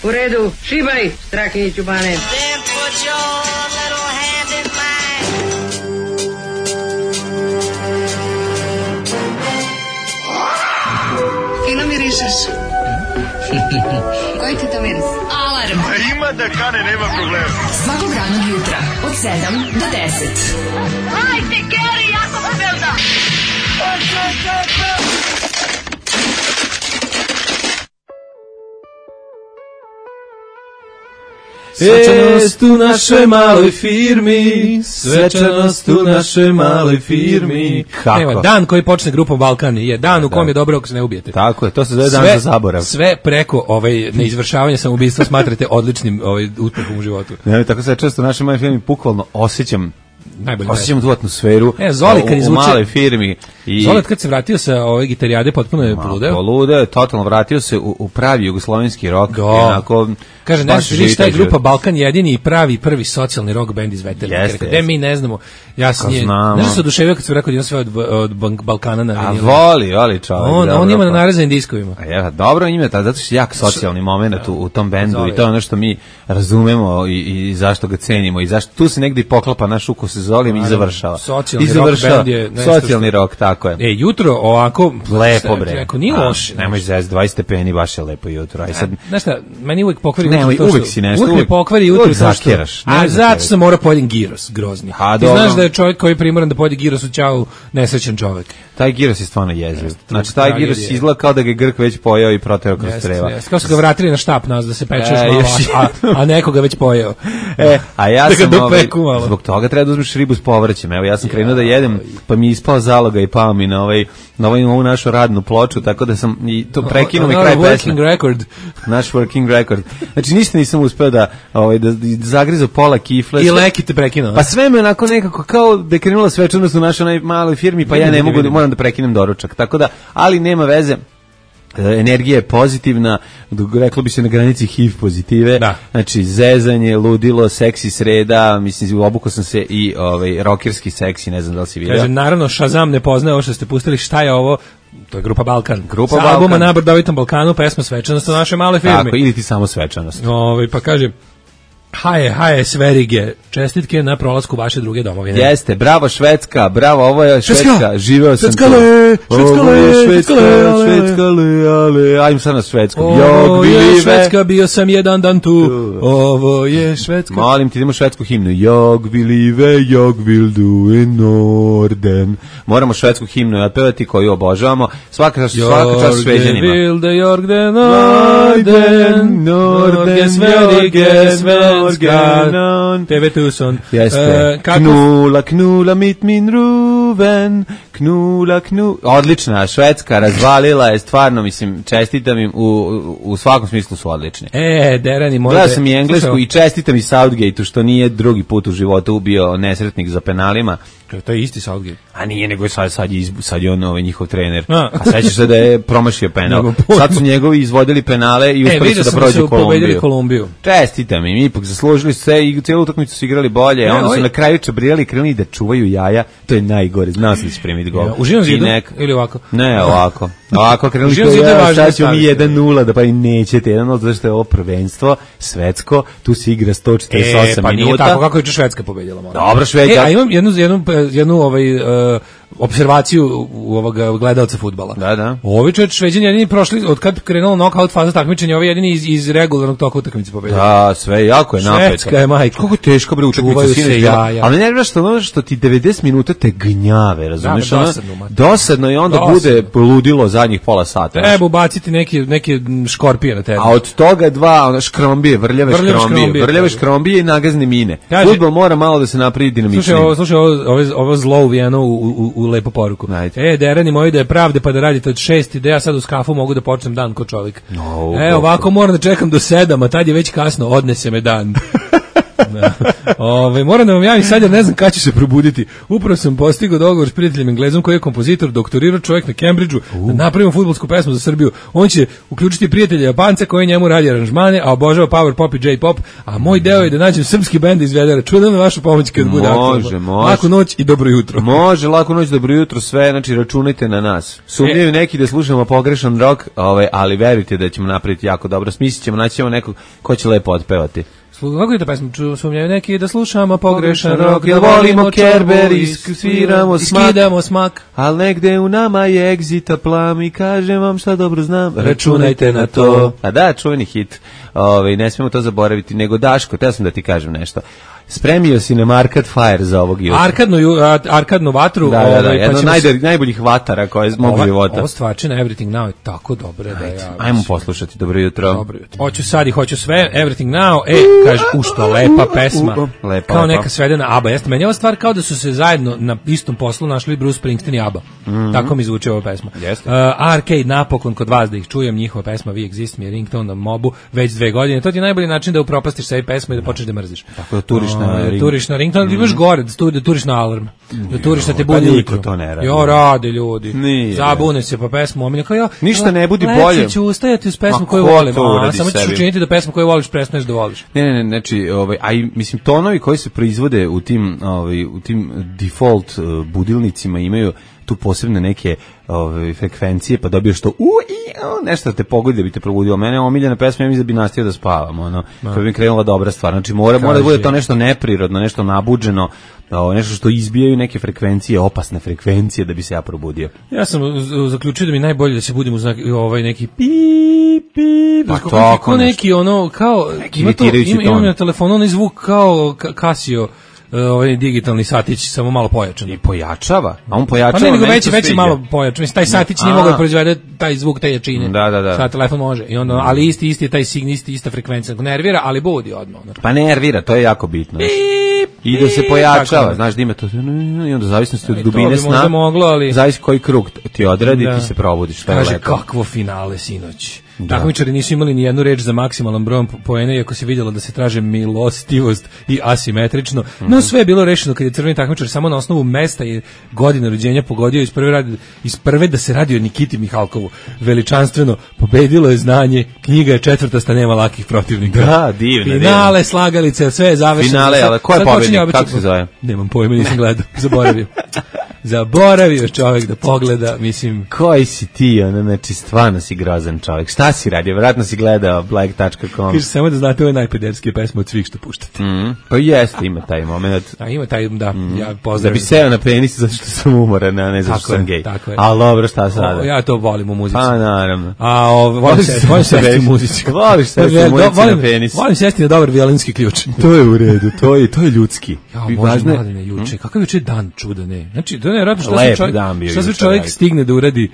U redu, šibaj, Strahinjiću Bane. Then put your little hand in mine. Fino mirišeš. Koji ti to miris? Alarm. Ima da kane, nema problema. Svakog radnog jutra od 7 do 10. Hajde, Geri, jako se velda. Svečanost u našoj maloj firmi, svečanost u našoj maloj firmi. Kako? Evo, dan koji počne grupom Balkan je dan u kom je dobro ako se ne ubijete. Tako je, to se zove dan za zaborav. Sve preko neizvršavanja samoubistva smatrate odličnim uspehom u životu. Ne, tako se često u našoj maloj firmi bukvalno osjećam tu atmosferu u maloj firmi. Zolat kad se vratio sa ove gitarijade potpuno je poludeo. Poludeo je, totalno vratio se u pravi jugoslovenski rock. Kaže, ne znaš šta je grupa Balkan jedini i pravi prvi socijalni rock band iz Veternika. Gde mi ne znamo, ja s njim. Znaš da se oduševio kad se rekao da ima sve od Balkana na vinil. A voli čovjek. On ima na narezanim diskovima. Dobro ima, zato što je jak socijalni moment u tom bendu i to je ono što mi razumemo i zašto ga cenimo i zašto tu se negdje poklapa naš ukus se Zolijem i završava. Socijalni rock, tako je. Jutro ovako lepo bre. Nije loše. Nemoj zez 20 stepeni, baš je lepo jutro. Aj sad, znaš šta, meni uvek pokvari uvek si nešto. Uvek me pokvari jutro zakeraš. A zato sam mora pojedin giros, grozni. Ti znaš da je čovjek koji je primoran da pojede giros u ćao nesrećan čovjek. Taj giros je stvarno jeziv. Znači taj giros izgleda kao da ga Grk već pojeo i proterao kroz creva. Kao su ga vratili na štap nas da se pečeš malo, a neko ga već pojeo. A ja sam zbog toga treba da uzmeš ribu s povrćem. Evo ja sam krenuo da jedem, pa mi ispao zaloga i pao mi na ovu našu radnu ploču, tako da sam i to prekinuo mi kraj pesme. Naš working record. Znači ništa nisam uspeo da zagrizo pola kifle. I leki te prekinuo. Pa sve me onako nekako kao da je krenula svečanost u našoj maloj firmi, pa ja ne mogu, moram da prekinem doručak. Tako da, ali nema veze. Energija je pozitivna, reklo bi se na granici HIV pozitive, znači zezanje, ludilo, seksi sreda, mislim, obukao sam se i rockerski seksi, ne znam da li si vidio. Kaže, naravno, Shazam ne poznaje ovo što ste pustili, šta je ovo? To je grupa Balkan. Sa albuma Na brdovitom Balkanu, pesma Svečanost u našoj maloj firmi. Tako, ili ti samo svečanost. Pa kaže, haje, Sverige, čestitke na prolasku vaše druge domovine. Jeste, bravo Švedska, bravo, ovo je Švedska, živeo sam tu. Švedskale, ale, ajmo sad na Švedsku. Ovo je Švedska, bio sam jedan dan tu, ovo je Švedska. Molim ti, idemo švedsku himnu. Jag vill du i Norden. Moramo švedsku himnu otpevati koju obožavamo. Svaka čast Šveđanima. Jag vill de Norden, Sverige, TV Tucson. Knula mit min ruven, knula. Odlična, Švedska razvalila je, stvarno, mislim, čestitam im, u svakom smislu su odlični. Derani, gledao sam i englesku i čestitam i Southgate-u, što nije drugi put u životu ubio nesretnik za penalima. To je isti Southgate. A nije, nego je sad je on njihov trener. A sećaš se da je promašio penal. Sad su njegovi izvodili penale i uspeli su da prođu Kolumbiju. Čestitam im, ipak zaslužili se i cijelu utakmicu su igrali bolje. Onda su na kraju čabrijali i krenuli da čuvaju jaja. To je najgore, znao sam da će primiti gol. U Živom zidu ili ovako? Ne, ovako. Ovako krenuli kao ja, sad ću mi 1-0, da pa i nećete 1-0, zato što je ovo prvenstvo svetsko, tu se igra 148 minuta. Pa nije tako, kako je Švedska pobedila. Dobro, Švedska. A imam jednu observaciju ovoga gledalca fudbala. Da. Ovi Šveđani jedini prošli, od kad krenulo knockout faza takmičenja, ovi jedini iz regularnog toka utakmice pobedili. Da, sve jako je napeto. Švedska je majka. Kako je teško bre utakmica sinoć bila. Ali ne znaš što ti 90 minuta te gnjave, razumeš? Dosadno i onda bude ludilo zadnjih pola sata. Treba ubaciti neke škorpije na tebe. A od toga dva škrombije, vrljave škrombije i nagazne mine. Fudbal mora malo da se napravi dinamičnije. Slušaj, ovo zlo uvijeno u lepu poruku. Derani moji da je pravde pa da radite od 6 da ja sad u skafu mogu da počnem dan ko čovjek. Ovako moram da čekam do 7, a tad je već kasno, odnese me dan. Moram da vam javim sad, jer ne znam kada ću se probuditi. Upravo sam postigao dogovor s prijateljem Englezom koji je kompozitor, doktorirao čovjek na Cambridgeu, da napravimo fudbalsku pesmu za Srbiju. On će uključiti prijatelja Japanca koji njemu radi aranžmane, a obožava power pop i J-pop, a moj deo je da nađem srpski bend izvede. Računam na vašu pomoć kad bude može. Laku noć i dobro jutro. Može, laku noć, dobro jutro, sve, znači računajte na nas. Sumnjaju neki da slušamo pogrešan rock, ali verujte da ćemo napraviti jako dobro. Smislit ćemo, naći ćemo nekog ko će lepo otpevati. Kako je to pesma? Sumnjaju neki da slušamo pogrešan rock, da volimo Kerber i sviramo smak, skidamo smak. Al negde u nama je egzita plam i kažem vam šta dobro znam. Računajte na to. A da, čuveni hit. Ne smemo to zaboraviti, nego Daško, teo sam da ti kažem nešto. Spremio si nam Arcade Fire za ovog jutra. Arkadnu vatru. Da, jedno najboljih vatara koje je iz mog života. Ovo stvarčina Everything Now je tako dobra da ja... Ajmo poslušati, dobro jutro. Dobro jutro. Hoću sad i hoću sve, Everything Now, kaže, što lepa pesma. Lepa, kao neka svedena ABBA. Jeste, meni je ova stvar kao da su se zajedno na istom poslu našli Bruce Springsteen i ABBA. Tako mi zvuči ova pesma. Arcade, napokon kod vas da ih čujem, njihova pesma We Exist mi je ringtone na mobu već 2 godine. To ti je najbolji način da upropastiš sebi pesmu i da počneš da mrziš. Tako da turiš na ringtone, imaš gore, da turiš na alarm, da turiš da te budi niko to ne radi. Jo, rade ljudi. Zabune se pa pesmu, omilja kao ja. Ništa ne budi bolje. Leći ću ustajati uz pesmu koju volim, samo ćeš učiniti da pesmu koju voliš prestaneš da voliš. Ne, znači, mislim, tonovi koji se proizvode u tim default budilnicima imaju tu posebne neke frekvencije, pa dobiješ to nešto da te pogodi da bi te probudilo. Mene omiljena pesma, ja mislim da bi nastavio da spavam, kad bi krenula dobra stvar. Znači, mora da bude to nešto neprirodno, nešto nabuđeno, nešto što izbijaju neke frekvencije, opasne frekvencije da bi se ja probudio. Ja sam zaključio da mi najbolje da se budim uz neki pip, pa tako neki kao ima na telefonu onaj zvuk kao Casio, ovaj digitalni satić, samo malo pojačan. I pojačava? A on pojačava? Pa ne, nego već malo pojačan. Mislim, taj satić nije mogao da proizvede taj zvuk, te jačine. Da. Sad telefon može. I onda, ali isti je taj signal, ista frekvencija. Nervira, ali budi odmah. Pa nervira, to je jako bitno. I da se pojačava, znaš da ima to, i onda zavisnosti od dubine sna, zavisi koji krug ti odradi, ti se probudiš. Kaže, kakvo finale sinoć. Takmičari nisu imali ni jednu reč za maksimalan broj poena, iako se vidjelo da se traže milostivost i asimetrično. No sve je bilo rešeno kad je crveni takmičar samo na osnovu mesta i godine rođenja pogodio iz prve da se radi o Nikiti Mihalkovu. Veličanstveno pobedilo je znanje, knjiga je 4. nema lakih protivnika. Da, divno. Finale, slagalice, sve je završeno. Finale, ali ko je pobednik? Kako se zove? Nemam pojma, nisam gledao, zaboravio čovjek da pogleda, mislim... Koji si ti, znači stvarno si grozan čovjek. Šta si radio? Vjerojatno si gledao black.com. Kaže, samo da znate, ovo je najpederskije pesma od svih što puštate. Pa jeste, ima taj moment. A ima taj, da, ja pozdravim. Da bi seo na penis zato što sam umoran, a ne zato što sam gej. Tako je. Ali dobro, šta sada? Ja to volim u muzici. Pa naravno. A volim sesti u muzici. Voliš sesti u muzici na penis. Volim sesti na dobar violinski ključ. To je u redu, to je ljudski. Ja, možda mladine juče. Kakav juče dan čudane. Znači, to ne radi što se čovjek stigne da uradi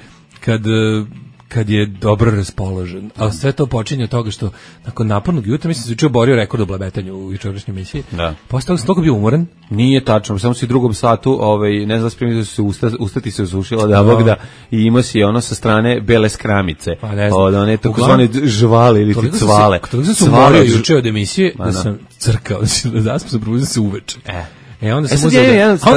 kad je dobro raspoložen. A sve to počinje od toga što nakon napornog jutra, mislim, se juče oborio rekord u blabetanju u jučerašnjoj emisiji. Da. Posle toga sam toliko bio umoran. Nije tačno, samo si u drugom satu, ne znam, spremio da su se ustati se osušila da Bog da, i imao si ono sa strane bele skramice. Pa ne znam. Od one takozvane žvale ili ti cvale. Toliko sam se umorio juče od emisije da sam crkao, da sam se probudio se uveče. Onda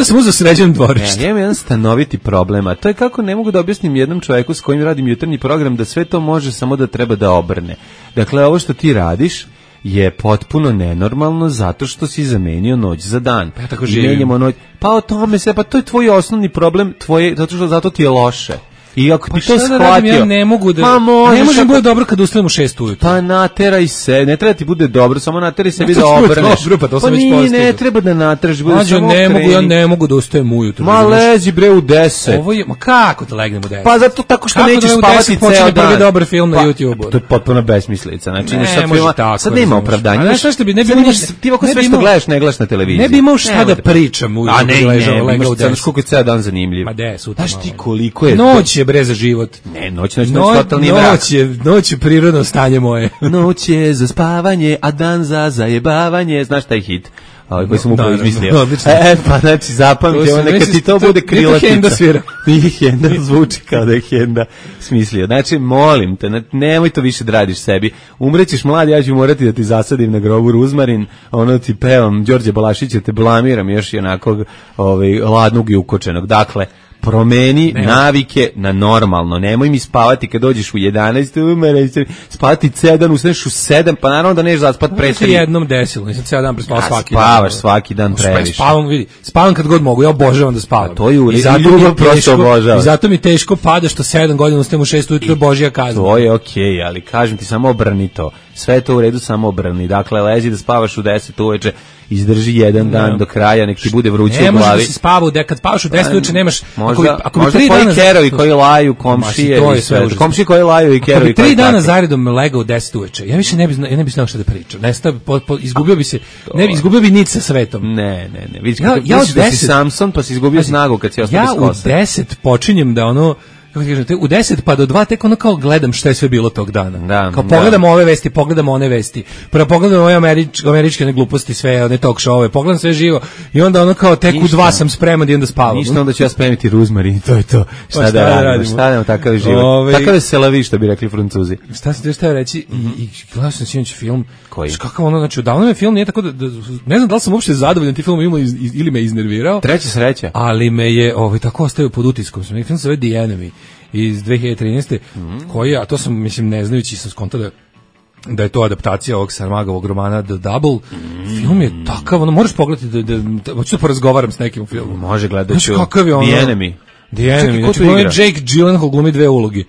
sam uzeo sređen dvorište. Ja imam jedan stanoviti problem, a to je kako ne mogu da objasnim jednom čovjeku s kojim radim jutarnji program da sve to može, samo da treba da obrne. Dakle, ovo što ti radiš je potpuno nenormalno zato što si zamenio noć za dan. Pa ja tako živim. Pa o tome se, pa to je tvoj osnovni problem, zato ti je loše. I ako ti to shvatio, ja ne mogu da ne može bude dobro kad ustanem u 6 ujutru. Pa nateraj se, ne treba ti bude dobro, samo nateraj sebi da obrneš. Pa ne treba da nateraš, bude samo ja ne mogu da ustajem ujutru. Ma lezi bre u 10. Ovo je, ma kako da legnem u 10? Pa zato tako što nećeš spavati ceo dan. Prvi dobar film na YouTubeu. To je potpuno besmislica. Znači sad nema opravdanja. A šta bi ne bi ti ako sve što gledaš ne gledaš na televiziji. Ne bi imao šta da pričam ujutru. A ne, imaš koliko je ceo dan zanimljiv. Ma de, sutra. Znaš ti koliko je bre za život. Ne, noć totalni mrak. Noć je prirodno stanje moje. Noć je za spavanje, a dan za zajebavanje. Znaš taj hit? koji sam upravo izmislio. Odlično. Pa znači zapamti, ovo neka ti to bude krilatica. Henda svira. Nije Henda, zvuči kao da je Henda smislio. Znači, molim te, nemoj to više da radiš sebi. Umrećeš mlad, ja ću morati da ti zasadim na grobu ruzmarin, ono ti pevam, Đorđe Balašića te blamiram još i onakog ladnog i ukočenog. Dakle, promeni navike na normalno. Nemoj mi spavati kad dođeš u 11, spavati 7, ustaneš u 7, pa naravno da neš zaspat pre 3. Jednom desilo, nisam cijel dan prespavao svaki dan. Spavaš svaki dan previše. Spavam kad god mogu, ja obožavam da spavam. A to je ljubav prosto obožava. I zato mi teško pada što 7 godina ustajem u 6 ujutro, Božja kazna. To je okej, ali kažem ti, samo obrni to. Sve je to u redu, samo obrni. Dakle, lezi da spavaš u 10 uveče, izdrži jedan dan do kraja, nek ti bude vruće u glavi. Ne možeš da si spavao, kad spavaš u 10 uveče nemaš... Možda koji kerovi koji laju, komšije i sve. Komšije koji laju i kerovi koji 3 dana zaredom legao u 10 uveče, ja više ne bi znao šta da pričam. Izgubio bi se, izgubio bi nic sa svetom. Ne. Vidiš, ja od 10 si Samson, pa si izgubio snagu kad si ostao bez kose. Ja u 10 počinjem da ono... Kako ti kažem, u 10 pa do 2 tek ono kao gledam šta je sve bilo tog dana. Kao pogledam ove vesti, pogledam one vesti. Prvo pogledam ove američke gluposti, sve one talk show-ove, pogledam sve živo i onda ono kao tek u 2 sam spreman da idem da spavam. Ništa, onda ću ja spremiti ruzmarin, to je to. Šta da radimo? Šta da takav je život? Takav je selavi, što bi rekli Francuzi. Šta sam te reći i gledao sam sinoć film. Koji? Kakav ono, znači odavno me film nije tako da ne znam da li sam uopšte zadovoljan tim filmom ili me iznervirao. Treća sreća. Ali me je tako ostavio pod utiskom. Film se zove The Enemy iz 2013. koji, a to sam, mislim, ne znajući sam skontao da je to adaptacija ovog Saramagovog romana The Double. Film je takav, ono, možeš pogledati hoću da porazgovaram s nekim u filmu. Može, gledat ću. Kakav je ono? The Enemy. The Enemy, znači ono je Jake Gyllenhaal glumi 2 uloge.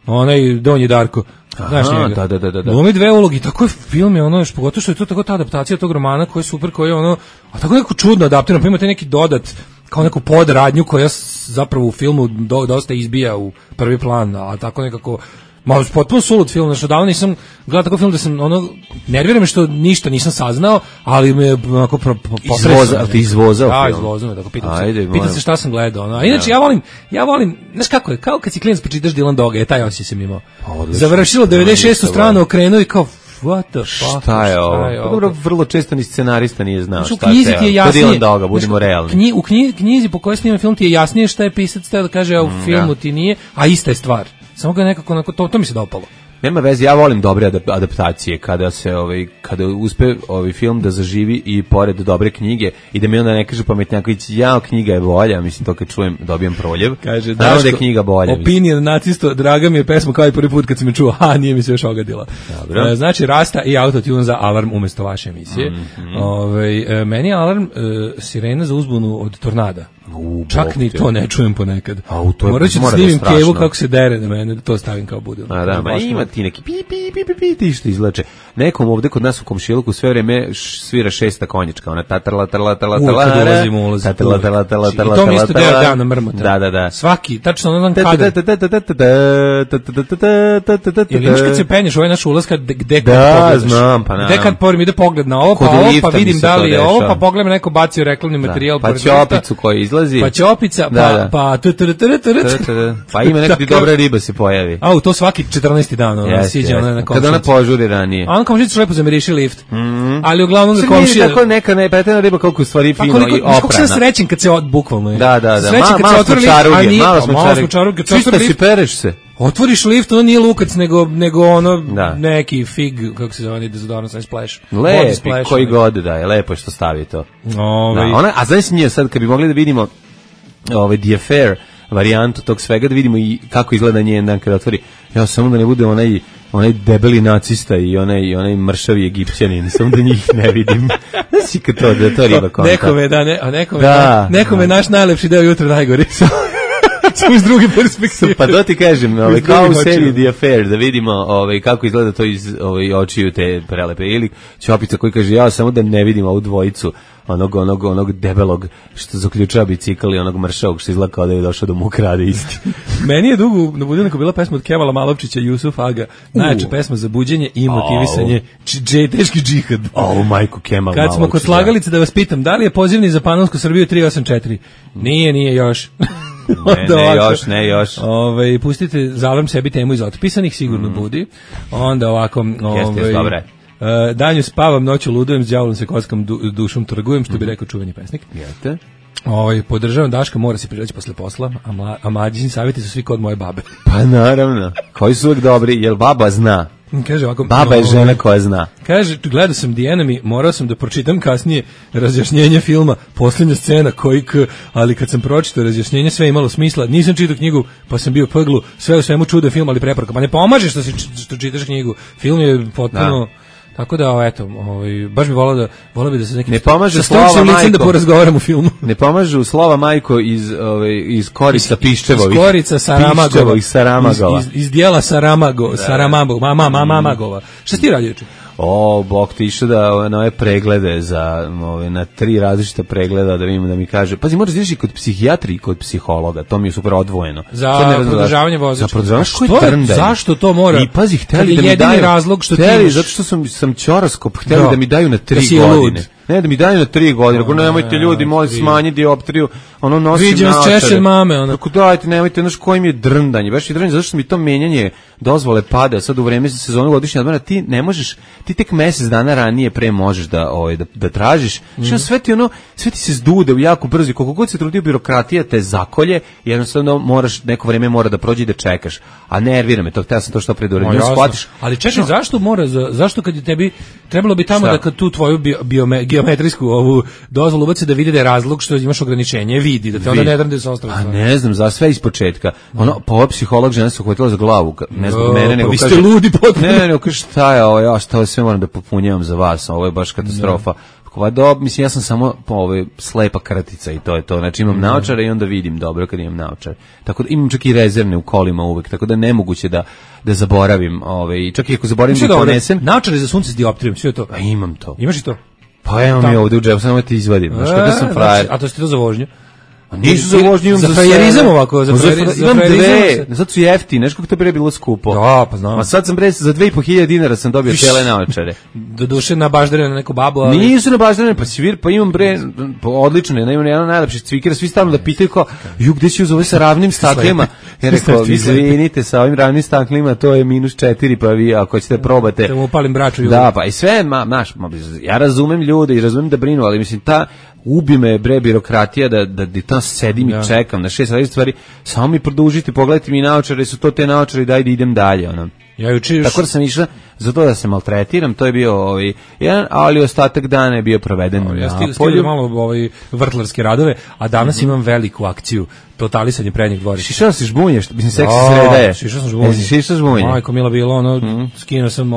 Onaj Donji Darko. Znaš njega? Da. Glumi 2 uloge, tako je film je ono, pogotovo što je to tako ta adaptacija tog romana koja je super, koja je ono, a tako neko čudno adaptirano, pa imate neki dodat, kao neku podradnju koja zapravo u filmu dosta izbija u prvi plan, a tako nekako malo potpuno sulud film, znači odavno nisam gledao tako film da sam ono, nervira me što ništa nisam saznao, ali me onako potresao. Ti izvozao film? Da, izvozao me, tako pitam se šta sam gledao. Ono. A inače, ja volim, znaš kako je, kao kad si klinac pročitaš Dylan Doga, taj osjećaj sam imao. Završilo 96. stranu, okrenuo i kao, what the fuck? Šta je ovo? Pa dobro, vrlo često ni scenarista nije znao šta je. Kod Dylan Doga, budimo realni. U knjizi po kojoj snima film ti je jasnije šta je pisac teo da kaže, a u filmu ti nije, a ista je stvar. Samo ga nekako to mi se dopalo. Nema veze, ja volim dobre adaptacije kada se kada uspe film da zaživi i pored dobre knjige i da mi onda ne kaže pametnjaković, knjiga je bolja, mislim to kad čujem dobijem proljev. Kaže da je knjiga bolja. Opinion nacisto, draga mi je pesma kao i prvi put kad sam je čuo, nije mi se još ogadila. Znači Rasta i Autotune za alarm umesto vaše emisije. Meni je alarm sirena za uzbunu od tornada. Čak ni to ne čujem ponekad. Morat ću da snimim Kevu kako se dere na mene, da to stavim kao budil. Ima ti neki pi što izlače. Nekom ovde kod nas u komšiluku sve vreme svira 6. konjička, ona tatrla. Kad ulazimo. I to mi isto deo dana mrmota. Da. Svaki, tačno onaj kadar. Ili imaš kad se penješ, ovaj naš ulaz gde kad pogledaš. Da, znam, pa naravno. Gde kad porim, ide pogled na ovo, pa vidim da li je ovo, pa pogledam neko bacio reklamni materijal. Pa ćopicu koji izlazi. Pa ćopica, pa ima nekakva dobra riba se pojavi. To svaki 14. dan siđe ona na komšicu. Kada ona požuri ranije. A on komšicu lepo zamiriši lift. Ali uglavnom ga komšija... Tako neka nepretena riba koliko u stvari fino i oprana. Kako sam srećen kad se bukvalno je. Da. Malo smo čaruge. Čista si, pereš se. Otvoriš lift, ono nije lukac, nego ono neki fig, kako se zove, dezodorant sa splash. Lepi, koji god da je, lepo što stavi to. A znaš s njih sad, kad bi mogli da vidimo The Affair varijantu tog svega, da vidimo i kako izgleda njen dan kada otvori. Ja samo da ne bude onaj debeli nacista i onaj mršavi Egipćanin, samo da njih ne vidim. Znači kad to riba konta. Nekome naš najlepši deo jutra najgori. Samo iz druge perspektive. Pa da ti kažem, kao u seriji The Affair, da vidimo kako izgleda to iz očiju te prelepe. Ili Ćopica koji kaže, ja samo da ne vidim ovu dvojicu, onog debelog što zaključava bicikl i onog mršavog što izgleda kao da je došao da mu krade isti. Meni je dugo na budilniku bila pesma od Kevala Malovčića, Jusuf Aga, najjača pesma za buđenje i motivisanje, teški džihad. Majku Kemal Kad smo kod slagalice, da vas pitam, da li je pozivni za Panonsku Srbiju 384? Nije još. Ne još. Pustite za alarm sebi temu iz otpisanih, sigurno budi. Onda ovako... Jeste, dobre. Danju spavam, noću ludujem, s đavolom se kockam, dušom trgujem, što bi rekao čuveni pesnik. Jeste. Podržavam Daška, mora se prireći posle posla, a mlađi savjeti su svi kod moje babe. Pa naravno, koji su uvijek dobri, jer baba zna. Kaže ovako, baba je žena koja zna. Kaže, gledao sam The Enemy, morao sam da pročitam kasnije razjašnjenje filma, posljednja scena ali kad sam pročitao razjašnjenje sve imalo smisla, nisam čitao knjigu, pa sam bio pglu, sve u svemu čudo film, ali preporuka. Pa ne pomaže što čitaš knjigu, film je potpuno... Da. Tako da, eto, baš bi volao bi da se neki... Ne pomaže slova majko. Da porazgovaram u filmu. Ne pomažu slova majko iz korica Piščevovih. Iz korica Saramagova. Iz dijela Saramagova. Šta si ti radio juče? Bog ti išao na ove preglede na 3 različita pregleda da vidimo da mi kaže. Pazi, moraš da ideš i kod psihijatri i kod psihologa, to mi je super odvojeno. Za produžavanje vozačke. Za produžavanje, zašto to mora? I pazi, hteli da mi daju razlog što ti imaš. Zato što sam ćoraskop, hteli da mi daju na 3 godine. Ne, da mi daju na 3 godine. Ako nemojte ljudi, molim smanji dioptriju, nosim vidim češće mame. Tako dajte, nemojte, znaš kojim je drndanje. Baš je drndanje, zato što mi to menjanje dozvole pada sad u vreme sezonu godišnje odmora. Ti ne možeš, ti tek mesec dana ranije pre možeš da tražiš. Što sve ti se zdude u jako brzo. Koliko god se trudi birokratija te zakolje, jednostavno neko vreme mora da prođe i da čekaš. A nervira me to, htio sam to što pre da shvatiš. Ali čekaj, zašto kad je tebi trebalo bi tamo da kad tu tvoju geometrijsku ovu dozvolu ubaci da vidi da je razlog što imaš ograničenje, vidi da te onda ne drnde sa ostalo. A ne znam, za sve ispočetka. Pa psiholog žena se uhvatila za glavu, ne zbog mene, nego kaže... Pa vi ste ludi potpuno. Ne, kaže šta je ovo, šta sve moram da popunjavam za vas, ovo je baš katastrofa. Mislim, ja sam samo slepa kratica i to je to. Znači imam naočare i onda vidim dobro kad imam naočare. Tako da imam čak i rezervne u kolima uvek, tako da nemoguće da zaboravim. Čak i ako zaboravim da ponesem... Naočare za sunce s dioptrijom, sve to. A imam to. Imaš i to? Pa evo mi ovde u džepu, samo ti izvadim. Znaš kako sam frajer. A to si ti to za vožnju? Nisu za vožnju, imam za frajerizam ovako, imam dve, zato su jeftine, znaš kako to pre bilo skupo. Da, pa znam. A sad sam za 2.500 dinara sam dobio cele naočare. Do duše nabaždarene na neku babu, ali... Nisu nabaždarene, pa imam odlično, imam jedan najlepši cvikera, svi stalno da pitaju kao, gde si uzove sa ravnim staklima? Ja rekao, izvinite, sa ovim ravnim staklima to je -4, pa vi ako ćete probate. Da mu upalim braču. Da, pa i sve, ja razumem ljude i razumem da brinu, ali mislim, ubi me birokratija da tamo sedim i čekam na 6 različitih stvari, samo mi produžite, pogledajte mi naočare, su to te naočare, daj da idem dalje, Tako da sam išla za to da se maltretiram, to je bio jedan, ali ostatak dana je bio proveden na polju. Malo vrtlarske radove, a danas imam veliku akciju, totalisanje prednjeg dvorišta. Šišao si žbunješ, mislim seksi sreda je. Šišao žbunje. Majko mila bilo, skinuo sam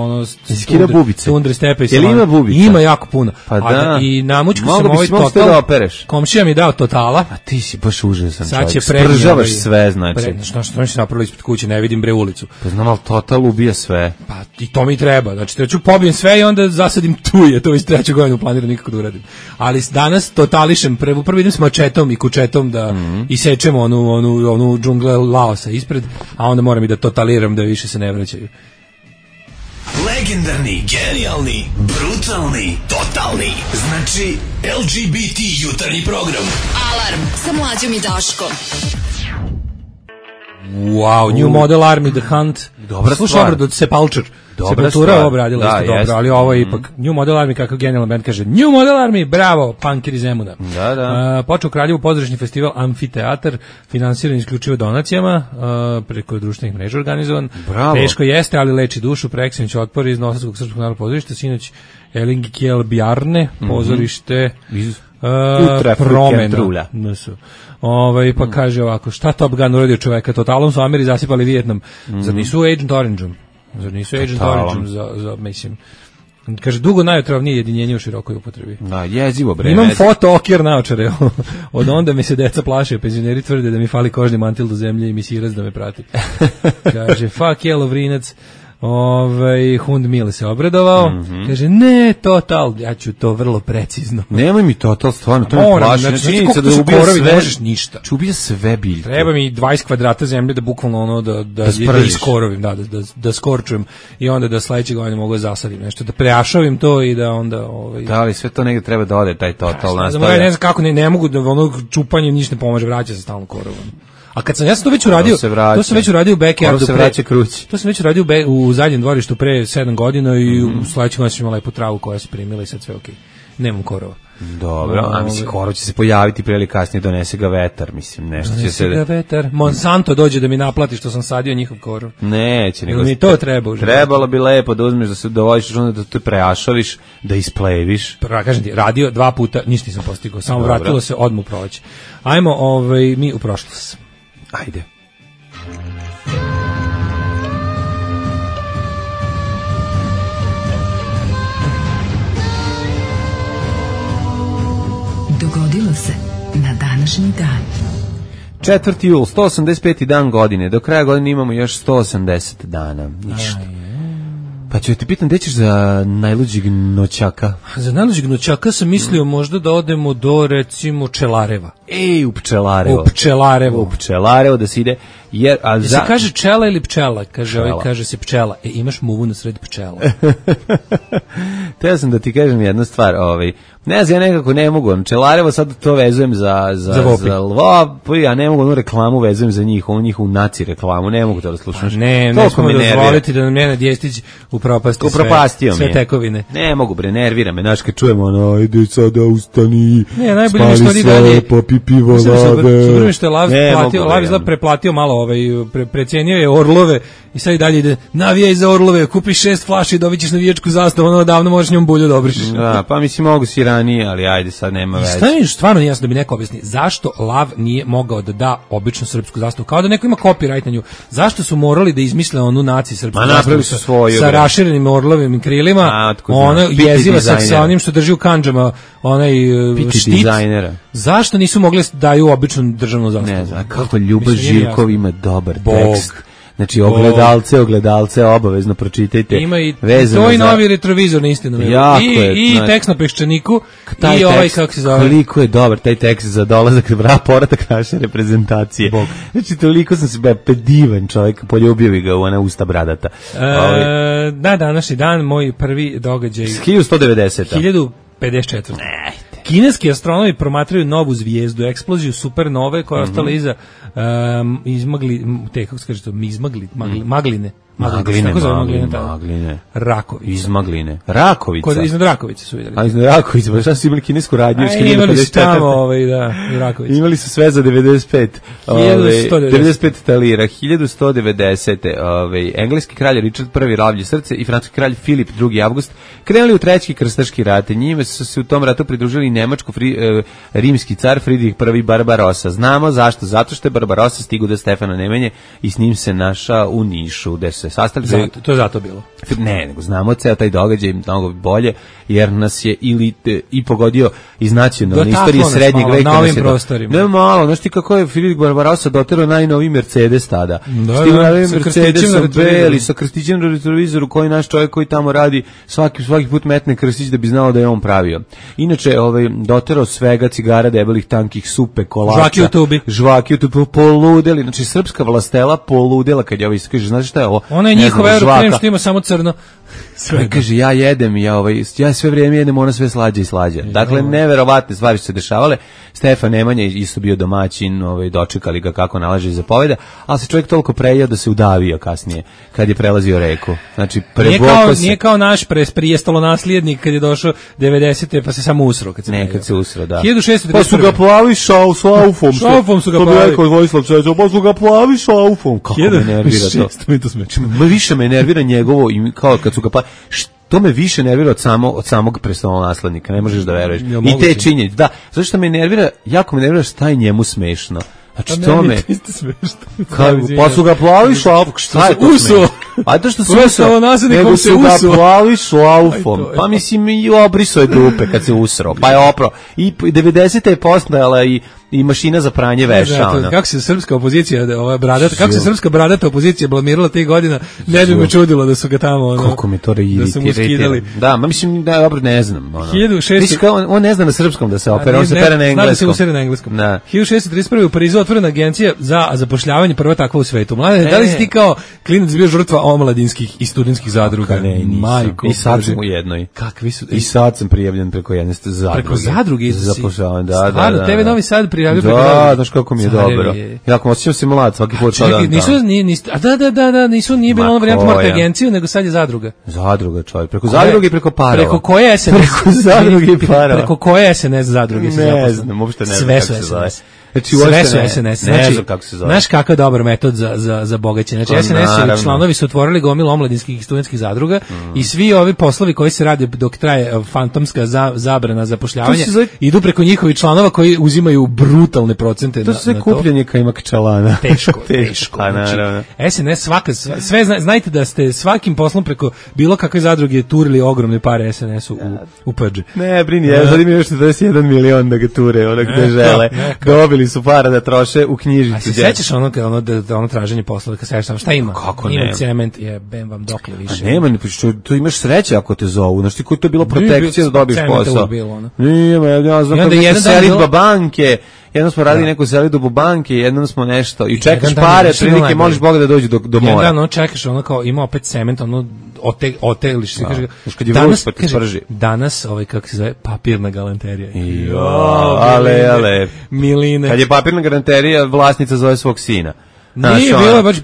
skida bubice. Tundre stepe. Jel ima bubica? Ima jako puno. Pa da. I namučku sam total. Komšija mi dao totala. A ti si baš užasan čovjek. Spržavaš sve, znači. Što se napravilo ispred kuće, ne vidim ulicu. Pa znam, ali total ubija sve. Pa i to mi treba. Znači, treću pobijem sve i onda zasadim tuje. To iz 3. godinu planiram nikako da uradim. Ali danas totališem. Prvo idem s mačetom i kučetom da isečem onu džungle Laosa ispred, a onda moram i da totaliram da više se ne vraćaju. Legendarni, genijalni, brutalni, totalni. Znači, LGBT jutarnji program. Alarm sa Mlađom i Daškom. Wow, New Model Army, The Hunt. Dobra slušaj obradu od Sepultura. Sepultura obradila isto dobro, ali ovo je ipak New Model Army, kako genijalan band kaže. New Model Army, bravo, punkeri Zemuna. Da. Počeo u Kraljevu pozorišni festival Amfiteatar, finansiran isključivo donacijama, preko društvenih mreža organizovan. Bravo. Teško jeste, ali leči dušu, preksinoć otpor iz Novosadskog srpskog narodnog pozorišta, sinoć Elingikjel Bjarne, pozorište Promena. Pa kaže ovako, šta Top Gun uradio čoveka? Totalom su Ameri zasipali Vijetnam. Zar nisu Agent Orange-om? Mislim, kaže, dugo najotrovnije jedinjenje u širokoj upotrebi. Da, jezivo bre. Imam foto-okjer naočare. Od onda mi se deca plaše, penzioneri tvrde da mi fali kožni mantil do zemlje i misirac da me prati. Kaže, fuck je Lovrinac. Hund Mile se obradovao, kaže, ne, total, ja ću to vrlo precizno. Nemoj mi total, stvarno, to mi plaši. Znači, činjenica da ubija sve, možeš ništa. Ubija sve biljke. Treba mi 20 kvadrata zemlje da bukvalno da iskorovim, da skorčujem i onda da sledeće godine mogu da zasadim nešto, da preašavim to i da onda... Da, ali sve to negde treba da ode, taj total nastavlja. Ne znam kako, ne mogu da čupanje ništa ne pomaže, vraća se stalno korovom. A kad sam ja sam to već uradio, to sam već uradio u backyardu. Se vraća kruć. To sam već uradio u zadnjem dvorištu pre 7 godina i u sledećem godinu ćemo lepu travu koja se primila i sad sve okej. Nemam korova. Dobro, a mislim korov će se pojaviti pre ili kasnije, donese ga vetar, mislim, nešto će se... Donese ga vetar, Monsanto dođe da mi naplati što sam sadio njihov korov. Neće, nego... Mi to treba. Trebalo bi lepo da uzmeš, da se dovodiš, da te preašaviš, da ispleviš. Kažem ti, radio 2 puta, ništa nisam postigao, samo vratilo se odmah u proleće. Ajmo mi u prošlost. Ajde. Dogodilo se na današnji dan. 4. jul, 185. dan godine. Do kraja godine imamo još 180 dana. Ništa. Pa ću te pitam, gde ćeš za najluđeg noćaka? Za najluđeg noćaka sam mislio možda da odemo do, recimo, Čelareva. U Pčelarevo. U Pčelarevo da se ide. Jer, se kaže čela ili pčela? Kaže se pčela. Imaš muvu na sred pčela. Teo sam da ti kažem jednu stvar. Ne znam, ja nekako ne mogu. Čelarevo sad to vezujem za Lvopi, ja ne mogu onu reklamu vezujem za njihovu naci reklamu. Ne mogu to da slušam. Ne smemo dozvoliti da nam Nenad Djestić upropastio sve tekovine. Ne mogu, nervira me. Znaš, kad čujemo, ide sada ustani, spali sve, popi pivo, lave. Super mi što je Lav izgleda preplatio malo, precijenio je Orlove i sad i dalje ide, navijaj za Orlove, kupi 6 flaši i dobit ćeš navijačku zastavu, davno možeš njom bulju da obrišeš. Da, pa mislim mogu si ranije, ali ajde, sad nema veze. Šta mi stvarno nije jasno da bi neko objasni, zašto Lav nije mogao da da običnu srpsku zastavu, kao da neko ima copyright na nju, zašto su morali da izmisle onu naci srpsku zastavu sa raširenim orlovim krilima, ona jeziva sa onim što drži u kandžama, onaj štit, dizajnera. Zašto nisu mogli da daju običnu državnu zastavu? Ne znam, kako Ljuba Živkov ima dobar tekst. Znači, ogledalce obavezno pročitajte. Ima i to i novi retrovizor na istinu. I tekst na Peščaniku i ovaj, kako se zove. Koliko je dobar taj tekst za dolazak, povratak naše reprezentacije. Znači, toliko sam se divan čovjek, poljubio bi ga u ona usta bradata. Da, današnji dan, moj prvi događaj. 1190. 1054. Kineski astronomi promatraju novu zvijezdu, eksploziju supernove koja je ostala iza magline. Rakovica. Iz Magline. Rakovica. Iznad Rakovice su vidjeli. A iznad Rakovice, pa šta su imali kinesku radnju? Imali su tamo, Rakovica. Imali su sve za 95. 95 talira. 1190. Engleski kralj Richard I. lavlje srce i francuski kralj Filip II. Avgust krenuli u treći krstaški rat. Njime su se u tom ratu pridružili nemačko-rimski car Fridrih I. Barbarossa. Znamo zašto? Zato što je Barbarossa stigao do Stefana Nemanje i s njim se našao u Nišu, gde se sastali. To je zato bilo. Ne, nego znamo ceo taj događaj mnogo bolje, jer nas je i pogodio iz nacionalne istorije srednjeg veka. Na ovim prostorima. Ne malo, znaš ti kako je Filip Barbarossa doterao najnoviji Mercedes tada. Mercedes beli, sa krstićem na retrovizoru, koji naš čovjek koji tamo radi svaki put metne krstić da bi znao da je on pravio. Inače, doterao svega, cigara, debelih, tankih, supe, kolača. Žvaki u tubi. Poludeli. Znači, srpska vlastela poludela kad je ovo iskaže. Znaš šta je ovo? Ona je njihova Eurokrem što ima samo crno. Sve kaže, ja jedem, ja sve vrijeme jedem, ona sve slađa i slađa. Dakle, neverovatne stvari su se dešavale. Stefan Nemanja isto bio domaćin, dočekali ga kako nalaže i zapoveda, ali se čovjek toliko prejao da se udavio kasnije, kad je prelazio reku. Znači, nije kao naš prijestalo nasljednik kad je došao 90. pa se samo usro. Kad se usro, da. 1631. Pa su ga plavi šaufom. Šaufom su ga plavi. To bi rekao Vojislav Čeđo, pa su ga plavi šaufom. Kako me nervira to. Više me nervira njegovo, kao kad su ga plavi. To me više nervira od samog prestolonaslednika, ne možeš da veruješ. I te činjenice, da, zato što me nervira, jako me nervira šta je njemu smešno. Znači to me... Pa su ga plavi šlaufom, šta je to smešno? A to što su usro, nego su ga plavi šlaufom. Pa mislim i obrisao je dupe kad se usro, pa je opro. I 90. je postojala i mašina za pranje veša. Kako se srpska opozicija, kako se srpska bradata opozicija blamirala tih godina, ne bi me čudilo da su ga tamo... Kako mi to iritira. Da, mislim da dobro ne znam. On ne zna na srpskom da se opera, on se pere na engleskom. Zna da se usere na engleskom. 1631. u Parizu otvorena agencija za zapošljavanje, prva takva u svetu. Mlade, da li si ti kao klinac bio žrtva omladinskih i studentskih zadruga. Majko, i sad sam u jednoj. Kakvi su? I sad sam prijavljen preko jedne zadruge. Preko zadruge za zapošljavanje, da. Stvarno, TV Novi Sad prijavio preko zadruge. Da, znaš kako mi je dobro. Jako osjećam se mlad svaki put. Čekaj, nije bilo ono varijanta morate agenciju, nego sad je zadruga. Zadruga, čovjek. Preko zadruge i preko parova. Preko koje SNS? Preko zadruge i parova. Preko koje SNS zadruge? Ne znam, uopšte ne znam kako se zove. Znači, sve su SNS. Znači, znaš kakav dobar metod za bogaćenje. Znači, SNS članovi su otvorili gomilu omladinskih i studentskih zadruga i svi ovi poslovi koji se rade dok traje fantomska zabrana zapošljavanja idu preko njihovih članova koji uzimaju brutalne procente to. To su sve kupljenje kajmak čalana. Teško. Znači, SNS sve znajte da ste svakim poslom preko bilo kakve zadruge turili ogromne pare SNS-u u PG. Ne, brini, sad im još 41 milion da ga ture, ono gde žele. Dobili su para da troše u knjižicu. A se sećaš ono traženje posla, kad sećaš šta ima? Kako ima nema? Cement, bem vam dokle više. A nema, to imaš sreće ako te zovu. Znaš ti koji to je bilo protekcija da dobiješ posao. Nije, ja znam kako je selitba banke. Jednom smo radili neku selidbu banke, jednom smo nešto i čekaš pare, prilike moliš Boga da dođe do mora. Jedan čekaš kao ima opet cement, oteliš se, kaže kad je vruć pa ti sprži. Danas kako se zove papirna galanterija. Ale. Miline. Kad je papirna galanterija, vlasnica zove svog sina. Nije bilo baš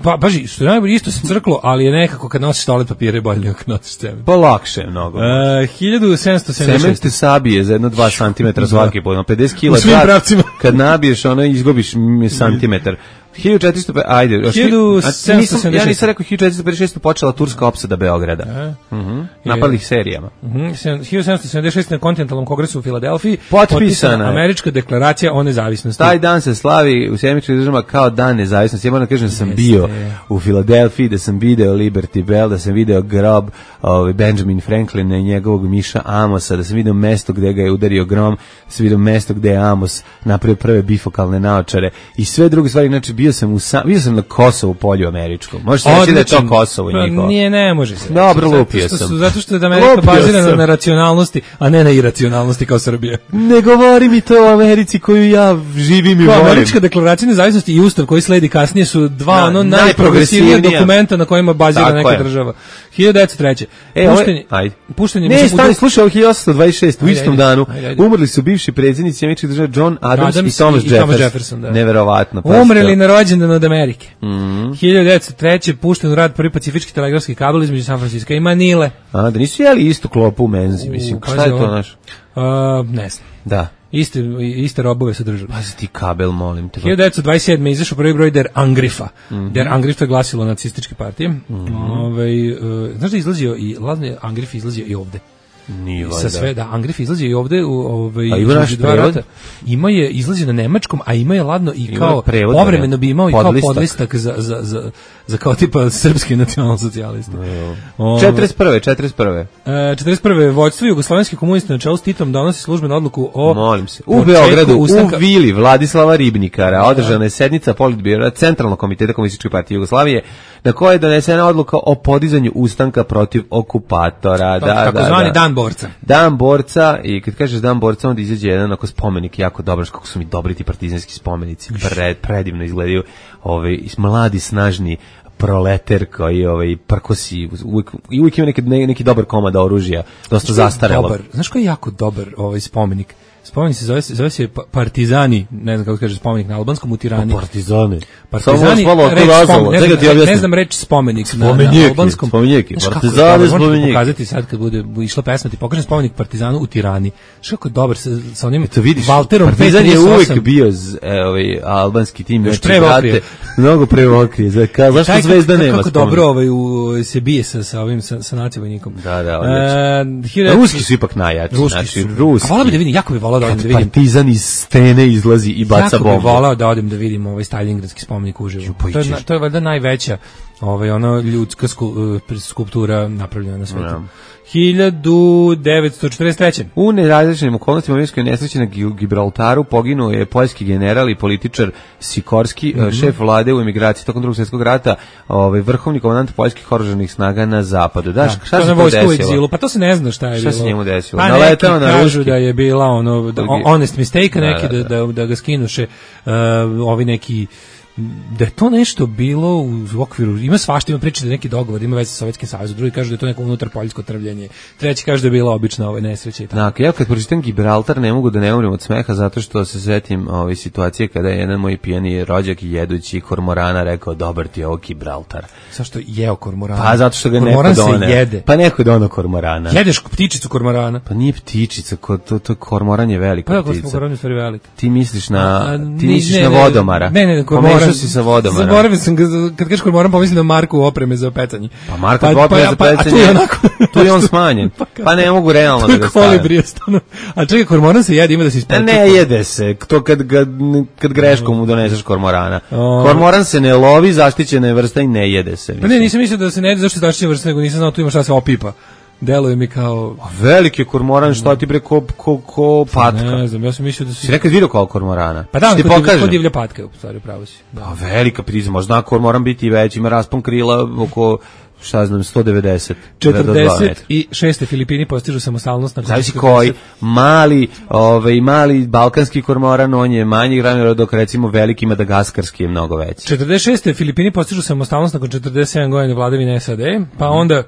što je najbolje isto se crklo, ali je nekako kad nosiš toalet papira bolje nego kad nosiš cement. Pa lakše je mnogo. 1776. Cement te sabije za 1-2 cm svaki put, 50 kg. U svim pravcima. Kad nabiješ izgubiš centimetar. 1400, ajde, 1776. Ja nisam rekao 1456. počela turska opsada Beograda. Napali serijama. 1776. na kontinentalnom kongresu u Filadelfiji potpisana američka deklaracija o nezavisnosti. Taj dan se slavi u Sjemičkih državama kao dan nezavisnosti. Ja moram da kažem da sam bio u Filadelfiji, da sam video Liberty Bell, da sam video grob Benjamin Franklina i njegovog miša Amosa, da sam video mesto gde ga je udario grom, da sam video mesto gde je Amos napravio prve bifokalne naočare i sve druge stvari. Znači bio sam na Kosovu polju američkom. Može se reći da je to Kosovo njihovo. Nije, ne može se. Dobro, lupio sam. Zato što je Amerika bazirana na racionalnosti, a ne na iracionalnosti kao Srbija. Ne govori mi to o Americi koju ja živim i volim. Američka deklaracija nezavisnosti i ustav koji sledi kasnije su dva najprogresivnija dokumenta na kojima bazira neka država. 1903. Puštenje. Ne, stani, slušaj, ovo 1826, u istom danu, umrli su bivši predsjednici američkih država John Adams i Thomas Jefferson. Neverovatno. Umrli na rođendan od Amerike. 1903. pušten u rad prvi pacifički telegrafski kabel između San Francisco i Manile. Da nisu jeli istu klopu u menzi, mislim. Šta je to naš? Ne znam. Da. Iste robove su držali. Pazi ti kabel, molim te. 1927. izašao prvi broj Der Angrifa. Der Angriff je glasilo nacističke partije. Znaš da izlazio i Ladni Angrif izlazio i ovde. Nije sa sve da Angrif izlazi i ovde u dva rata. Ima je izlazi na nemačkom, a ima je ladno i kao povremeno bi imao i kao podlistak za kao tipa srpski nacionalsocijalista. 41. Vođstvo jugoslovenskih komunista na čelu s Titom donosi službenu odluku o molim se u Beogradu u vili Vladislava Ribnikara održana je sednica Politbira Centralnog komiteta Komunističke partije Jugoslavije na kojoj je donesena odluka o podizanju ustanka protiv okupatora. Takozvani Dan borca. Dan borca i kad kažeš Dan borca onda izađe jedan onako spomenik jako dobar, kako su mi dobri ti partizanski spomenici, predivno izgledaju, mladi snažni proleter koji prkosi uvijek ima neki dobar komad oružja, dosta zastarelo. Znaš koji je jako dobar spomenik? Spomenik se zove se Partizani, ne znam kako kaže spomenik na albanskom u Tirani. Partizani, ne znam reč spomenik na albanskom. Partizani, spomenik. Pokazati sad kad bude išla pesma, ti pokažem spomenik Partizanu u Tirani. Što je dobar sa onim Valterom. Partizan je uvek bio albanski tim, mnogo prevokrije. Zašto Zvezda nema? Kako dobro se bije sa ovim sa nacivojnikom. Da, ruski su ipak najjači. A volao bi da vidim, jako bi volao da odem da vidim. Partizan iz stene izlazi i baca bombu. Jako bi volao da odem da vidim ovaj Staljingradski spomenik uživo. To je valjda najveća ljudska skulptura napravljena na svetu. 1943. U nerazličnim okolnostima minskoj nesreći na Gibraltaru poginuo je poljski general i političar Sikorski, šef vlade u emigraciji tokom Drugog svjetskog rata, vrhovni komandant poljskih oružanih snaga na zapadu. Šta se desilo? Pa to se ne zna šta je bilo. Šta se njemu desilo? Pa neki kažu da je bila honest mistake, neki da ga skinuše ovi neki da je to nešto bilo u okviru, ima svašta, ima priče da je neki dogovor, ima veze sa Sovjetskim savezom, drugi kažu da je to neko unutar poljsko trvljenje, treći kaže da je bila obična nesreća i tako. Dakle, ja kad pročitam Gibraltar ne mogu da ne umrem od smeha zato što se setim ove situacije kada je jedan moj pijani rođak jedući kormorana rekao dobar ti je ovo Gibraltar. Zašto jeo kormorana? Pa zato što ga kormoran neko done. Se jede. Pa neko dono kormorana. Jedeš ptičicu kormorana? Pa nije ptičica, to kormoran je velika ptica. ptica. Kormoran je stvari velika. Ti misliš na vodomara. Ne, pomešao si sa vodomara. Zaboravio sam kad kažeš kormoran pomislim na Marku opreme za pecanje. Pa Marka opreme za pecanje. Tu je on smanjen. Pa ne mogu realno da ga stavim. Kolibri stano. A čekaj, kormoran se jede, ima da se ispeče. Ne jede se. To kad greškom mu doneseš kormorana. Kormoran se ne lovi, zaštićena je vrsta i ne jede se. Pa ne, nisam mislio da se ne jede zašto je zaštićena vrsta, nego nisam znao tu ima šta se opipa. Deluje mi kao... Veliki kormoran, šta ti bre ko patka? Ne znam, ja sam mislio da si nekad vidio kao kormorana? Pa da, kod divlja patka, u stvari, pravo si. Da. Pa velika prizma, možda kormoran biti i veći, ima raspon krila oko... šta znam, 190. 46. Filipini postižu samostalnost. Zavisi koji, mali balkanski kormoran, on je manji granula, dok recimo veliki madagaskarski je mnogo veći. 46. Filipini postižu samostalnost nakon 47 godina vladavine SAD, pa onda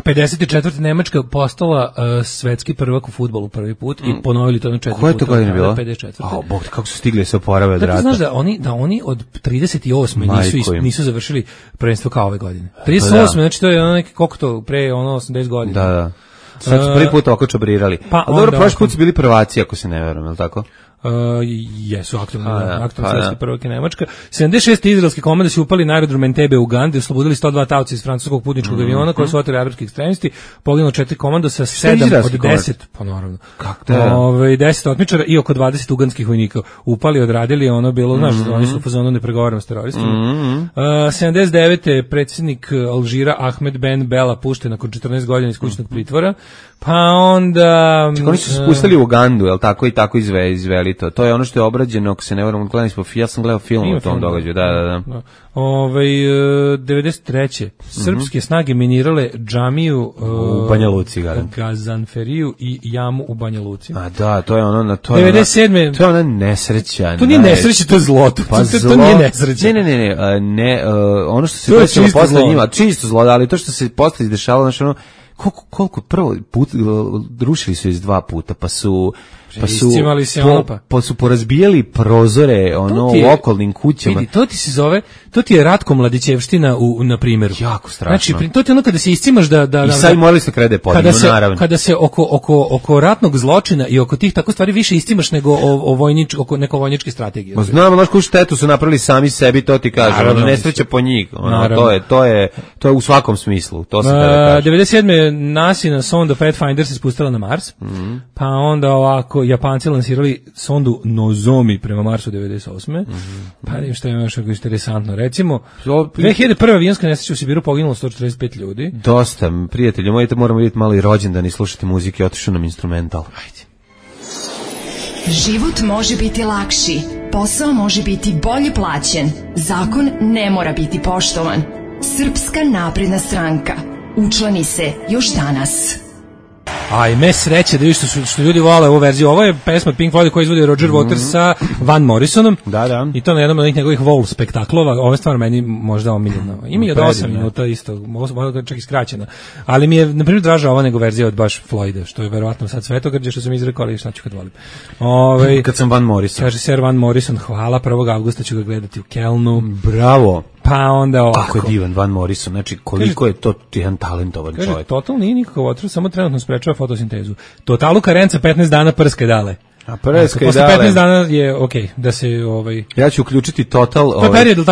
54. Nemačka postala svetski prvak u fudbalu prvi put i ponovili to na 4 puta. Koja je to godina bila? 54. Bog, kako su stigli se oporave od rata. Znaš da oni od 38. nisu završili prvenstvo kao ove godine. 38. Znači to je ono neki, koliko to, pre 80 godina. Da. Sad su prvi put oko čabrirali. Pa dobro, prošli put su bili prvaci, ako se ne verujem, je li tako? Jesu aktualni svetski prvak je Nemačka. 76. izraelske komande su upali na aerodrom Entebbe u Ugandi, oslobodili 102 taoca iz francuskog putničkog aviona koji su oteli arapski ekstremisti, poginulo 4 komandosa, 7 od 10, pa naravno. 10 otmičara i oko 20 uganskih vojnika upali, odradili, ono bilo, znaš, oni su u fazonu ne pregovaramo s teroristima. 79. predsjednik Alžira Ahmed Ben Bella pušten nakon 14 godina iz kućnog pritvora. Pa onda... Oni su se spustili u Ugandu, jel tako, i tako izveli to. To je ono što je obrađeno, ako se ne varam, ja sam gledao film o tom događaju. Da. 93. Srpske snage minirale džamiju u Banja Luci, Gazanferiju i jamu u Banja Luci. A da, to je ono... 97. To je ona nesreća. To nije nesreća, to je zloto. Pa to nije nesreća. Ne, ono što se desilo posle njima, čisto zlo, ali to što se posle izdešavalo, znači ono, koliko prvo put rušili su iz 2 puta, pa su porazbijali prozore u okolnim kućama. Vidi, to ti se zove, to ti je Ratko Mladićevština na primjeru. Jako strašno. Znači, to ti je ono kada se iscimaš da i sad morali se krede podinu, naravno. Kada se oko ratnog zločina i oko tih tako stvari više istimaš nego oko neko vojničke strategije. Ma znamo, znaš koju štetu su napravili sami sebi, to ti kažem, nesreća po njih. To je u svakom smislu, to se kada kaže. 97. nasina sonda Pathfinder se spustila na Mars, pa onda ovako Japanci lansirali sondu Nozomi prema Marsu 98. Pa nijem što je još interesantno. Recimo, 2001. avionska nesreća u Sibiru poginulo 145 ljudi. Dosta, prijatelji, moramo vidjeti malo i rođendan i slušati muzike, otišao nam instrumental. Ajde. Život može biti lakši, posao može biti bolje plaćen, zakon ne mora biti poštovan. Srpska napredna stranka. Učlani se još danas. Ajme sreće da vidiš što ljudi vole ovu verziju. Ovo je pesma od Pink Floyd koju izvodi Roger Waters sa Van Morrisonom. Da. I to na jednom od njegovih Wall spektaklova. Ovo je stvar meni možda omiljena. Ima i od 8 minuta isto, možda čak i skraćena. Ali mi je, na primjer, draža ova nego verzija od baš Floyda, što je verovatno sad svetogrđe, što sam izrekao, ali šta ću kad volim. Kad sam Van Morrison. Kaže Sir Van Morrison, hvala, 1. avgusta ću ga gledati u Kelnu. Bravo. Pa onda ovako. Kako je divan Van Morrison, znači koliko je to jedan talentovan čovjek. Kaže, Total nije nikakav otrov, samo trenutno sprečava fotosintezu. Totalu karenca 15 dana prske dale. A prske posle 15 dana je okej, da se Ja ću uključiti Total,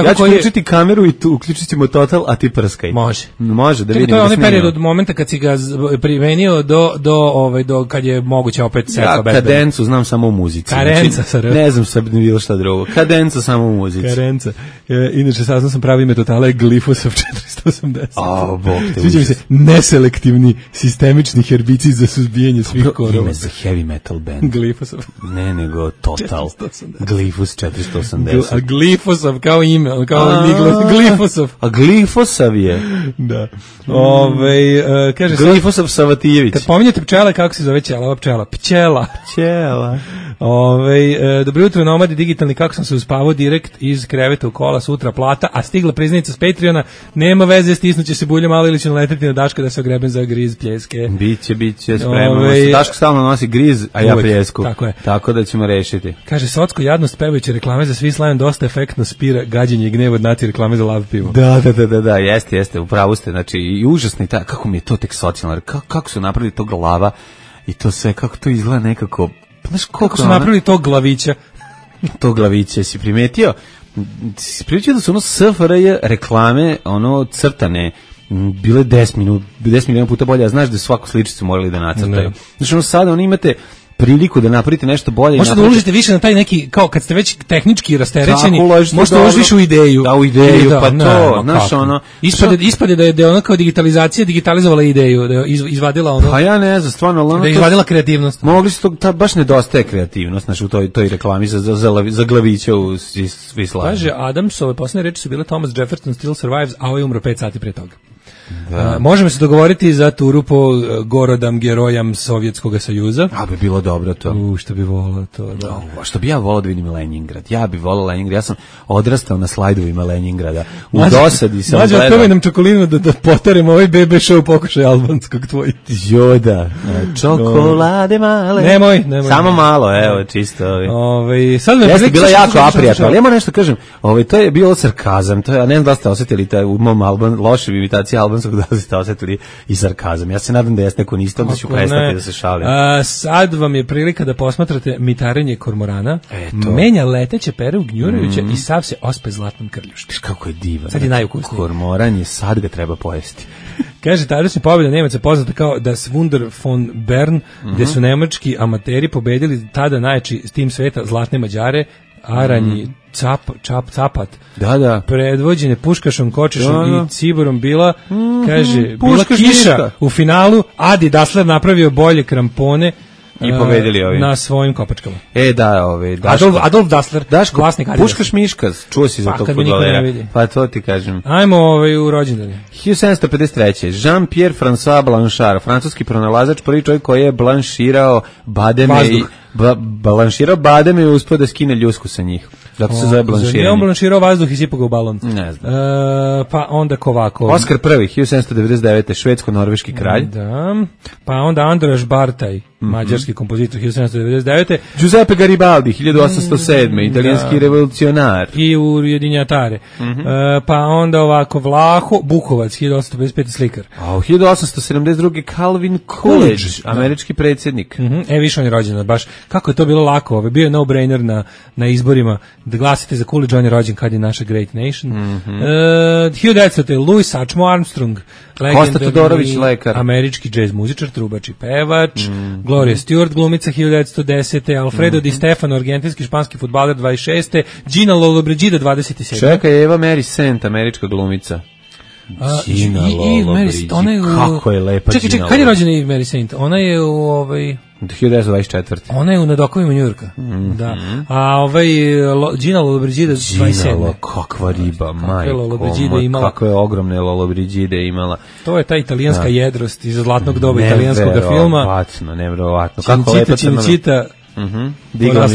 ja ću uključiti kameru i uključit ćemo Total, a ti prskaj. Može da vidimo. To je onaj period od momenta kad si ga primenio do kad je moguće opet setva bezbedno. Ja kadencu znam samo u muzici. Karenca, znači, ne znam sad bilo šta drugo. Kadenca samo u muzici. Karenca. Inače saznao sam pravo ime Totala je glifosat 480. Bog te. Sviđa mi se neselektivni sistemični herbicid za suzbijanje svih korova. Ime za heavy metal band. Glifosat. Ne, nego Total. 480. Glifos 480. A Glifosav kao ime, kao Glifosav. A Glifosav je. Da. Kaže Glifosav Savatijević. kad pominjete pčele, kako se zove ćela? Ova pčela. Pčela. Dobro jutro, nomadi digitalni, kako sam se uspavao direkt iz kreveta u kola, sutra plata, a stigla priznanica s Patreona, nema veze, stisnuće se bulje malo ili će naleteti na Daška da se ogreben za griz pljeske. Biće, spremamo se. Daško stalno nosi griz, a ja pljesku. Tako je. Tako da ćemo rešiti. Kaže, Socko jadnost pevajuće reklame za Swiss Lion dosta efektno spira gađenje i gnev od nati reklame za lav pivo. Da, jeste, upravo ste, znači, i užasno i kako mi je to tek socijalno, kako su napravili to glava i to sve, kako to izgleda nekako, znaš, kako su napravili tog glavića. To glaviće, si primetio da su SFRJ reklame, crtane, bile 10 milijuna puta bolje, a znaš da svaku sličicu morali da nacrtaju. Znači, sada imate priliku da napravite nešto bolje. Možete da uložite više na taj neki, kao kad ste već tehnički rasterećeni, možete da uložite više u ideju. Da, u ideju, pa to, znaš, Ispade da je ona kao digitalizacija digitalizovala ideju, da je izvadila ono. Pa ja ne znam, stvarno. Da je izvadila kreativnost. Mogli su to, baš nedostaje kreativnost, znaš, u toj reklami za glavića u Swiss Lion. Kaže, Adamsove posljednje reči su bile Thomas Jefferson still survives, a ovaj umro 5 sati pre toga. Možemo se dogovoriti za turu po gorodam, gerojam Sovjetskog Sajuza. A bi bilo dobro to. Što bi volao to, da. Što bi ja volao da vidim Leningrad. Ja bi volao Leningrad. Ja sam odrastao na slajdovima Leningrada. U dosadi sam gledao. Mađo, nam čokolinu da potarimo ovaj BB show pokušaj albanskog tvoj. Joda. Čokolade male. Nemoj. Samo malo, evo, čisto. Jeste bila jako aprijatno, ali ja moram nešto kažem. To je bio sarkazam. Ja ne znam da ste osjetili u mom lošoj imitaciji albanskog da ste osjetili i sarkazam. Ja se nadam da jeste, ako niste, onda ću prestati da se šalim. Sad vam je prilika da posmatrate mitarenje kormorana. Menja leteće pere u gnjurajuće i sav se ospe zlatnom krljušti. Kako je divan. Sad je najukusniji. Kormoran je, sad ga treba pojesti. Kaže, tadašnja pobjeda Nemaca poznata kao Das Wunder von Bern, gde su nemački amateri pobedili tada najjači tim sveta Zlatne Mađare, Aranji, Capat, predvođene Puškašom, Kočešom i Ciborom bila, kaže, bila kiša u finalu, Adi Dassler napravio bolje krampone i pobedili ovi na svojim kopačkama. Adolf Dassler, Daško, vlasnik Adidas. Puškaš Miškaz, čuo si za tog fudbalera. Pa to ti kažem. Ajmo u rođendane. 1753. Jean-Pierre François Blanchard, francuski pronalazač, prvi čovjek koji je blanširao bademe i uspio da skine ljusku sa njih. Zato se zove blanširanje. Je on blanširao vazduh i sipao ga u balon? Ne znam. Pa onda Kovako. Oskar I, 1799. švedsko-norveški kralj. Da. Pa onda Androš Bartaj, mađarski kompozitor, 1799. Giuseppe Garibaldi, 1807. Italijanski revolucionar. I ujedinjatare. Pa onda ovako Vlaho Bukovac, 1855. slikar. A u 1872. Calvin Coolidge, američki predsjednik. Više on je rođen, baš. Kako je to bilo lako, bio je no-brainer na izborima da glasite za Coolidge, on je rođen kad je naša Great Nation. 1900. Louis Satchmo Armstrong, Kosta Todorović, lekar, američki džez muzičar, trubač i pevač. Gloria Stewart, glumica, 1910. Alfredo Di Stefano, argentinski španski fudbaler, 26. Gina Lollobrigida, 27. Čekaj, Eva Mary Sant, američka glumica. Gina Lollobrigida, kako je lepa Gina. Čekaj, kad je rođena Eva Mary Sant? Ona je u 1924. Ona je u Nadokovima Njujorka. Da. A Gina Lollobrigida 27. Gina, kakva riba, majko, kakve ogromne Lollobrigide imala. To je ta italijanska jedrost iz zlatnog doba italijanskog filma. Nevjerovatno. Kako lepa crna. Čita. Digla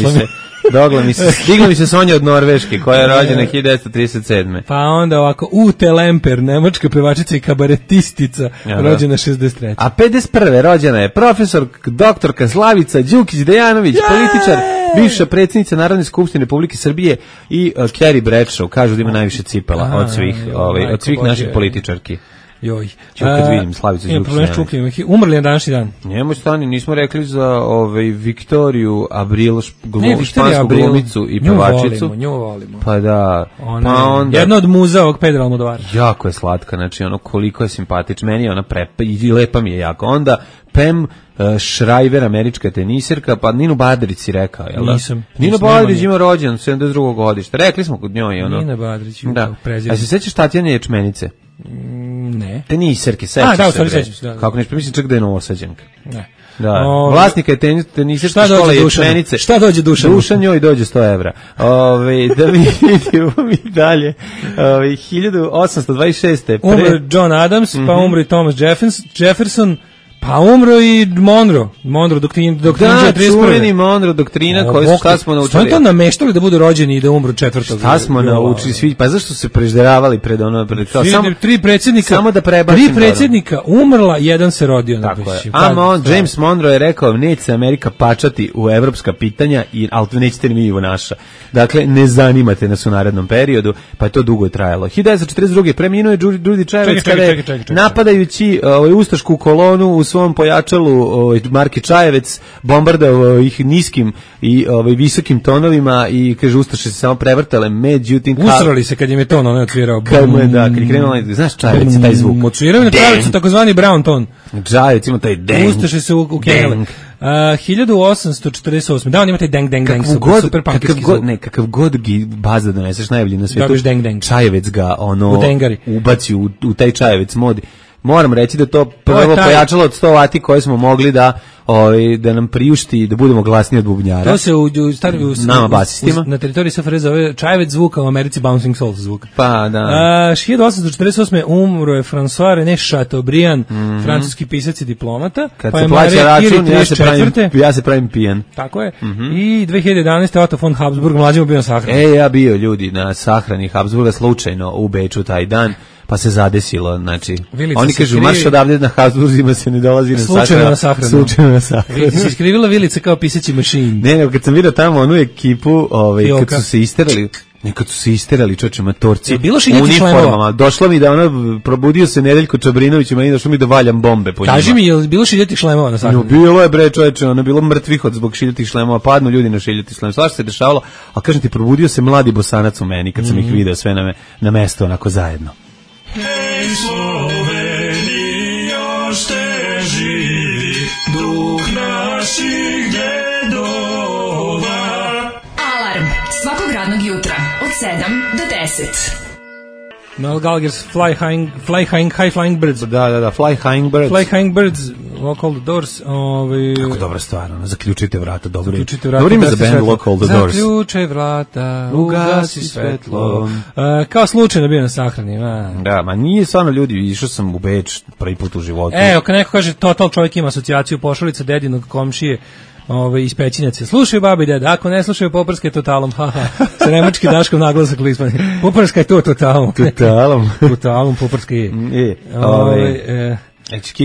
mi se Sonja od Norveške, koja je rođena 1937. Pa onda ovako, Ute Lemper, nemačka pevačica i kabaretistica, rođena 63. A 51. rođena je profesor, doktorka Slavica Đukić-Dejanović, političar, bivša predsjednica Narodne skupštine Republike Srbije i Carrie Bradshaw, kažu da ima najviše cipela od svih naših političarki. Joj. Kad vidim Slavicu Đukić. Umrli na današnji dan. Njemu stani, nismo rekli za Viktoriju Abril, špansku glumicu i pevačicu. Nju volimo. Pa da. Jedna od muza ovog Pedra Almodovara. Jako je slatka, znači koliko je simpatična. Meni je ona i lepa mi je jako. Onda Pam Shriver, američka tenisirka, pa Ninu Badrić si rekao, jel da? Nisam. Nino Badrić ima rođen, 72. godište. Rekli smo kod njoj. Nina Badrić, prezident. A se sećaš Tatjane Ječmenice? Ne. Teniserke, sećaš da, u se. stvari bre. sećam se, da. Kako nešto, mislim čak da je Novosađanka. Ne. Da, vlasnika je teniserske škole ječmenice. Šta dođe Dušan? Dušan njoj dođe 100 evra. Da vidimo mi dalje. 1826. Umro John Adams, pa umro i Thomas Jefferson, pa umro i Monroe, doktrina da, 31. čuveni Monroe doktrina koju šta smo naučili. Što je to nameštali da budu rođeni i da umru 4. Šta smo naučili svi? Pa zašto se prežderavali pred ono? Samo 3 predsjednika, samo da prebacim. 3 predsjednika umrla, jedan se rodio. Tako je. James Monroe je rekao, neće se Amerika pačati u evropska pitanja, ali nećete ni mi u naša. Dakle, ne zanimate nas u narednom periodu, pa je to dugo trajalo. 1942. preminuo je Đurđi Čajevec kada je napadajući ustašku kolonu u svom pojačalu marke Čajevec bombardovao ih niskim i visokim tonovima i kaže ustaše se samo prevrtale, međutim usrali se kad im je ton on odsvirao. Kad je krenuo, znaš Čajevec taj zvuk. Odsvirao na Čajevcu takozvani brown ton. Čajevec ima taj deng. Ustaše se ukenjale. 1848. Da, on ima taj deng super punkirski zvuk. Kakav god baza doneseš najbolji na svijetu. Čajevec ga ubaci u taj Čajevec modi. Moram reći da to prvo pojačalo od 100 vati koje smo mogli da nam priušti da budemo glasniji od bubnjara. To se nama basistima na teritoriji SFRJ zove Čajevec zvuk, a u Americi Bouncing Souls zvuk. Pa da. 1848. umro je François René Chateaubriand, francuski pisac i diplomata. Kad se plaća račun, ja se pravim pijan. Tako je. I 2011. Otto von Habsburg, mlađi bio na sahrani. Ja bio ljudi na sahrani Habsburga slučajno u Beču taj dan. Pa se zadesilo, znači, oni kažu, marš odavde na Habsburzima se ne dolazi na sahranu. Slučajno na sahranu. Vidi se iskrivila vilica kao pisaći mašin. Ne, kad sam vidio tamo onu ekipu, kad su se isterali, čoče, matorci, uniformama, došlo mi da probudio se Nedeljko Čabrinović i meni došlo mi da valjam bombe po njima. Kaži mi, je li bilo šiljatih šlemova na sahranu? Bilo je, bre, čoveče, ono je bilo mrtvih od zbog šiljatih šlemova, padnu ljudi na šiljatih šlemova, svašta se dešavalo, a kažem ti, probudio se mladi Bosanac u meni, kad sam ih video sve na mesto, onako zajedno. Hej Sloveni, još te živi duh naših dedova. Alarm svakog radnog jutra od 7 do 10. Noel Gallagher's High Flying Birds. Da, Fly High Birds. Lock All the Doors. Kako dobra stvar, zaključite vrata, dobro ime za band Lock All the Doors. Zaključaj vrata, ugasi svetlo. Kao slučajno bio na sahrani. Da, ma nije stvarno ljudi, išao sam u Beč prvi put u životu. Evo, kad neko kaže total čovjek ima asocijaciju pošalica dedinog komšije, iz Pećinjaca. Slušaju babi i deda, ako ne slušaju poprske totalom, sa nemački Daškom naglasak lispani. Poprska je to totalom. Totalom poprska je.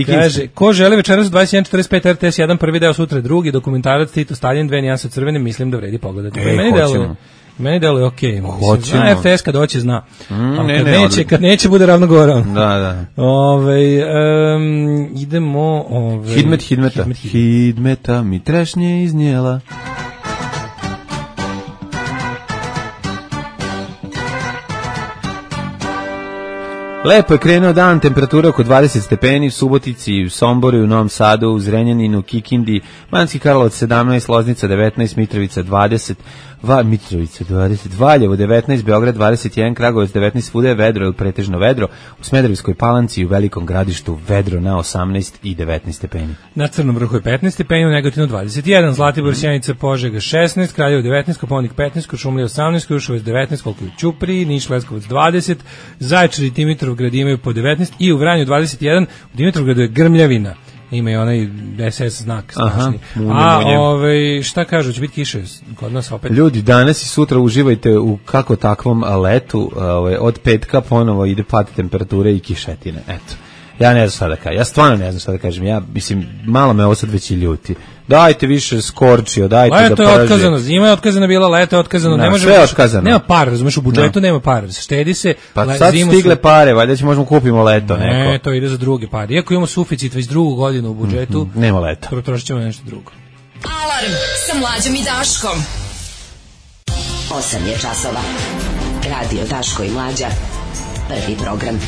Kaže, ko želi večeras u 21.45 RTS 1, prvi deo, sutra drugi, dokumentarac Tito Stalin, 2 nijanse crvene, mislim da vredi pogledati. Meni deluje okej. Zna RTS kad hoće, zna. Kad neće, bude ravno gore. Da. Idemo... Hidmeta mi trešnje iznijela. Lepo je krenuo dan, temperatura oko 20 stepeni, u Subotici, u Somboru, u Novom Sadu, u Zrenjaninu, Kikindi, Banatski Karlovac 17, Loznica 19, Mitrovica 20, Valjevo 19, Beograd 21, Kragujevac 19, svuda je vedro ili pretežno vedro, u Smederevskoj Palanci i u Velikom Gradištu vedro na 18 i 19 stepeni. Na Crnom Vrhu je 15 stepeni, u Negotinu 21, Zlatibor, Sjenica, Požega 16, Kraljevo 19, Kopaonik 15, Kuršumlija 18, Kruševac 19, koliko je u Ćupriji, Niš, Leskovac 20, Zaječar i Dimitrovgrad imaju po 19 i u Vranju 21, u Dimitrovgradu je grmljavina. Ima i onaj SS znak strašni. Šta kažu, će biti kiše kod nas opet? Ljudi, danas i sutra uživajte u kako takvom letu, od petka ponovo ide pad temperature i kišetine, eto. Ja ne znam šta da kažem, ja stvarno ne znam šta da kažem, ja mislim, malo me ovo sad već i ljuti. Dajte više skorčio, dajte da leto je otkazano, zima je otkazana bila, leto je otkazano, ne može. Sve je otkazano. Nema para, razumeš, u budžetu nema para, štedi se. Pa sad stigle pare, valjda će možemo kupimo leto neko. Ne, to ide za druge pare. Iako imamo suficit već drugu godinu u budžetu, nema leta. Potrošit ćemo nešto drugo. Alarm sa Mlađom i Daškom. 8 je časova. Radio Daško i Mlađa. Prvi program.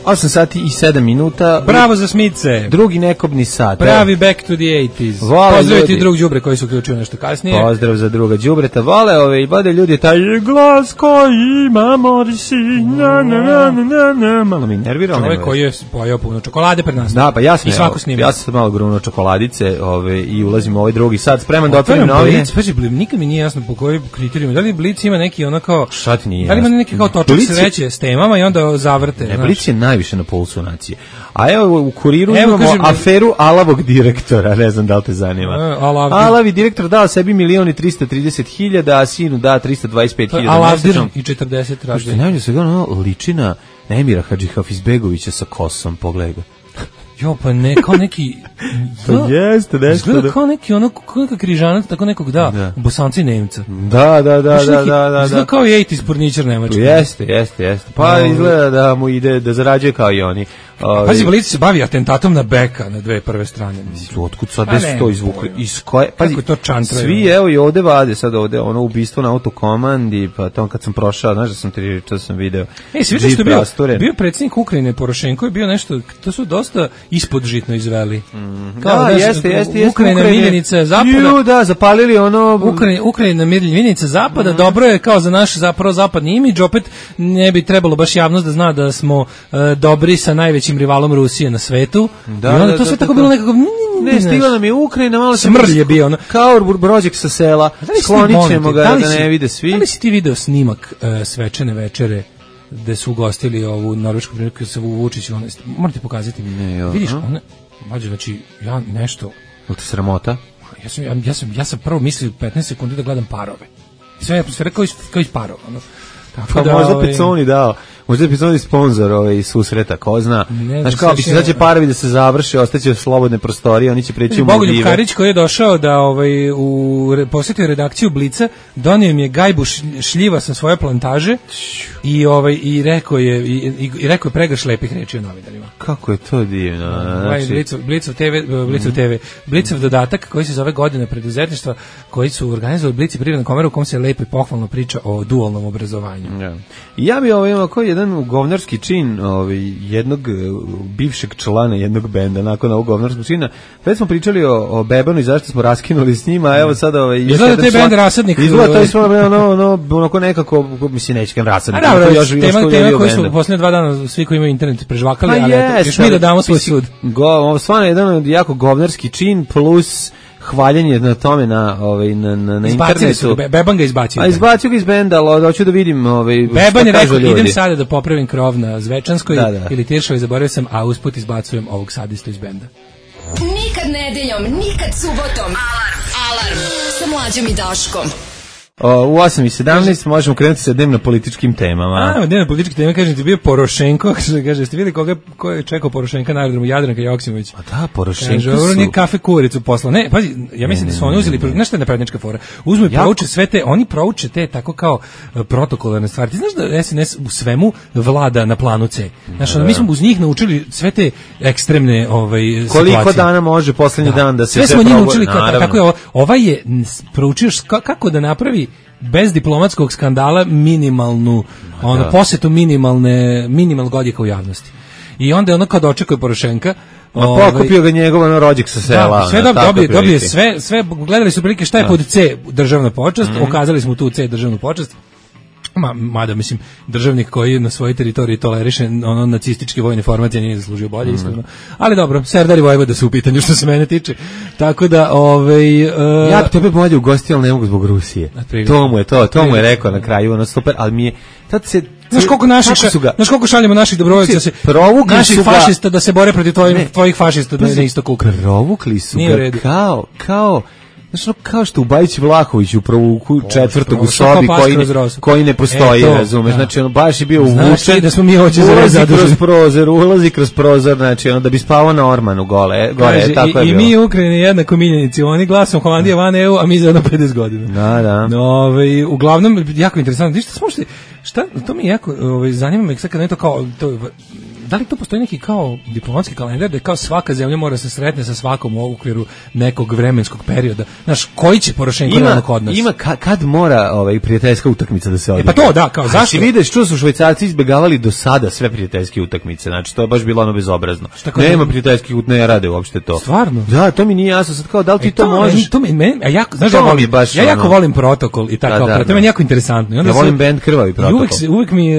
8 sati i 7 minuta. Bravo za Smice. Drugi nekobni sat. Pravi back to the 80s. Pozdravite i drug đubre koji su uključili nešto kasnije. Pozdrav za druga đubreta. Vole i vode ljudi taj glas koji ima morisi. Malo mi nervirao. Čovjek koji je pojao puno čokolade pred nas. Da, pa ja sam. I svako snima. Ja sam malo grunuo čokoladice, i ulazim u ovaj drugi sat, spreman da otvorim novine. Pazi, nikad mi nije jasno po kojim kriterijima. Da li Blic ima neki kao šta ti nije? Da li ima neki kao točak sreće s temama i onda zavrte? Ne, Blic je najviše na pulsu nacije. A evo u Kuriru imamo aferu alavog direktora, ne znam da li te zanima. Alavi direktor dao sebi 1.330.000, a sinu da 325.000. Alavdir i 40 traži. Najbolje se liči na Emira Hadžihafizbegovića sa kosom, pogledaj. Jo, pa ne, kao neki... Jeste, nešto. Izgleda kao neki, kao neka križanac, tako nekog, Bosanci Nemca. Da. Izgleda kao i 80s porničar Nemačka. Jeste. Pa izgleda da mu ide, da zarađuje kao i oni. Pazi, Blic se bavi atentatom na Beka na dve prve strane. Otkud sad gde su to izvukli? Iz koje? Pazi, kako to čantraju? Svi, evo i ovde vade sad ovde, ubistvo na autokomandi, pa to kad sam prošao, znaš da sam video. Si vidio što je bio predsjednik Ukrajine, Porošenko je bio nešto, to su dosta ispodžitno izveli. Jeste. Ukrajina miljenica zapada. Da, zapalili Ukrajina miljenica zapada, dobro je kao za naš zapravo zapadni imidž, opet ne bi trebalo baš javnost da zna da smo dobri sa najvećim rivalom Rusije na svetu. I onda to sve tako bilo nekako... Ne, stigla nam je Ukrajina, malo smrlj je bio. Kao brođek sa sela, sklonit ćemo ga da ne vide svi. Da li si ti video snimak svečane večere gde su ugostili ovu norvešku priliku sa Vučiću? Morate pokazati. Vidiš, znači, ja nešto... Je to sramota? Ja sam prvo mislio 15 sekundi da gledam parove. Sve je kao iz parova. Pa možda Peconi dao. Možda je Peconi sponsor iz susreta, ko zna. Znaš kao, bi se sad će parovi da se završe, ostaće slobodne prostorije, oni će preći u Maldive. Bogoljub Karić koji je došao da posjetio redakciju Blica, donio im je gajbu šljiva sa svoje plantaže i rekao je pregrš lepih reči o novinarima. Kako je to divno. Blicov dodatak koji se zove Godina preduzetništva, koji su organizovali Blic i Privredna komora u kom se lepo i pohvalno priča o dualnom obrazovanju. Ja bi imao kao jedan govnarski čin jednog bivšeg člana jednog benda nakon ovog govnarskog čina. Već smo pričali o Bebanu i zašto smo raskinuli s njima, a evo sada izgleda te bend Rasadnik. Izgleda to smo onako nekako, mislim, neće kem Rasadnik. Tema koji su posljednje 2 dana svi koji imaju internet prežvakali, ali još mi da damo svoj sud. Stvarno jedan jako govnarski čin plus hvaljenje na tome na internetu. Beban ga izbacio. A izbacio ga iz benda, ali hoću da vidim Beban je rekao, idem sada da popravim krov na Zvečanskoj ili Tiršovoj, zaboravio sam, a usput izbacujem ovog sadistu iz benda. Nikad nedeljom, nikad subotom. Alarm sa Mlađom i Daškom. U 8:17 možemo krenuti sa dnevno političkim temama. Dnevno političke teme, kažem ti, bio Porošenko, kaže, ste vidjeli ko je čekao Porošenka na aerodromu, Jadranka Joksimović? A da, Porošenko kaže, ovo nije kafe kuricu posla. Ne, pazi, ja mislim da su oni uzeli, znaš šta je naprednička fora? Uzmu i prouče sve te, oni prouče te tako kao protokolarne stvari. Ti znaš da SNS u svemu vlada na planu C. Znaš, mi smo uz njih naučili sve te ekstremne situacije. Koliko dana može poslednji dan da se sve smo njih naučili kako je ovaj je proučio kako da napravi bez diplomatskog skandala minimalnu posjetu minimalnog odjeka u javnosti. I onda je ono kad očekuje Porošenka, pokupio ga njegov rođak sa sela. Sve dobije sve, gledali su prilike šta je pod C državna počast, okazali smo tu C državnu počast. Mada, mislim, državnik koji na svojoj teritoriji toleriše nacističke vojne formacije nije zaslužio bolje, iskreno. Ali dobro, Serdar i Vojvoda su u pitanju što se mene tiče. Tako da, ja bi tebe bolje ugostio, ali ne mogu zbog Rusije. To mu je rekao na kraju, super, ali mi je... Znaš koliko šaljemo naših dobrovoljaca naših fašista da se bore protiv tvojih fašista na istoku Ukrajine. Provukli su ga kao Znaš, kao što u Bajić Vlahović u provuku četvrtog u sobi koji ne postoji, razumeš, znači ono baš je bio uvučen, da smo mi hoće ulazi kroz prozor, znači ono da bi spavao na Ormanu gore, tako je bilo. I mi u Ukrajini jednako miljenici, oni glasom Holandija van EU, a mi za jedno 50 godina. Da. Uglavnom, jako interesantno, šta, to mi jako zanima me sad kad ne to kao, da li to postoji neki kao diplomatski kalendar da kao svaka zemlja mora se sretne sa svakom u okviru nekog vremenskog perioda? Znaš, koji će Porošenko realno kod nas? Ima kad mora prijateljska utakmica da se odigra. Pa to da, kao zašto? Si vidiš što su Švajcarci izbegavali do sada sve prijateljske utakmice. Znači to je baš bilo ono bezobrazno. Nema prijateljskih ne rade uopšte to. Stvarno? Da, to mi nije jasno sad kao da li ti to možeš. Znaš, ja jako volim protokol i tako. To je jako interesantno. Ja volim band Krvavi protokol.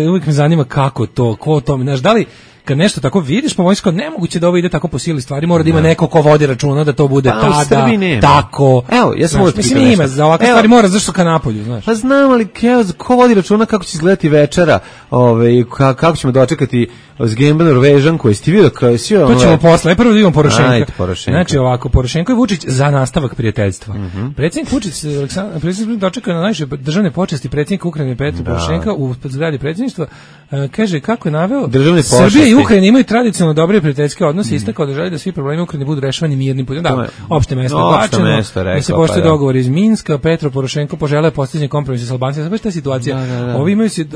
Uvijek me zanima kako to, ko to, znaš, da li kad nešto tako vidiš, po vojsko nemoguće da ovo ide tako po sili stvari, mora da ima neko ko vodi računa da to bude tada, tako. Evo, ja sam mislim ima, za ovakve stvari mora zašto ka napolju, znaš. Pa znam, ali ko vodi računa kako će izgledati večera, kako ćemo dočekati Zgemba Norvežanku, jesi ti vidio kao si to ćemo posle, prvo da imamo Porošenka. Znači ovako, Porošenko i Vučić za nastavak prijateljstva. Predsjednik Vučić dočekao na najviše državne počasti predsjednika Ukrajine Petra Porošenka u zgradi predsjedništva, kaže kako je naveo Srbija i Ukrajina imaju tradicionalno dobre prijateljske odnose, istakao da želi da svi problemi Ukrajine budu rešavani mirnim putem. Da, opšte mesto odbačeno, da se poštuje dogovor iz Minska, Petro Porošenko poželeo postizanje kompromisa sa Albancima. Baš ta situacija.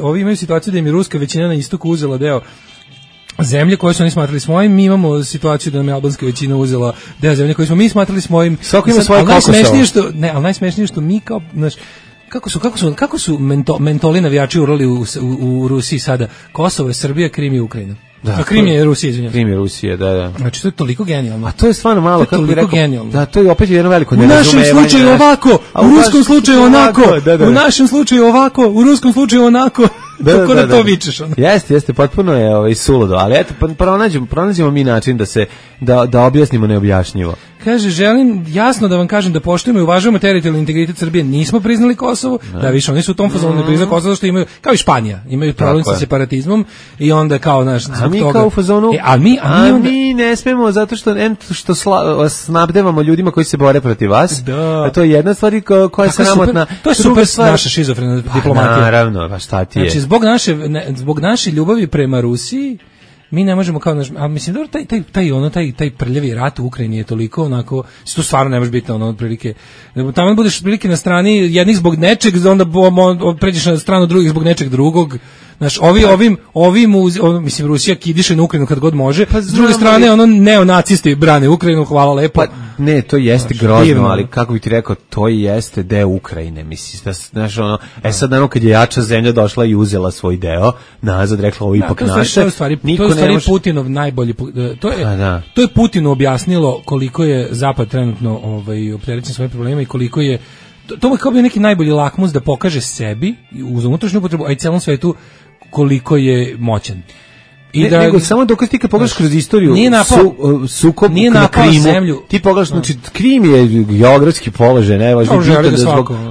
Ovi imaju situaciju da im je ruska većina na istoku uzela deo zemlje koje su oni smatrali svojim, mi imamo situaciju da nam je albanska većina uzela deo zemlje koje smo mi smatrali svojim. Svako ima svoje ali najsmešnije što mi kao, znaš, kako su mentoli navijači urali u Rusiji sada? Kosovo je Srbija, Krim je Ukrajina. Da, Krim je Rusija, izvinjam. Krim je Rusija, da. Znači to je toliko genijalno. A to je stvarno malo, kako bih rekao. Genijalno. Da, to je opet jedno veliko nerazumevanje. U našem slučaju ovako, u ruskom slučaju onako. U našem slučaju ovako, u ruskom slučaju onako. Kako da to vičeš? Jeste, potpuno je suludo, ali eto, pronađemo mi način da objasnimo neobjašnjivo. Kaže, želim jasno da vam kažem da poštujemo i uvažavamo teritorijalni integritet Srbije. Nismo priznali Kosovo, da više oni su u tom fazonu ne priznali Kosovo, što imaju, kao i Španija, imaju problem sa separatizmom i onda kao naš zbog toga. A mi kao u fazonu, mi ne smemo zato što snabdevamo ljudima koji se bore protiv vas. A to je jedna stvar koja je sramotna. To je super naša šizofrena diplomatija. Naravno, pa šta ti je? Znači, zbog naše ljubavi prema Rusiji mi ne možemo kao a mislim dobro taj prljavi rat u Ukrajini je toliko onako, to stvarno ne može biti ono otprilike. Tamo budeš otprilike na strani jednih zbog nečeg, onda pređeš na stranu drugih zbog nečeg drugog. Znaš, mislim, Rusija kidiše na Ukrajinu kad god može, s druge strane, neonacisti brane Ukrajinu, hvala lepo. Pa, ne, to jeste grozno, ali kako bih ti rekao, to jeste deo Ukrajine, mislim, znaš, sad kad je jača zemlja došla i uzela svoj deo, nazad rekla, ovo ipak naše, to je u stvari Putinov najbolji, to je Putinu objasnilo koliko je Zapad trenutno opterećen svojim problemima i koliko je, to je kao bi neki najbolji lakmus da pokaže sebi uz unutrašnju upotrebu, a i celom svetu koliko je moćan. Nego samo dokaz ti kad pogledaš kroz istoriju sukob na Krimu, ti pogledaš, znači Krim je geografski položaj,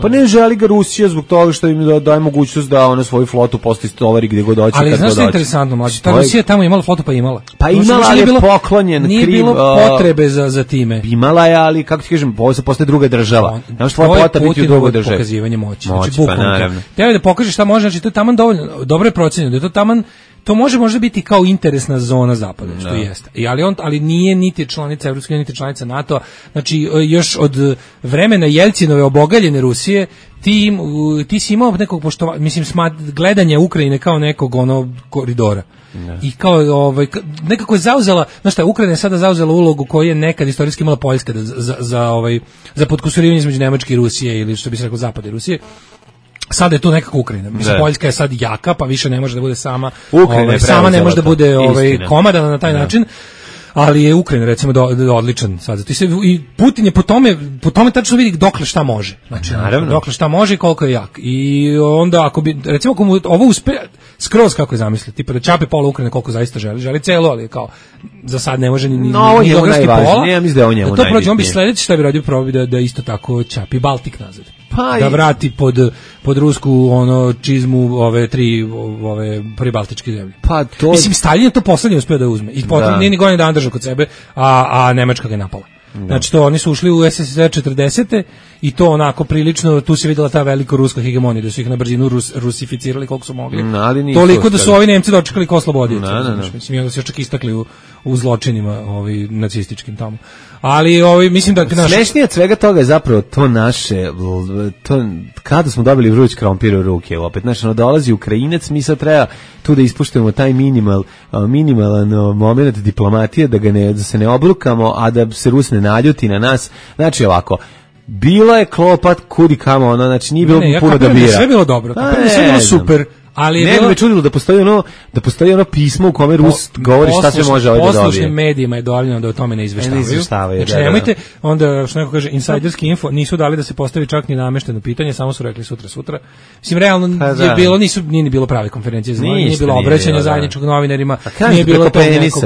pa ne želi ga Rusija zbog toga što im daje mogućnost da ona svoju flotu posle istovari gdje god hoće. Ali znaš što je interesantno, mlađe, ta Rusija tamo imala flotu pa imala. Pa imala, ali je poklonjen Krim. Nije bilo potrebe za time. Imala je, ali kako ti kažem, postaje druga država. To je Putinovo pokazivanje moći. Znači bukvalno. Treba da pokaže šta može, znači to je taman dovoljno, dobro je procenjeno, da je to taman. To može biti kao interesna zona Zapada, što jeste. Ali nije niti članica Evropske unije, niti članica NATO-a. Znači, još od vremena Jelcinove obogaljene Rusije, ti si imao nekog poštovanja, mislim, gledanja Ukrajine kao nekog koridora. I kao nekako je zauzela, znaš šta, Ukrajina je sada zauzela ulogu koju je nekad istorijski imala Poljska za podkusurivanje između Nemačke i Rusije, ili što bi se rekao Zapada i Rusije. Sada je to nekako Ukrajina. Mislim, Poljska je sad jaka, pa više ne može da bude sama. Sama ne može da bude komadana na taj način. Ali je Ukrajina recimo odličan sad. I Putin je po tome tačno vidi dokle šta može. Znači, dokle šta može i koliko je jak. I onda ako bi recimo ako mu ovo uspe skroz kako je zamislio, tipa da čapi pola Ukrajine koliko zaista želi celo, ali kao za sad ne može ni geografski pola. Ja mislim da on njemu najbitnije. On bi sledeće šta bi radio probi da isto tako čapi Baltik nazad. Da vrati pod rusku čizmu ove pribaltičke zemlje. Pa to mislim Stalin je to poslednje uspeo da uzme. I potom nije ni godinu dana držao kod sebe, a Nemačka ga je napala. Znači to oni su ušli u SSSR 40. i to onako prilično, tu se videla ta velika ruska hegemonija, da su ih na brzinu rusificirali koliko su mogli. Toliko da su ovi Nemci dočekali ko slobodioci. Mislim, onda se čak istakli u zločinima nacističkim tamo. Ali mislim da smešnije od svega toga je zapravo to naše, to kada smo dobili vruć krompir u ruke, opet dolazi Ukrajinac, mi sad treba tu da ispuštujemo taj minimalan moment diplomatije, da se ne obrukamo, a da se Rus ne naljuti na nas. Znači ovako, bilo je klopat kudi kamo, znači nije bilo puno da bira. Sve bilo dobro, sve bilo super. Ali ne bi me čudilo da postoji ono pismo u kome Rus govori šta se može ovdje dobiti. Poslušnim medijima je dovoljno da o tome ne izveštavaju. Znači nemojte, onda što neko kaže insajderski info, nisu dali da se postavi čak ni namešteno pitanje, samo su rekli sutra. Mislim, realno je bilo, nije bilo prave konferencije, nije bilo obraćanja zajedničkog novinarima, nije bilo tog nekog.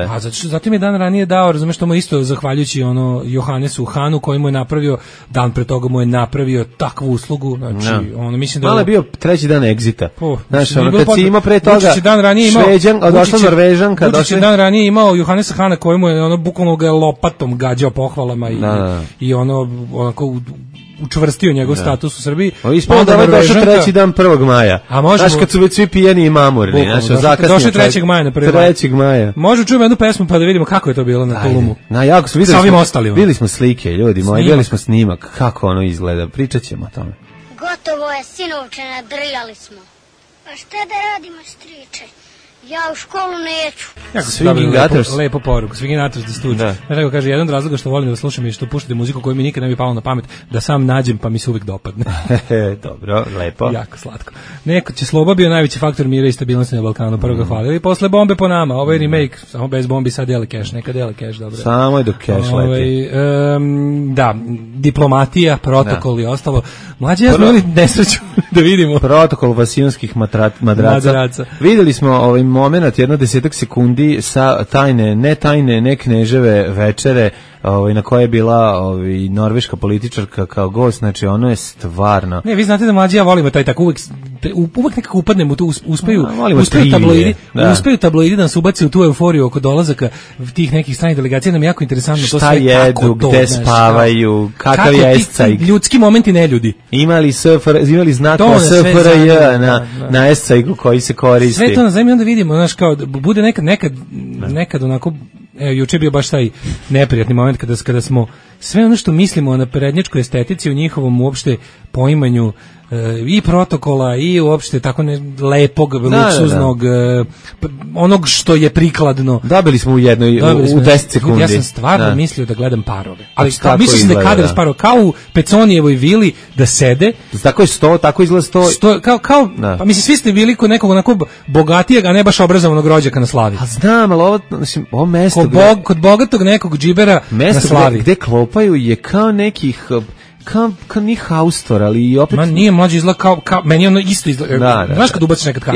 A zato mi je dan ranije dao, razumeš, što mu isto zahvaljujući Johannesu Hanu, koji mu je napravio, dan pre toga mu je napravio takvu uslugu, znači, mislim da... Malo je bio treći dan egzita. Znaš, kad si imao pre toga Šveđan, došla Norvežanka, Vučić je dan ranije imao Johannesa Hana koji mu je bukvalno ga lopatom gađao pohvalama i onako učvrstio njegov status u Srbiji. Ispalo da je došao 3. dan 1. maja. Znaš, kad su već svi pijeni i mamurni. Došao 3. maja na 1. maja. 3. maja. Možda čujemo jednu pesmu pa da vidimo kako je to bilo na Tulumu. Jako su videli smo slike, ljudi moji, videli smo snimak, kako ono izgleda. Pričat ćemo o tome. Gotovo je, sinovče, nadrijali smo. Pa šta da radimo, striče? Ja u školu neću. Jako se dobili lepo poruku. Swinging the Stooge. Znaš kako kaže, jedan od razloga što volim da slušam i što puštate muziku koju mi nikad ne bi palo na pamet, da sam nađem pa mi se uvijek dopadne. Dobro, lepo. Jako slatko. Neko će Sloba bio najveći faktor mira i stabilnosti na Balkanu. Prvo ga hvalili, posle bombe po nama. Ovo je remake, samo bez bombi, sad dele cash. Neka dele cash, dobro. Samo je do cash leti. Da, diplomatija, protokol i ostalo. Mlađi ja smo imali nesreću da vidimo. Protokol vasijonskih madraca. Videli smo moment, 10 sekundi sa ne kneževe večere na kojoj je bila norveška političarka kao gost, znači ono je stvarno... Ne, vi znate da mlađi ja volimo taj tako uvek nekako upadnemo u to, uspeju tabloidi da nas ubaci u tu euforiju oko dolazaka tih nekih stranih delegacija, nam je jako interesantno to sve kako to. Šta jedu, gde spavaju, kakav je escajk. Ljudski momenti ne ljudi. Imali znakova SFRJ na escajku koji se koristi. Sve to na zemlji onda vidimo, znaš, kao bude nekad onako, juče je bio baš taj neprijatni moment kada smo sve ono što mislimo o naprednjačkoj estetici, u njihovom uopšte poimanju i protokola i uopšte tako lepog, luksuznog, onog što je prikladno. Dobili smo u 10 sekundi. Ja sam stvarno mislio da gledam parove. Ali mislio sam da kadar s parova, kao u Peconijevoj vili da sede. Tako je tako izgleda sto. Pa mislim, svi ste bili kod nekog onako bogatijeg, a ne baš obrazovanog rođaka na Slavi. A znam, ali ovo mesto... Kod bogatog nekog džibera na Slavi. Gde klopaju je kao nekih... Kao nije haustor, ali opet... Ma nije, mlađe izgleda kao... Meni ono isto izgleda... Znaš kad ubaciš nekad kao...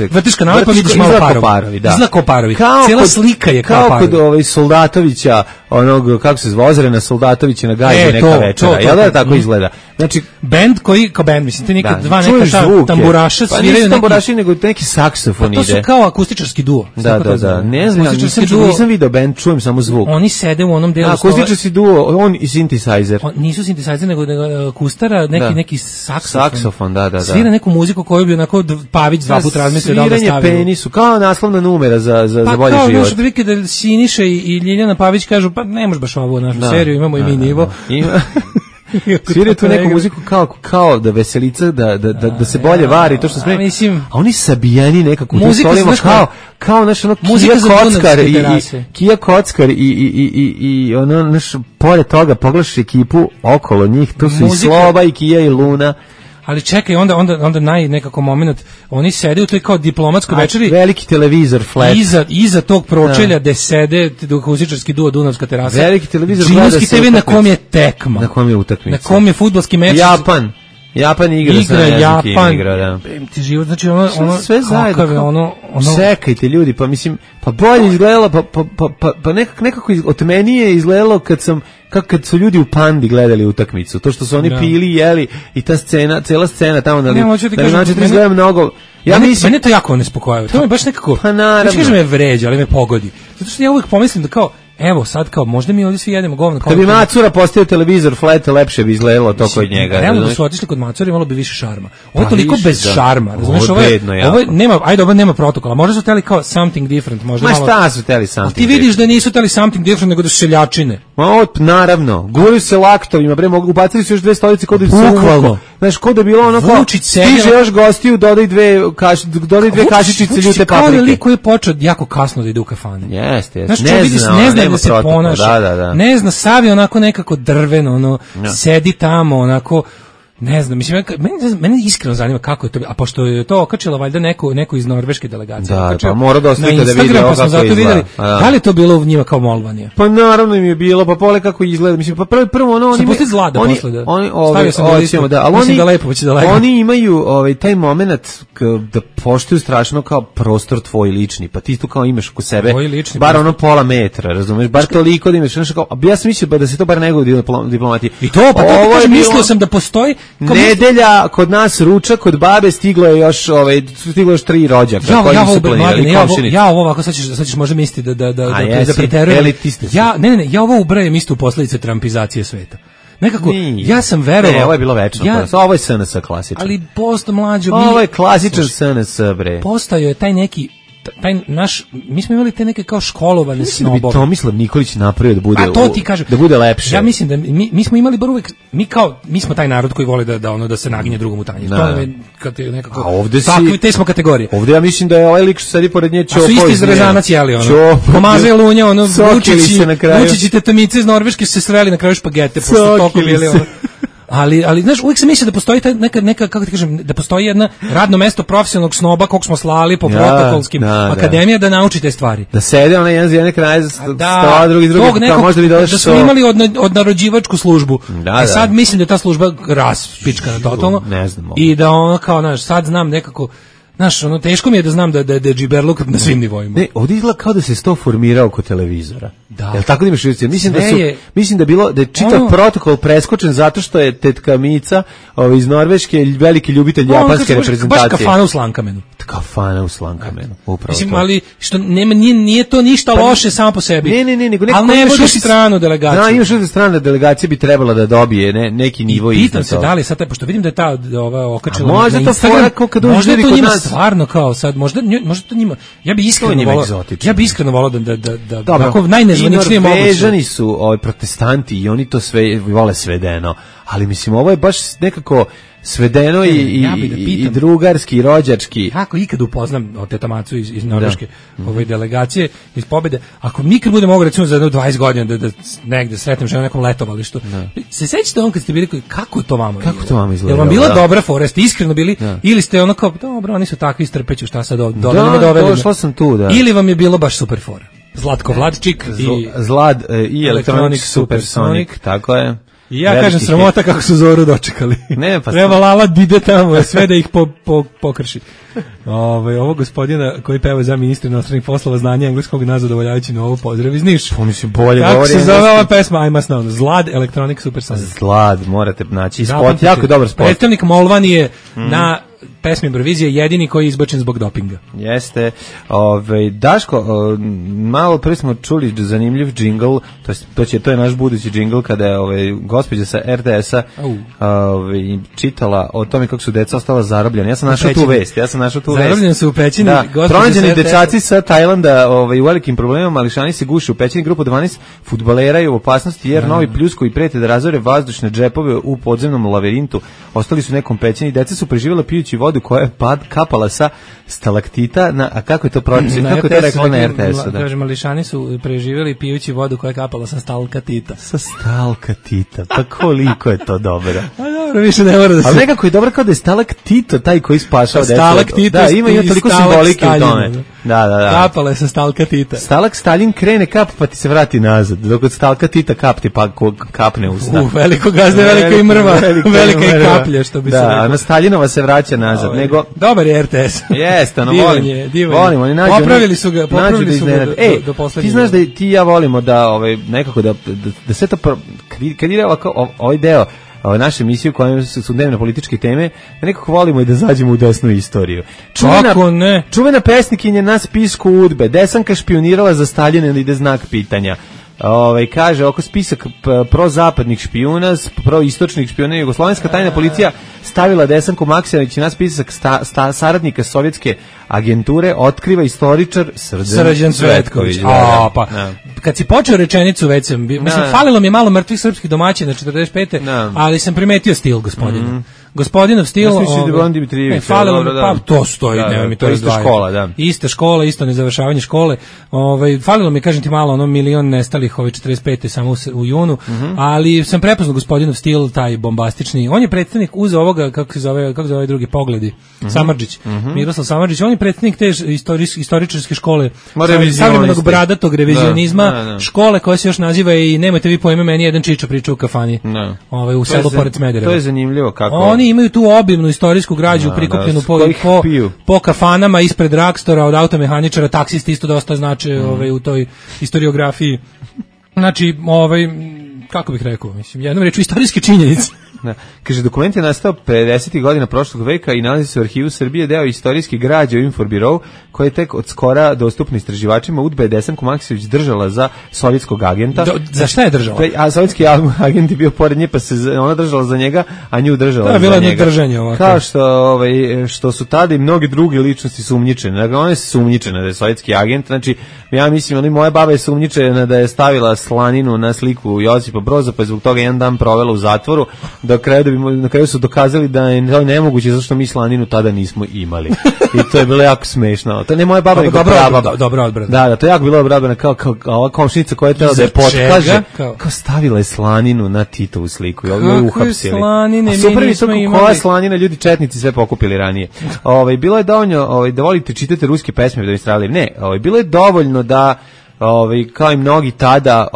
Vrtiš kanale pa vidiš malo parovi. Izgleda kao parovi. Cijela slika je kao parovi. Kao kod Soldatovića, onog, kako se zvozere na Soldatovića na gajbu neka večera. Jel da tako izgleda? Znači... Band koji... Kao band, mislim, te neka dva neka tamburaša sviraju neki... Pa nisu tamburaši, nego neki saksofon ide. Pa to su kao akustičarski duo. Da. Ne znam, nisam video band, čujem samo zvuk. Oni sede u onom delu... Akustičarski duo, on i synthesizer. Nisu synthesizer, nego kustara, neki saksofon. Da. Svira neku muziku koju bi onako Pavić 2 puta razmislio da stavio. Sviranje penisu, kao naslovna numera za bolji život. Pa kao, prilike da Siniša i Ljiljana Pavić kažu, pa ne može baš ovu našu seriju, imamo i mi nivo. Sviraju tu neku muziku kao da veselica, da se bolje vari, to što sme. A oni sabijeni nekako u stolima, kao naš ono Kija Kockar i ono naš, pored toga pogledaš ekipu okolo njih, tu su i Sloba i Kija i Luna. Ali čekaj, onda nekako moment, oni sede u toj kao diplomatskoj večeri. Veliki televizor, flat. Iza tog pročelja gde sede akustičarski duo Dunavska terasa. Veliki televizor. Džinski TV na kom je tekma. Na kom je utakmica. Na kom je fudbalski meč. Japan igra Japan. Da. Ti život, znači ono sve zajedno. Čekajte ljudi, pa mislim, pa bolje izgledalo, pa nekako od meni je izgledalo kad su ljudi u Pandi gledali utakmicu, to što su oni pili, jeli i ta scena, cela scena tamo da znači da izgleda mnogo. Ja mislim, mene to jako nespokojava. To me baš nekako, neću kažem me vređa, ali me pogodi. Zato što ja uvijek pomislim da kao evo sad kao možda mi ovdje svi jedemo govno kao kad bi Macura postavio televizor flat, lepše bi izgledalo to kod njega. Realno da su otišli kod Macura imalo bi više šarma. Ovo je toliko više, bez da. šarma, razumiješ? Ovo je nema, ajde, ovo nema protokola. Možda su teli kao something different, možda malo. Ma šta su teli something? Ti vidiš da nisu teli something different, nego da su seljačine. Ma naravno, guraju se laktovima, bre, mogu ubacili su još 2 stolice kod da se bukvalno. Znaš, kod da bilo ono kao stiže još gostiju, dodaj dve kašičice ljute paprike. Kao koji je počeo jako kasno da ide u kafane. Jeste, znaš, ne zna da se ponaša. Da. Ne zna, sav je onako nekako drveno, ono, sedi tamo, onako, ne znam, mislim, mene iskreno zanima kako je to, a pošto je to okačilo valjda neko iz norveške delegacije. Da, pa mora da ostavite da vidi kako izgleda. Videli, da li je to bilo u njima kao molvanje? Pa naravno im je bilo, pa pole kako izgleda, mislim, pa prvo ono, oni imaju... Zlada posle da... Stavio sam da listu, mislim da lepo, će da lepo. Oni imaju taj moment da poštuju strašno kao prostor tvoj lični, pa ti tu kao imaš oko sebe, bar ono pola metra, razumeš, bar toliko da imaš, ja sam mislio da se to bar nego diplomati. I to, pa to kažem, mislio sam da postoji nedelja kod nas ručak kod babe stiglo je još 3 rođaka koji su planirali komšinici. Ja ovo ovako sad ćeš možda misliti da preterujem. Ja ovo ubrajem isto u posledice trumpizacije sveta. Nekako, ja sam verovao... ovo je bilo večno. Ovo je SNS klasičan. Ali posto mlađo... Ovo je klasičan SNS, bre. Postao je taj neki... mi smo imali te neke kao školovane snobove. Mislim da bi Tomislav Nikolić napravio da bude, to ti kažem, da bude lepše. Ja mislim da mi smo imali bar uvek, mi smo taj narod koji voli da se naginje drugom u tanjir. To je kad je nekako, takvi, te smo kategorije. Ovdje ja mislim da je ovaj lik što sedi pored nje Ćopo. A su isti iz Rezanac jeli, ono. Pomaže lunja, ono, Vučić i tetamice iz Norveške su se sreli na kraju špagete, pošto toliko bili, ono. Ali znaš, uvijek sam mislio da postoji neka kako ti kažem, da postoji jedno radno mesto profesionalnog snoba kog smo slali po protokolskim akademija da nauči te stvari. Da sede ona jedan z jedne kraje stola, drugi pa možda bi došao. Da smo imali odnarođivačku službu. Sad mislim da ta služba raspičkana totalno. Ne znam. I da ono kao, znaš, sad znam nekako. Znaš, ono, teško mi je da znam da je džiberluk na svim nivoima. Ne, ovdje izgleda kao da se sto formirao oko televizora. Da. Jel tako da imaš mislim da je čitav protokol preskočen zato što je tetka Mica iz Norveške veliki ljubitelj japanske reprezentacije. Baš kafana u Slankamenu. Kafana u Slankamenu, upravo. Mislim, ali što nije to ništa loše samo po sebi. Ne, nego ali ne vodiš stranu delegaciju. Da, imaš strana delegacija bi trebala da dobije neki nivo iznad. Pitam se da li sad, pošto vidim da je ta okačila možda to fora kako da možda to njima stvarno kao sad, možda to njima, ja bi iskreno volao da ovako najnezvaničnije moguće. Norvežani su protestanti i oni to sve vole svedeno, ali mislim ovo je baš nekako svedeno i drugarski i rođački. Kako ikad upoznam Teta Macu iz Norveške ove delegacije iz pobede, ako mi kad budemo mogli recimo za 20 godina da negde sretnem ženu na nekom letovalištu, se sećate on kad ste bili kako to vama izgleda? Jel vam bila dobra fora, ste iskreno bili ili ste ono kao dobro, oni su takvi istrpeću, šta sad doveli? Došla sam tu, da. Ili vam je bilo baš super fora? Zlatko Vladčik i Zlad i Electronic Supersonic, tako je. I ja kažem sramota kako su Zoru dočekali. Ne, pa treba Lala ide tamo, sve da ih pokrši. Ovo gospodina koji peva za ministra inostranih poslova znanja engleskog na zadovoljavajući novo pozdrav iz Niša. Bolje kako se zove ova pesma? I must know. Zlad Electronic Supersonic. Zlad, morate naći spot, jako dobar spot. Predstavnik Molvan je na pesmi Eurovizije jedini koji je izbačen zbog dopinga. Jeste. Daško, malo pre smo čuli zanimljiv džingl, to je naš budući džingl kada je gospođa sa RTS-a čitala o tome kako su deca ostala zarobljena. Ja sam našao tu vest. Zarobljeni su u pećini. Pronađeni dečaci sa Tajlanda u velikim problemima, mališani se guše u pećini, grupu 12 fudbalera je u opasnosti jer novi pljuskovi prete da razore vazdušne džepove u podzemnom lavirintu. Ostali su nekom pećini, deca su preživjela pijući vodu koja je kapala sa stalaktita, a kako je to pročitano? Kako je to rekla na RTS-u? Kaže, mališani su preživjeli pijući vodu koja je kapala sa stalkatita. Sa stalkatita, pa koliko je to dobro. A dobro, više ne mora da se... Ali nekako je dobro kao da je stalaktito taj koji spašao decu. Stalaktito ima toliko simbolike u tome. Da. Kapala je sa stalkatita. Stalak Stalin krene kap pa ti se vrati nazad. Dok od stalkatita kap ti pa kapne usta. Veliko gazde, velika i mrva, velika i kaplja, što bi se rekao. Da, a na Staljinova se vraća nazad. Dobar je RTS. Jeste, Volimo, oni nađu. Popravili su ga do poslednjeg. Ti znaš da ti i ja volimo da nekako da sve to kad ide ovaj deo naše emisije u kojoj su dnevne političke teme, da nekako volimo i da zađemo u desnu istoriju. Čuvena pesnikinja na spisku UDBE, Desanka špionirala za Staljina ili ide znak pitanja. Kaže, oko spisak prozapadnih špijuna, proistočnih špijuna, jugoslovenska tajna policija stavila Desanku Maksimović na spisak saradnika sovjetske agenture, otkriva istoričar Srđan Cvetković. Kad si počeo rečenicu, već sam, mislim, falilo mi je malo mrtvih srpskih domaćina 45. Ali sam primetio stil gospodina. Gospodinov stil, falilo mi, pa to stoji, nema mi to izdvajati. Ista škola, isto nezavršavanje škole. Falilo mi, kažem ti, malo, ono, milion nestalih ove 45. samo u junu, ali sam prepoznao gospodinov stil, taj bombastični. On je predstavnik uz ovoga, kako se zove drugi, Pogledi, Samardžić, Miroslav Samardžić, on je predstavnik te istoričarske škole, savremenog bradatog revizionizma, škole koja se još naziva i nemojte vi pojme, meni jedan čiča priča u kafani, u selu pored Smedereva. To je zanimljivo kako. Oni imaju tu obimnu istorijsku građu prikupljenu po kafanama ispred Rakstora, od automehaničara, taksisti isto dosta znače u toj historiografiji. Znači, kako bih rekao, mislim, jednom reču istorijske činjenice. Kaže, dokument je nastao 50. godina prošlog veka i nalazi se u Arhivu Srbije, deo istorijske građe u Inforbirou, koji je tek od skora dostupno istraživačima. UDBA je Desanku Maksimović držala za sovjetskog agenta. Za šta je držala? A sovjetski agent je bio pored nje, pa se ona držala za njega, a nju držala za njega. To je bilo jedno držanje ovako. Kao što su tada i mnogi druge ličnosti sumnjičene. Dakle, ona je sumnjičena da je sovjetski agent. Znači, ja mislim, moja baba je sumnjičena da je stavila slaninu na sliku Josipa Broza, pa je zbog toga jedan dan provela u zatvoru. Na kraju su dokazali da je to nemoguće, zato što mi slaninu tada nismo imali. I to je bilo jako smešno. To ne moja baba, nego prababa. Dobro odbrana. Da, to je jako bilo odbrana, kao ova komšinica koja je tela da je potkaže, kao stavila je slaninu na Titovu sliku i ovo je uhapsili. Slanine, super je to koja slanina, ljudi četnici sve pokupili ranije. Bilo je dovoljno da volite, čitate ruske pesme da bi stradali. Ne, bilo je dovoljno da kao i mnogi tada,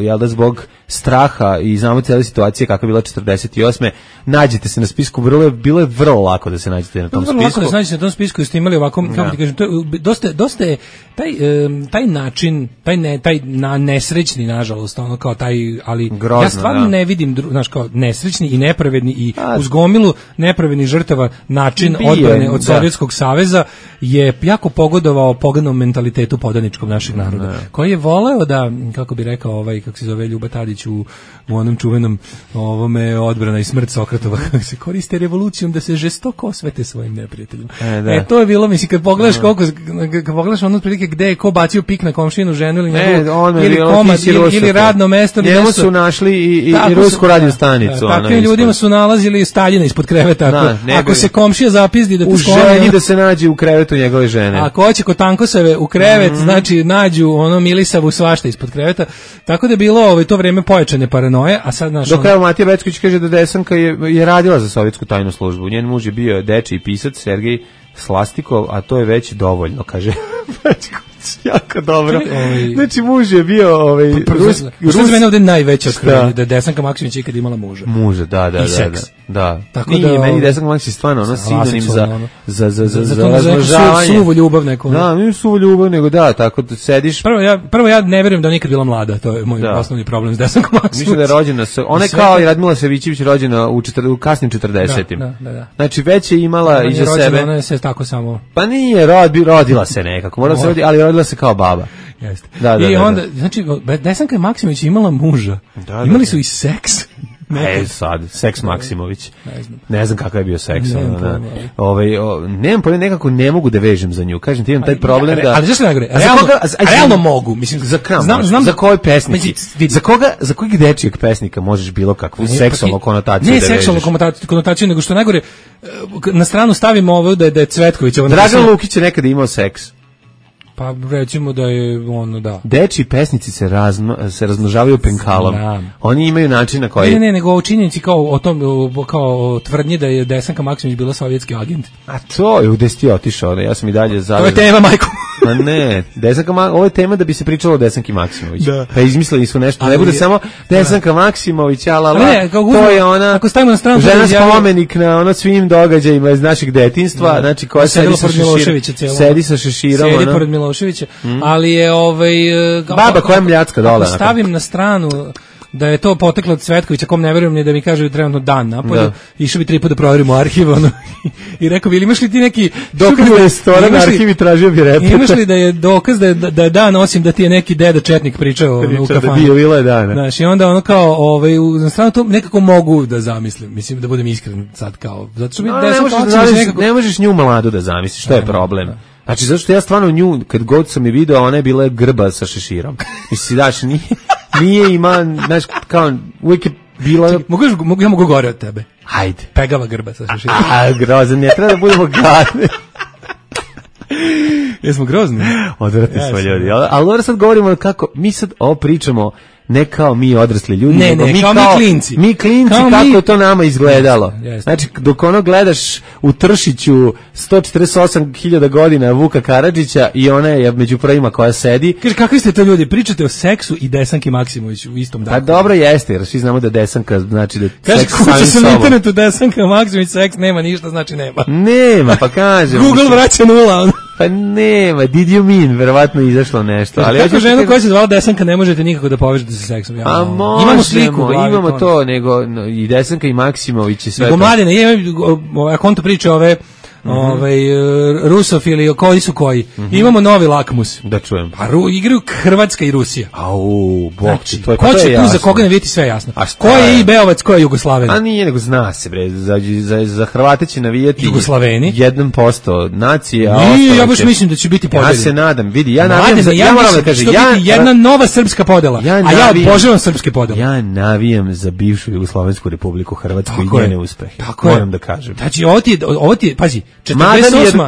jel da zbog straha i znamo cijela situacija kakva je bila 48. nađete se na spisku, bilo je vrlo lako da se nađete na tom spisku. Vrlo lako da se nađete na tom spisku, ste imali ovako, kako ti kažem, dosta je taj način, taj nesrećni, nažalost, ono kao taj, ali grozno, ja stvarno ne vidim, znaš, kao nesrećni i nepravedni i uz gomilu nepravednih žrtava način odbrane od Sovjetskog saveza je jako pogodovao poganom mentalitetu podaničkog našeg naroda, koji je voleo da, kako bi rekao kako se zove Ljuba Tadić u onom čuvenom odbrana i smrt Sokratova, kako se koriste revolucijom da se žestoko osvete svojim neprijateljima. To je bilo, mislim, kad pogledaš kad pogledaš ono otprilike gde je ko bacio pik na komšinu ženu ili ili komad ili radno mesto. Njemu su našli i rusku radio stanicu. Takvim ljudima su nalazili Staljina ispod kreveta. Ako se komšija zapizdi da u želji da se nađe u krevetu njegove žene. Ako hoće kod Tankoseve u krevet, znači nađu Milisavu svašta ispod kreveta. Tako da je bilo to vreme pojačane paranoje, a sad naš... Dok evo Matija Becković kaže da Desanka je radila za sovjetsku tajnu službu. Njen muž je bio dečiji pisac Sergej Slastikov, a to je već dovoljno, kaže Becković. Jako dobro. Znači, muž je bio Što za mene ovdje najveće otkrivenje, da je Desanka Maksimović ikad imala muža. Muža, da. I seks. Da. Tako da meni Desanka Maksimović stvarno sinonim za razmnožavanje. Suvu ljubav neku. Da, nije suvu ljubav, nego da, tako da sediš. Prvo ja ne verujem da je nikad bila mlada, to je moj osnovni problem s Desankom Maksimović. Mislim da je rođena, ona je kao i Radmila Savićević rođena u kasnim 40-im. Da. Znači, već je imala iza sebe. Ona je se tako samo. Pa nije, rodila se nekako, mora se roditi, ali rodila se kao baba. Jeste. I onda, znači, Desanka Maksimović imala muža. Imali su i seks. Sad, seks Maksimović. Ne znam kakav je bio seks. Nemam pojma, nekako ne mogu da vežem za nju. Kažem ti, imam taj problem da... Ali zašto najgore? Realno mogu. Mislim, znam za koje pesnici. Za kojeg dečijeg pesnika možeš bilo kakvu seksualnu konotaciju da vežeš? Ne seksualnu konotaciju, nego što najgore, na stranu stavimo ovo da je Cvetković. Dragan Lukić je nekada imao seks. Pa recimo da je da. Dečiji pesnici se razmnožavaju penkalom. Oni imaju način na koji... Ne, nego o činjenici kao tvrdnje da je Desanka Maksimović bila sovjetski agent. A to je, gde si ti otišao, ja sam i dalje zavezan. To je tema, majko. A ne, ovo je tema da bi se pričalo o Desanki Maksimović. Pa izmislili su nešto, ne bude samo Desanka Maksimović, to je ona, ako stavimo na stranu žena spomenik na svim događajima iz našeg detinjstva, znači koja sedi sa šeširom. Sedi pored Miloševića, ali je baba koja je mljacka dole. Ako stavim na stranu da je to poteklo od Cvetkovića, kom ne verujem ni da mi kaže trenutno dan napolju, išao bi 3 puta da proverimo arhiv, ono, i rekao bi, ili imaš li ti neki dokaz da restoran arhiv i tražio bi repeta? Imaš li da je dokaz da je dan, osim da ti je neki deda četnik pričao u kafani? Da bilo je dana. Znaš, i onda ono kao, na stranu to nekako mogu da zamislim, mislim da budem iskren sad kao, zato što mi ne možeš nju mladu da zamisliš, što je problem? Znači, zato što ja stvarno nju, kad god sam je video, ona je bila grba sa šeširom. Mislim, daš, nije ima, znaš, kao, uvijek je bila... Čekaj, ja mogu gore od tebe. Hajde. Pegava grba sa šeširom. Grozan, ne treba da budemo gadni. Jesmo grozni? Odvratni smo ljudi. Ali dobro sad govorimo kako, mi sad ovo pričamo ne kao mi odrasli ljudi, nego mi klinci. Mi klinci, kako je to nama izgledalo. Znači, dok ono gledaš u Tršiću 148.000 godina Vuka Karadžića i ona je među prvima koja sedi. Kaže, kakvi ste to ljudi? Pričate o seksu i Desanki Maksimović u istom danu. Pa dobro jeste, jer svi znamo da Desanka znači da kaže, seks samim sobom. Kaže, kuća na internetu Desanka Maksimović, seks nema ništa, znači nema. Nema, pa kažem. Google vraća nula. Pa nema, did you mean, verovatno izašlo nešto. Ali kako ženu koja se zvala Desanka ne možete nikako da povežete sa seksom? A možemo, imamo sliku, imamo to, nego i Desanka i Maksimović i sve to. Nego mladine, ako on to priča ove rusofili, koji su koji. Imamo novi lakmus. Da čujem. Pa igraju Hrvatska i Rusija. Au, bok, znači, to je, ko će tu, za koga ne vidjeti sve jasno. Ko je i Beovac, ko je Jugoslaven? A nije, nego zna se, bre, za Hrvate će navijati Jugoslaveni 1% nacije, a ostalo ja baš mislim da će biti podeljeno. Ja se nadam, vidi, ja navijam, ja moram da kažem, jedna nova srpska podela, a ja obožavam srpske podele. Ja navijam za bivšu Jugoslavensku Republiku Hrvatsku i njene uspehe. Moram da kažem. Znači, ovo ti, pazi,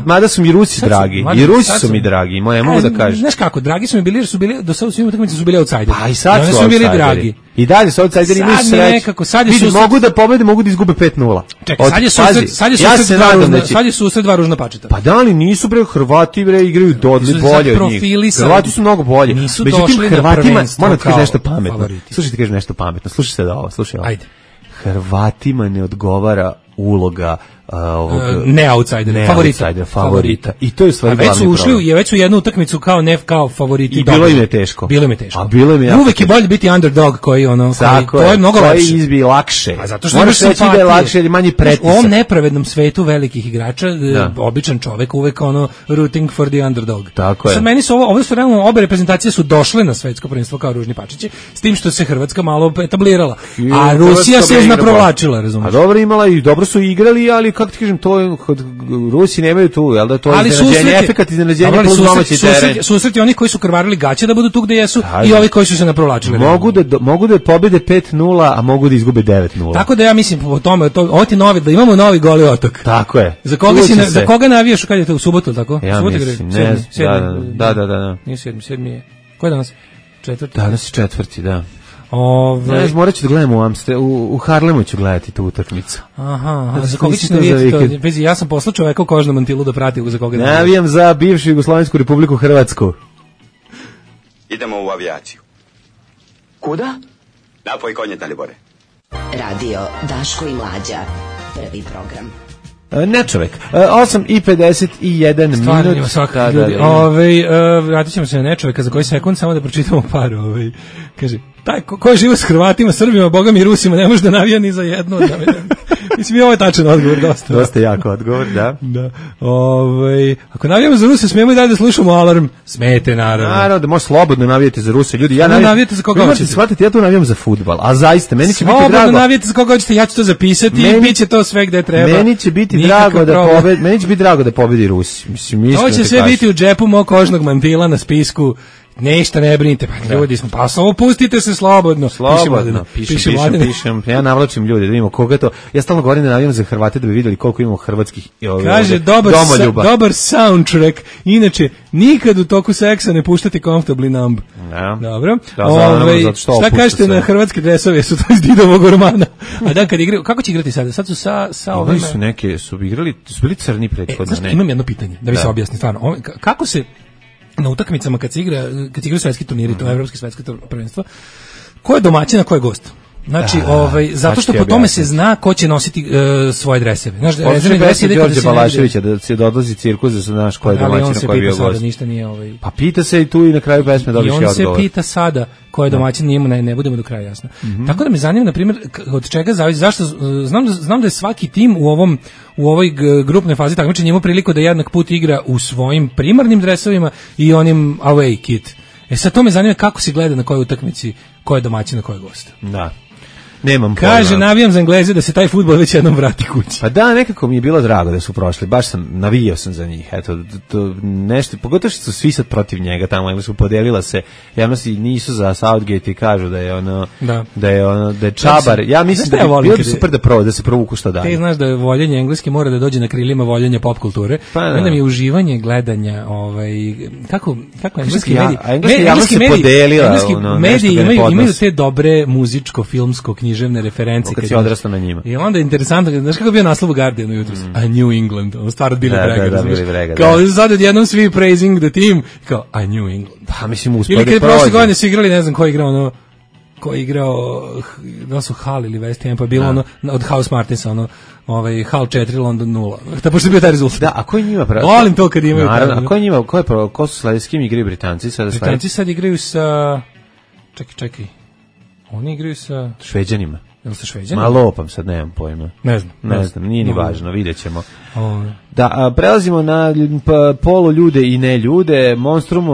Mada su mi Rusi dragi. I Rusi su mi dragi, moje mogu da kažem. Znaš kako, dragi su mi bili jer su bili do sada u svim utakmicama su bili outsideri. Pa i sad su bili dragi. I dalje su outsideri, imaju sreću. Vidi, mogu da pobede, mogu da izgube 5:0. Čekaj, sad je susret dva ružna pačeta. Pa da li nisu bre Hrvati bre igraju bolje od njih. Hrvati su mnogo bolji. Međutim, Hrvatima, moram ti kažem nešto pametno. Slušaj, ti kažem nešto pametno. Slušaj sad ovo, slušaj ovo. Ajde. Hrvatima ne odgovara uloga ne outsider, favorita. I to je u stvari glavni problem. Već su jednu utakmicu kao favoriti. I bilo im je teško. A uvek je bolje biti underdog koji to je mnogo lakše. Koji izbi lakše. A zato što moraš reći da je lakše ili manje pretisak. U ovom nepravednom svetu velikih igrača, običan čovek uvek rooting for the underdog. Tako je. Sad meni su ovo su realno obe reprezentacije su došle na svetsko prvenstvo kao ružni pačići, s tim što se Hrvatska malo etablirala. A Rusija se provlačila, razumiješ? A dobro imala i dobro su igrali, ali kako ti kažem, to Rusi nemaju tu, jel da to iznenađenje, efekat iznenađenja plus domaći teren. Susreti oni koji su krvarili gaće da budu tu gde jesu i ovi koji su se naprovlačili. Mogu da pobede 5:0, a mogu da izgube 9:0. Tako da ja mislim po tome, ovo ti novi, da imamo novi Goli otok. Tako je. Za koga navijaš kad je to u subotu, tako? Ja mislim, ne, da. Nije 7. je. Ko je danas? 4. Danas je 4, da. Morat ću da gledam u Harlemu ću gledati tu utakmicu. Aha, za koga ćeš navijati to? Ja sam poslao čoveka u kožnom mantilu da prati za koga navijam. Navijam za bivšu Jugoslavensku Republiku Hrvatsku. Idemo u avijaciju. Kuda? Napoj konje, Dalibore. Radio Daško i Mlađa. Prvi program. Ne čovek. 8:51 minut. Stvarno ima svakak ljudi. Vratit ćemo se na nečoveka za koji sekund, samo da pročitamo par. Kaže, taj ko je živo s Hrvatima, Srbima, Bogom i Rusima, ne može da navija ni za jedno. Mislim, ovo je tačan odgovor, dosta. Dosta jako odgovor, da. Ako navijamo za Ruse, smijemo i dalje da slušamo alarm. Smete, naravno. Naravno, da može slobodno navijati za Ruse. Ljudi, navijate za koga hoćete. Shvatite, ja tu navijam za fudbal, a zaista, meni će biti drago. Slobodno navijate za koga hoćete, ja ću to zapisati i bit će to sve gde treba. Meni će biti drago da pobedi Rusi. Mislim, to će sve biti u džepu mog kožnog mantila na spisku. Ništa ne brinite, pa ljudi smo, pa samo pustite se slobodno. Pišem. Ja navlačim ljude, da vidimo koga to. Ja stalno govorim da navijam za Hrvate da bi vidjeli koliko imamo hrvatskih kaže, domoljuba. Dobar soundtrack. Inače, nikad u toku seksa ne puštate comfortably numb. Dobro. Šta kažete na hrvatske dresove? Su to iz Didovog romana. A da, kad igraju, kako će igrati sada? Sad su sa ovima. Su neke, su bili crni prethodno. Znaš, imam jedno pitanje, da bi se objasni stvarno. Kako se na utakmicama kad se igraju svetski turniri, to je evropski svetsko prvenstvo, ko je domaćin, a ko je gost? Znači, zato što po tome se zna ko će nositi svoje dreseve. Znaš, rezervni dres ide Đorđe Balaševića da se odlazi cirkus, da se znaš ko je domaćin, ko je bio gost. Ništa nije Pa pita se i tu i na kraju pesme dobiješ odgovor. I on se pita sada ko je domaćin, njemu ne budemo do kraja jasno. Tako da me zanima, na primjer, od čega zavisi, zašto, znam da je svaki tim u ovoj grupnoj fazi takmičenja ima priliku da jednak put igra u svojim primarnim dresovima i onim away kit. Sad to me zanima kako se gleda na kojoj utakmici, ko je domaćin, na ko je gost. Da. Nemam pojma. Kaže, navijam za Engleze da se taj fudbal već jednom vrati kući. Pa da, nekako mi je bilo drago da su prošli, navijao sam za njih, eto, to nešto, pogotovo što su svi sad protiv njega tamo, Englesku podelila se, javnosti nisu za Southgate i kažu da je čabar, ja mislim da je bilo bi super da se provuku što dalje. Ti znaš da je voljenje engleske mora da dođe na krilima voljenja pop kulture, onda mi je uživanje gledanja, kako engleski mediji imaju te dobre muzičko-filmsko književne referencije. Kad si odrastao na njima. I onda je interesantno, znaš kako je bio naslov u Guardianu jutros? A New England, ono stvar od Billy Bragga. Kao sad odjednom svi praising the team, kao a New England. Pa mislim uspod da prođe. Ili kad prošle godine su igrali, ne znam ko je igrao, da su Hull ili West Ham, pa je bilo ono od House Martinsa, Hull 4, London 0. Da, pošto je bio taj rezultat. Da, a ko je njima pravo? Volim to kad imaju. Naravno, a ko je njima, ko su sledeći, s kim igraju Britanci? Britanci sad igraju sa, čekaj. Oni igraju sa Šveđanima. Jel sa Šveđanima? Malo opam sad, nemam pojma. Ne znam, nije ni važno, vidjet ćemo. Da, prelazimo na polu ljude i ne ljude. Monstrum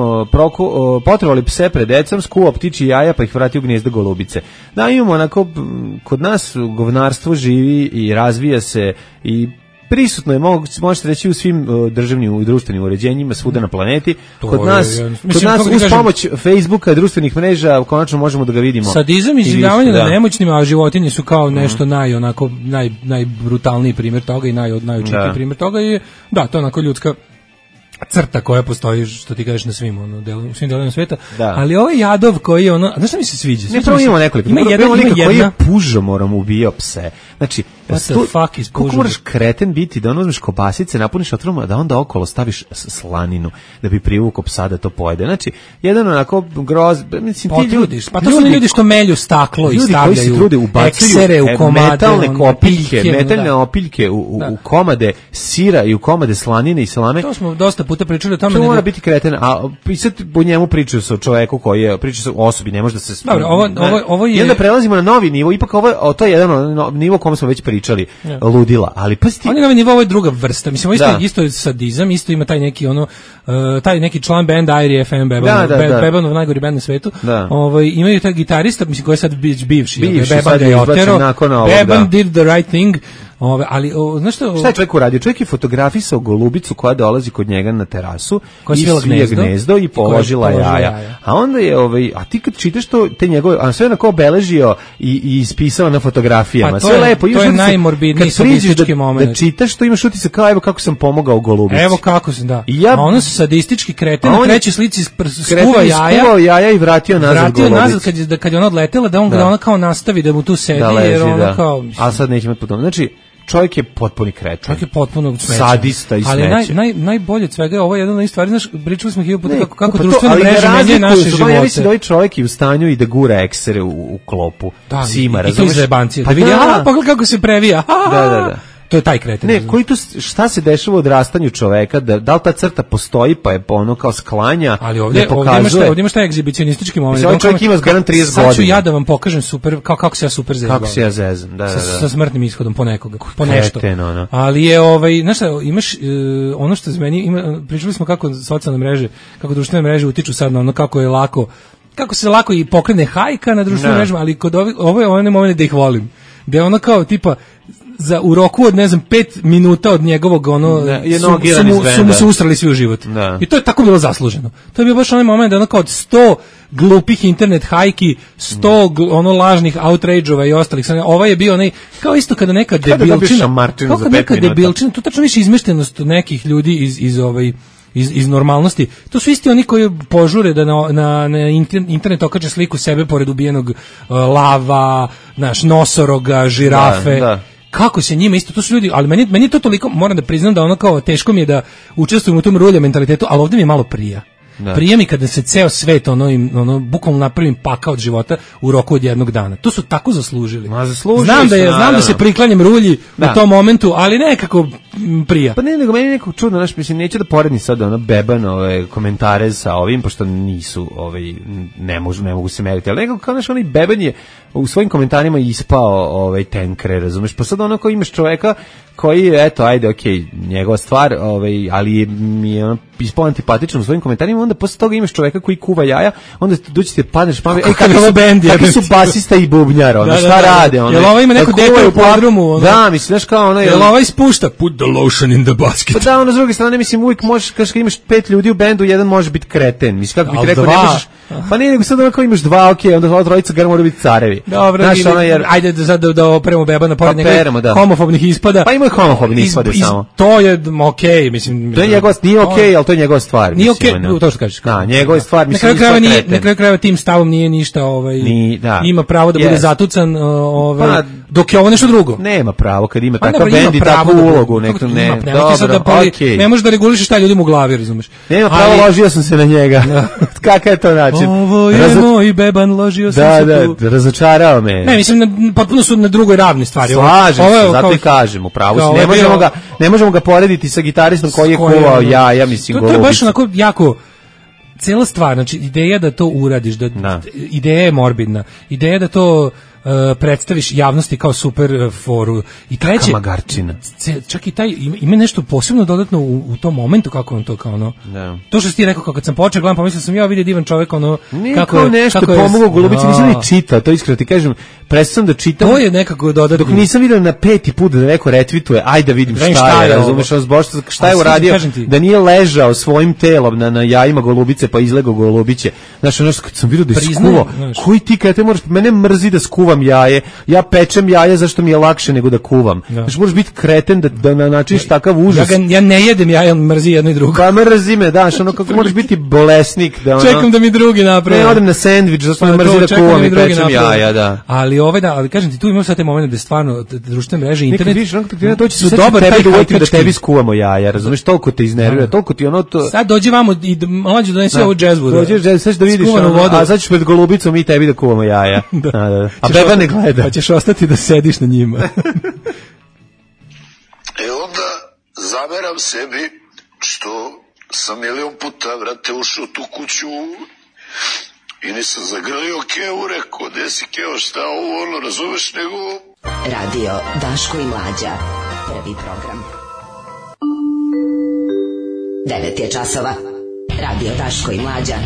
potrovali pse pred decom, skuo ptiči jaja pa ih vrati u gnjezdo golubice. Da, imamo onako, kod nas govnarstvo živi i razvija se i prisutno je, možete reći, u svim državnim i društvenim uređenjima svuda na planeti. Kod nas uz pomoć Facebooka, društvenih mreža, konačno možemo da ga vidimo. Sadizam i življavanje nad nemoćnima, a životinje su kao nešto najbrutalniji primjer toga i najočitiji primjer toga je, da, to onako ljudska crta koja postoji, što ti kažeš, na svim svim delovima sveta, ali ovaj jadov koji je znaš šta mi se sviđa? Ne, prvo imamo nekoliko. Ima jedan koji je pužomorom ubijao pse. Znači, koliko moraš kreten biti da uzmeš kobasice, napuniš otvorom, da onda okolo staviš slaninu da bi privukao psa da to pojede. Znači, jedan onako groz, mislim, ti ljudi, pa to su ljudi što melju staklo i stavljaju koji se trude, eksere u komade, metalne opiljke u komade sira i u komade slanine i salame. To smo dosta puta pričali o tome. To mora biti kreten, a sad po njemu pričaju se o čoveku koji je, pričaju se o osobi, ne može da se... Dobro, ovo je... I onda prelazimo na novi nivo, ipak to je jedan nivo o kome smo već pričali, ludila, ali pa sti... On je novi nivo, ovo je druga vrsta, mislim, isto je sadizam, isto ima taj neki taj neki član benda Airy FM, Bebanov najgori bend na svetu, imaju taj gitarista, mislim, koji je sad bivši Beban ga je otero, Beban did the right thing. Ali znaš šta je čovjek uradio? Čovjek je fotografisao golubicu koja dolazi kod njega na terasu i svija gnezdo i položila jaja. A onda je a ti kad čitaš to te njegove, a sve onako obeležio i ispisao na fotografijama. Pa sve lepo. To je najmorbidniji sadistički moment. Da čitaš to, imaš utisak kao evo kako sam pomogao golubici. Evo kako sam, da. A ono su sadistički kreten, na trećoj slici skuva jaja i vratio nazad golubicu. Kad je ona odletela, da ona kao nastavi da mu tu sedi, jer ona kao... A sad nećemo potom. Znači, čovjek je potpuni kreten. Čovjek je potpuno smeće. Sadista i smeće. Ali najbolje od svega je ovo jedna od stvari, znaš, pričali smo hiljadu puta kako društvene mreže menjaju naše živote. Ja mislim da ovaj čovjek je u stanju i da gura eksere u klopu. Psima, razumeš? I to iz zajebancije. Da vidi, pogledaj kako se previja. Da. To je taj kreten. Ne, šta se dešava u odrastanju čoveka, da li ta crta postoji, pa je ono kao sklanja, ali ovdje imaš taj egzibicionistički moment. Ovaj čovjek ima zgaran 30 godina. Sad ću ja da vam pokažem super, kako se ja super zezam. Kako se ja zezam, da. Sa smrtnim ishodom po nekoga, po nešto. Ali je, znaš šta, imaš ono što za meni, pričali smo kako socijalne mreže, kako društvene mreže utiču sad na ono kako se lako i pokrene hajka na društvenim mrežama, ali kod ovo je onaj moment da ih volim. Da je ono kao tipa u roku od 5 minuta od njegovog su mu se ustrali svi u život. I to je tako bilo zasluženo. To je bio baš onaj moment da kao od 100 glupih internet hajki, 100 lažnih outrage-ova i ostalih. Ovaj je bio onaj, kao isto kada neka debilčina, to tačno više izmeštenost nekih ljudi iz normalnosti. To su isti oni koji požure da na internet okače sliku sebe pored ubijenog lava, nosoroga, žirafe. Kako se njima isto, to su ljudi, ali meni to toliko, moram da priznam da ono kao teško mi je da učestvujem u tom rulja mentalitetu, ali ovdje mi je malo prija. Prija mi kada se ceo svet ono bukvalno napravim pakao od života u roku od jednog dana. To su tako zaslužili. Znam da se priklanjam rulji u tom momentu, ali nekako prija. Pa ne, nego meni nekako čudno, mislim, neću da poredim sad beban komentare sa ovim, pošto nisu, ne mogu se meriti, ali nekako kao onaj beban je u svojim komentarima ispao tenkre, razumeš, pa sad onako imaš čoveka koji, eto, ajde, okej, njegova stvar, ali mi je ispao antipatičan u svojim komentarima, onda posle toga imaš čoveka koji kuva jaja, onda doći ti padneš pamet, kakvi su basista i bubnjar, šta rade, jel ovo ima neko dete u podrumu, da, misliš, znaš kao ono, jel ovo ispušta, put the lotion in the basket, pa da, ono, s druge strane, mislim, uvijek možeš, kad imaš 5 ljudi u bendu, jedan može biti kreten, mislim, kako bih rekao, ne možeš, pa ne, nego sad onako imaš 2, okej, onda ova trojica gara mora biti carevi. Dobro, ajde da operemo bebana pored njega homofobnih ispada. Pa ima i homofobnih ispada samo. To je okej, mislim. To je njegova, nije okej, ali to je njegova stvar. Nije okej, to što kažeš. Da, njegova stvar, mislim. Na kraju krajeva tim stavom nije ništa, ima pravo da bude zatucan, dok je ovo nešto drugo. Nema pravo kad ima takav bend i takvu ulogu, nekto ne. Dobro, okej. Ne možeš da regulišeš šta ljudima u glavi, razumeš. Nema pravo, ložio sam se na njega. Kakav je to način? Ovo je moj beban, ložio sam se tu. Da, razočarao me. Ne, mislim, potpuno su na drugoj ravni stvari. Slažem se, zato i kažem, upravo si. Ne možemo ga porediti sa gitaristom koji je kuvao ja mislim, to je baš onako jako cela stvar, znači ideja da to uradiš, ideja je morbidna, ideja da to predstaviš javnosti kao super foru i treće magarčina. Čak i taj ima nešto posebno dodatno u tom momentu kako on to kao ono. Da. To što si ti rekao kako kad sam počeo gledam, pomislio sam vidio divan čovjek ono kako je nešto pomogao Golubici, nisam ni čitao, to iskreno ti kažem, prestao da čitam. To je nekako dodatno. Dok nisam vidio na 5. put da neko retvituje, ajde da vidim šta je, razumeš, šta je uradio, da nije ležao svojim telom na jajima Golubice pa izlegao Golubiće. Znaš, ono kad sam vidio da je skuvao, koji ti kad te moraš, mene mrzi da skuvam jaje, ja pečem jaje zašto mi je lakše nego da kuvam. Znači možeš biti kreten da na način takav užas. Ja ne jedem jaja, mrzi jedno i drugo. Pa mrzi me, daš, ono kako možeš biti bolesnik. Da, ono, čekam da mi drugi napravi. Ne, odem na sendvič, zašto me mrzi da kuvam i pečem jaja, da. Ali kažem ti, tu imamo sad te momente da stvarno društvene mreže, internet, vidiš, to će su dobar tebe da tebi skuvamo jaja, razumeš, toliko te iznervira, toliko ti ono to. Sad dođi vamo i mlađe donesi ovu džezvu. Dođeš džez, sad da vidiš, a sad ćeš pred Golubicom i tebi da kuvamo jaja. A beba ne gleda. Pa ćeš ostati da sediš na njima. Onda zameram sebi što sam milion puta, vrate, ušao u tu kuću i nisam zagrlio Kevu, rekao, gde si Keo, šta ovo, ono, razumeš, nego... Radio Daško i Mlađa, prvi program. 9 je časova. Radio Daško i Mlađa,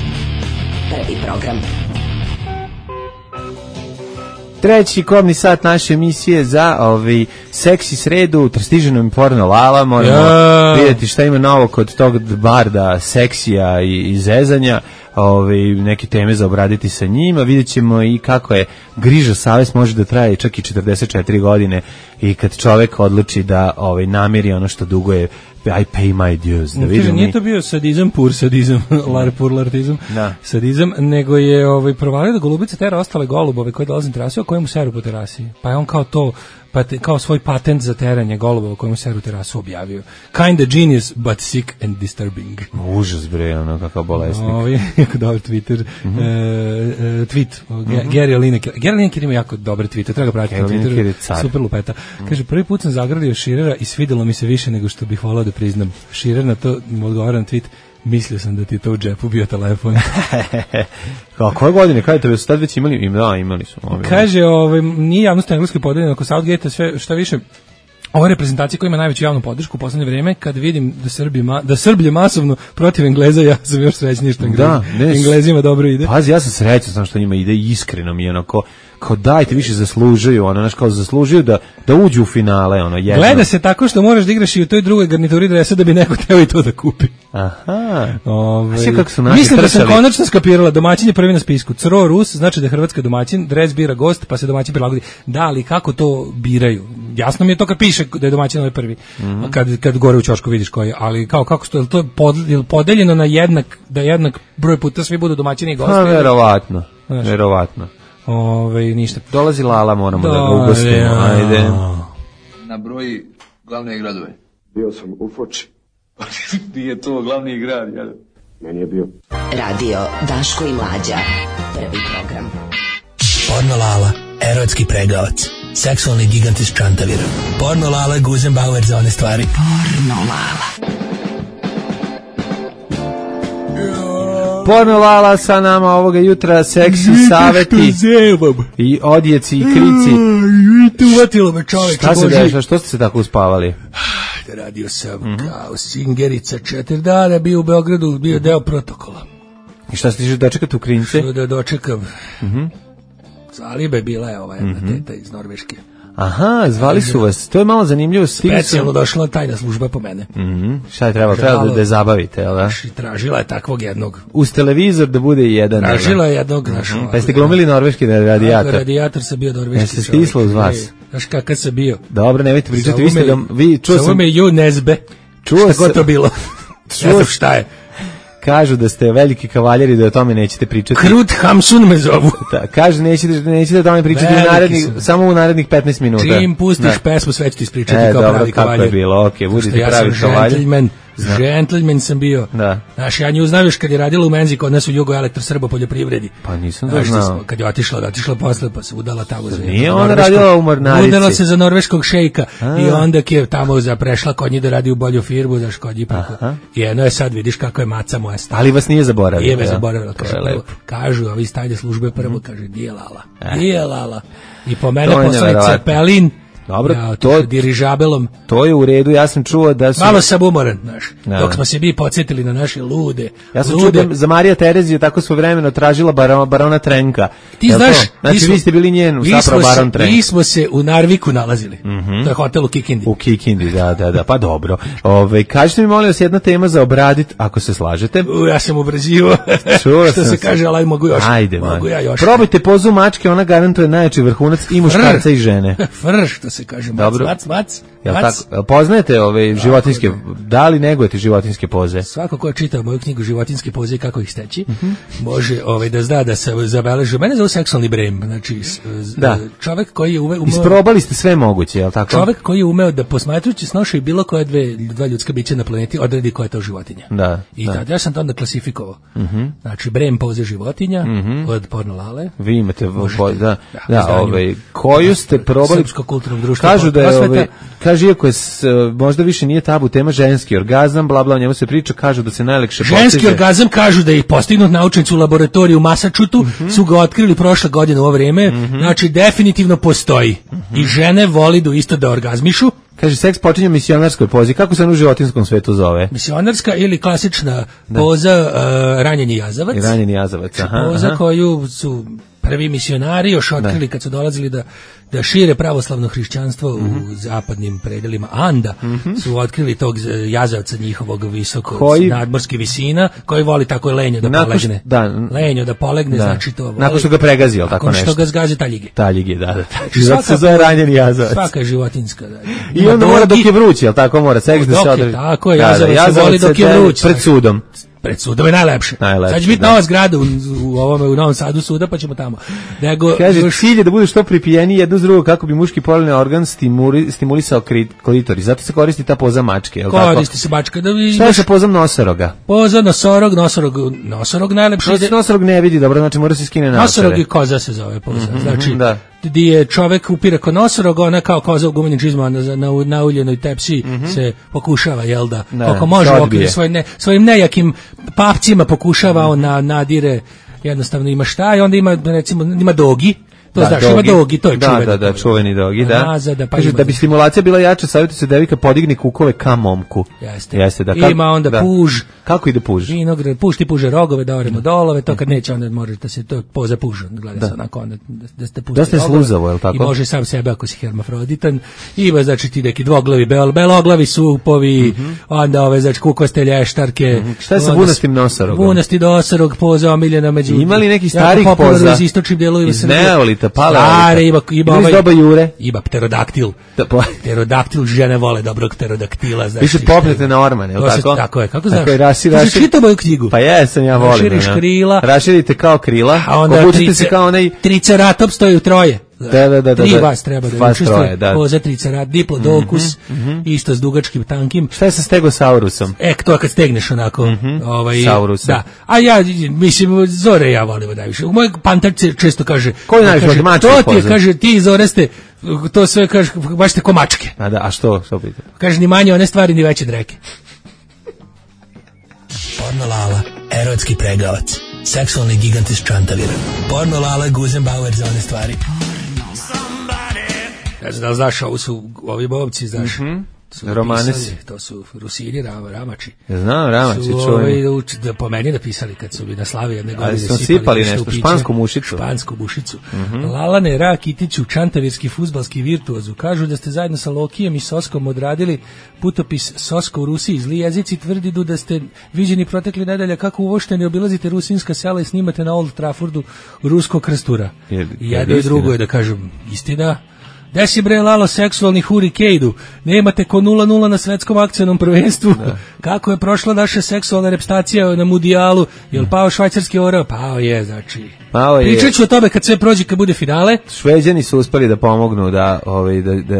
prvi program. Treći kobni sat naše emisije za seksi sredu, stiže nam porno Lala, moramo vidjeti šta ima novo kod tog barda seksija i zezanja, neke teme za obraditi sa njima, vidjet ćemo i kako je griža savest može da traje čak i 44 godine i kad čovek odluči da namiri ono što duguje, I pay my dues. Da vidim, nije to bio sadizam, pur sadizam, lartizam, sadizam, nego je provalio da Golubica tera ostale golubove koji dolaze na terasu, a koje mu seru po terasi. Pa je on kao to, kao svoj patent za teranje golubova koji mu seru terasu objavio. Kinda genius, but sick and disturbing. Užas bre, ono kakav bolesnik. Jako dobar Twitter. Tweet. Gary Lineker. Gary Lineker ima jako dobre tweete, treba ga pratiti na Twitteru. Super lupeta. Kaže, prvi put sam zagrlio Širera i svidelo mi se više nego što bih volao da priznam. Širer na to mu odgovara na tweet: mislio sam da ti to u džepu bio telefon. Kao koje godine, kada te sad već imali? Da, imali su. Kaže, nije javnost engleski podeljeno oko Southgate, sve šta više. Ova reprezentacija koja ima najveću javnu podršku u poslednje vreme, kad vidim da Srblje masovno protiv Engleza, ja sam još srećniji što Englezima dobro ide. Pazi, ja sam srećan sam što njima ide, iskreno mi je onako, kao dajte više zaslužuju, kao zaslužuju da uđu u finale, jedno. Gleda se tako što moraš da igraš i u toj drugoj garnituri dresa da bi neko teo i to da kupi. Aha. Kako su naši mislim da sam konačno skapirala, domaćin je prvi na spisku. Cro Rus, znači da je Hrvatska domaćin, dres bira gost, pa se domaćin prilagodi. Da, ali kako to biraju? Jasno mi je to kad piše da je domaćin ovaj prvi. Kad gore u ćošku vidiš koji je, ali kako to je podeljeno na jednak broj puta svi budu domaćini i gosti. Verovatno. Ništa. Dolazi Lala, moramo da ga ugostimo. Ajde. Na broji glavne gradove. Bio sam u Foči. Nije to glavni grad, jel? Meni je bio. Radio Daško i Mlađa. Prvi program. Porno Lala, erotski pregavac. Seksualni gigant iz Čantavira. Porno Lala, Guzenbauer za one stvari. Porno Lala. Porno Lala sa nama ovoga jutra, seksi saveti i odjeci i krici. Uvatilo me čovječe. Šta se dešava? Što ste se tako uspavali? Radio sam kao singerica 4 dana, bio u Beogradu, bio deo protokola. I šta ste dočekati u Krince? Što da dočekam. Zalibe bila je ova jedna teta iz Norveške. Aha, zvali su vas. To je malo zanimljivo. Specijalno došla tajna služba po mene. Šta je trebalo? Trebalo da je zabavite, jel da? Tražila je takvog jednog. Uz televizor da bude jedan. Tražila je jednog. Pa ste glumili norveški radijator? Radijator sam bio norveški. Se stislo uz vas. Znaš kakav sam bio? Dobro, nemojte pričati. Zove me Ju Nezbe. Šta god to bilo. Ne znam šta je. Kažu da ste veliki kavaljeri, da o tome nećete pričati. Krut Hamsun me zovu. Da, kažu nećete o tome pričati samo u narednih 15 minuta. Čim pustiš pesmu, sve ću ti ispričati kao pravi kavaljer. Kako je bilo, okej, budite pravi kavaljer. Gentleman sam bio. Znaš, ja nju znam još kad je radila u menzi kod nas u Jugo Elektrosrbo poljoprivredi. Pa nisam to znao. Kad je otišla posle, pa se udala tamo za... Nije ona radila u mornarici. Udala se za norveškog šejka i onda je tamo prešla kod njih da radi u bolju firmu, znaš, kod njih preko. I eno je sad, vidiš kako je maca moja stara. Ali vas nije zaboravila. Nije me zaboravila. Kažu, ovi iz tajne službe prvo, kaže, nije Lala. I po mene poslali Cepelin. Dobro, to dirižabelom. To je u redu, ja sam čuo da su... Malo sam umoran, znaš, dok smo se mi podsjetili na naše lude. Ja sam čuo da za Marija Tereziju tako svojevremeno tražila barona Trenka. Ti znaš... Znači, vi ste bili njen, zapravo baron Trenk. Mi smo se u Narviku nalazili. To je hotel u Kikindi. U Kikindi, da, pa dobro. Kažete mi, molim vas, jedna tema za obradit, ako se slažete. Ja sam ubrazivo. Što se kaže, ali mogu još. Ajde, man. Probajte pozu mačke, ona garantuje najjači vrhunac i muškarca i žene. Se kaže mac. Poznajete ove životinjske, da li negujete životinjske poze? Svako ko je čitao moju knjigu Životinjske poze i kako ih steći, može da zna da se zabeleži. Mene zove seksualni brem, znači čovek koji je umeo... Isprobali ste sve moguće, je li tako? Čovek koji je umeo da posmatrujući snoša i bilo koje dva ljudska bića na planeti odredi koja je to životinja. I ja sam to onda klasifikovao. Znači brem poze životinja od Porno Lale. Vi imate, koju ste probali... Srpsko kulturno društvo. Kažu da je, kaže, iako je možda više nije tabu tema ženski orgazam, bla bla, o njemu se priča, kažu da se najlekše postiže. Ženski orgazam, kažu da je postignut naučnici u laboratoriju u Massachusettsu, su ga otkrili prošle godine u ovo vrijeme, znači definitivno postoji. I žene voli isto da orgazmišu. Kaže, seks počinje u misionarskoj pozi. Kako se u životinskom svetu zove? Misionarska ili klasična poza ranjeni jazavac. Ranjeni jazavac, aha. Poza koju su prvi misionari još otkrili kad su dolazili da šire pravoslavno hrišćanstvo u zapadnim predelima Anda, su otkrili tog jazavca njihovog visokog nadmorskih visina, koji voli tako lenjo da polegne. Lenjo da polegne, znači to voli. Nakon što ga pregazio, tako nešto. Nakon što ga zgazi taljige. Taljige, da. Zato se zove ranjeni jazavac. Svaka je životinska. I onda mora dok je vruć, jel tako mora? Seks da se održi. Tako je, jazavac se voli dok je vruć. Pred sudom. Pred sudom je najlepše. Sad će biti nova zgrada u Novom Sadu suda, pa ćemo tamo. Kaže, cilj je da bude što pripijeniji jedno s drugo kako bi muški polni organ stimulisao klitoris. Zato se koristi ta poza mačke, je li tako? Koristi se mačka. Šta je sa pozom nosoroga? Poza nosorog najlepše. Nosorog ne vidi dobro, znači mora se skine naosore. Nosorog i koza se zove poza. Znači, gdje je čovek upira kod nosorog, ona kao koza u gumenim čizmama na uljenoj tepsi se pokušava, jel da, kako može u okviru svojim nejakim papcima pokušava, on nadire, jednostavno ima šta i onda ima, recimo, ima dogi. To znaš, ima dogi, to je čuveni. Da, čuveni dogi, da. Kaže, da bi stimulacija bila jača, savjetuje se devika podigne kukove ka momku. Jeste. Ima onda puž. Kako ide puž? Puž ti puže rogove, da oremo dolove, to kad neće, onda može da se to poza pužu, gleda se onako, da ste pusti rogove. Da ste sluzavo, je li tako? I može sam sebe ako si hermafroditan. Ima, znači, ti neki dvoglavi, beloglavi supovi, onda znači, kukoste lještarke. Šta je sa bunastim nosorogom? Bunasti nosorog, poza omiljena među... Ima li neki starih poza? Stare, ima pterodaktil. Pterodaktil, žene vole dobrog pterodaktila. Više popnete na ormane, je li tako? Tako je, kako znaš? Čitao moju knjigu. Pa jesam, ja volim. Raširiš krila. Raširite kao krila, a onda obučite se kao onaj... Triceratops stoji u troje. Da. 3 vas treba da učestvuje. Pozatrica, rad, diplodokus, isto s dugačkim tankim. Šta je sa stegosaurusom? To kad stegneš onako. Saurusa. Da. A ja, mislim, Zore ja volimo najviše. Moj pantar često kaže... Koji najviše od mačke to ti je, kaže, ti Zore ste, to sve, kaže, baš ste ko mačke. A što pita? Kaže, ni manje one stvari, ni veće dreke. Porno Lala, erotski pregavac, seksualni gigant iz Čantavira. Porno Lala, Guzenbauer za one stvari. Ne znam da li znaš, ovo su ovi bobci, znaš. Romanesi. To su Rusini, Ramači. Znam, Ramači, čujem. Po meni napisali kad su bi na slavi jedne godine sipali nešto, špansku mušicu. Lalane, Ra, Kitiću, čantavirski fudbalski virtuozu. Kažu da ste zajedno sa Lokijem i Soskom odradili putopis Sosko u Rusiji. Zli jezici tvrdi da ste viđeni protekli nedelja kako uvošteni obilazite rusinska sela i snimate na Old Traffordu ruskog krstura. I jedno i drugo je da kažem istina. Gde si bre Lalo seksualni hurikejdu? Nemate ko 0-0 na svetskom akcionom prvenstvu. Kako je prošla naša seksualna repstacija na mundijalu? Jel pao švajcarski orao? Pao je, znači. Pričat ću o tome kad sve prođe, kad bude finale. Šveđani su uspeli da pomognu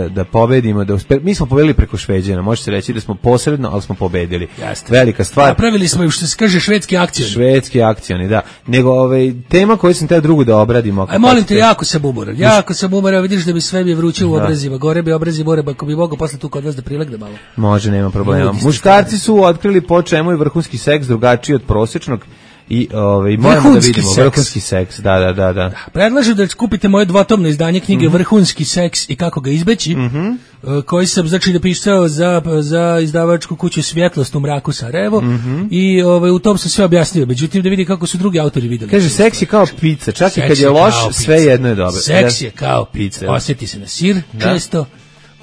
da pobedimo. Mi smo pobedili preko Šveđana. Može se reći da smo posredno, ali smo pobedili. Jeste. Velika stvar. Napravili smo, što se kaže, švedski akcioni. Švedski akcioni, da. Nego tema koju sam te drugu da obradimo. Aj, molim te, jako sam umoran. Vidiš da bi sve bi vruće u obrazima. Gore bi obrazi more, ako bi mogao posle tu kod vas da prilegne malo. Može, nema problema. Muškarci su otkrili po čemu je vrhunski seks drugačiji od prosječnog. I moramo da vidimo vrhunski seks. Da. Predlažem da kupite moje dvotomno izdanje knjige Vrhunski seks i kako ga izbeći, koji sam znači napisao za izdavačku kuću Svjetlost u mraku Sarajevo i u tom sam sve objasnio. Međutim da vidi kako su drugi autori videli. Kaže seks je kao pizza, čak i kad je loš, sve jedno je dobro. Seks je kao pizza. Osjeti se na sir često.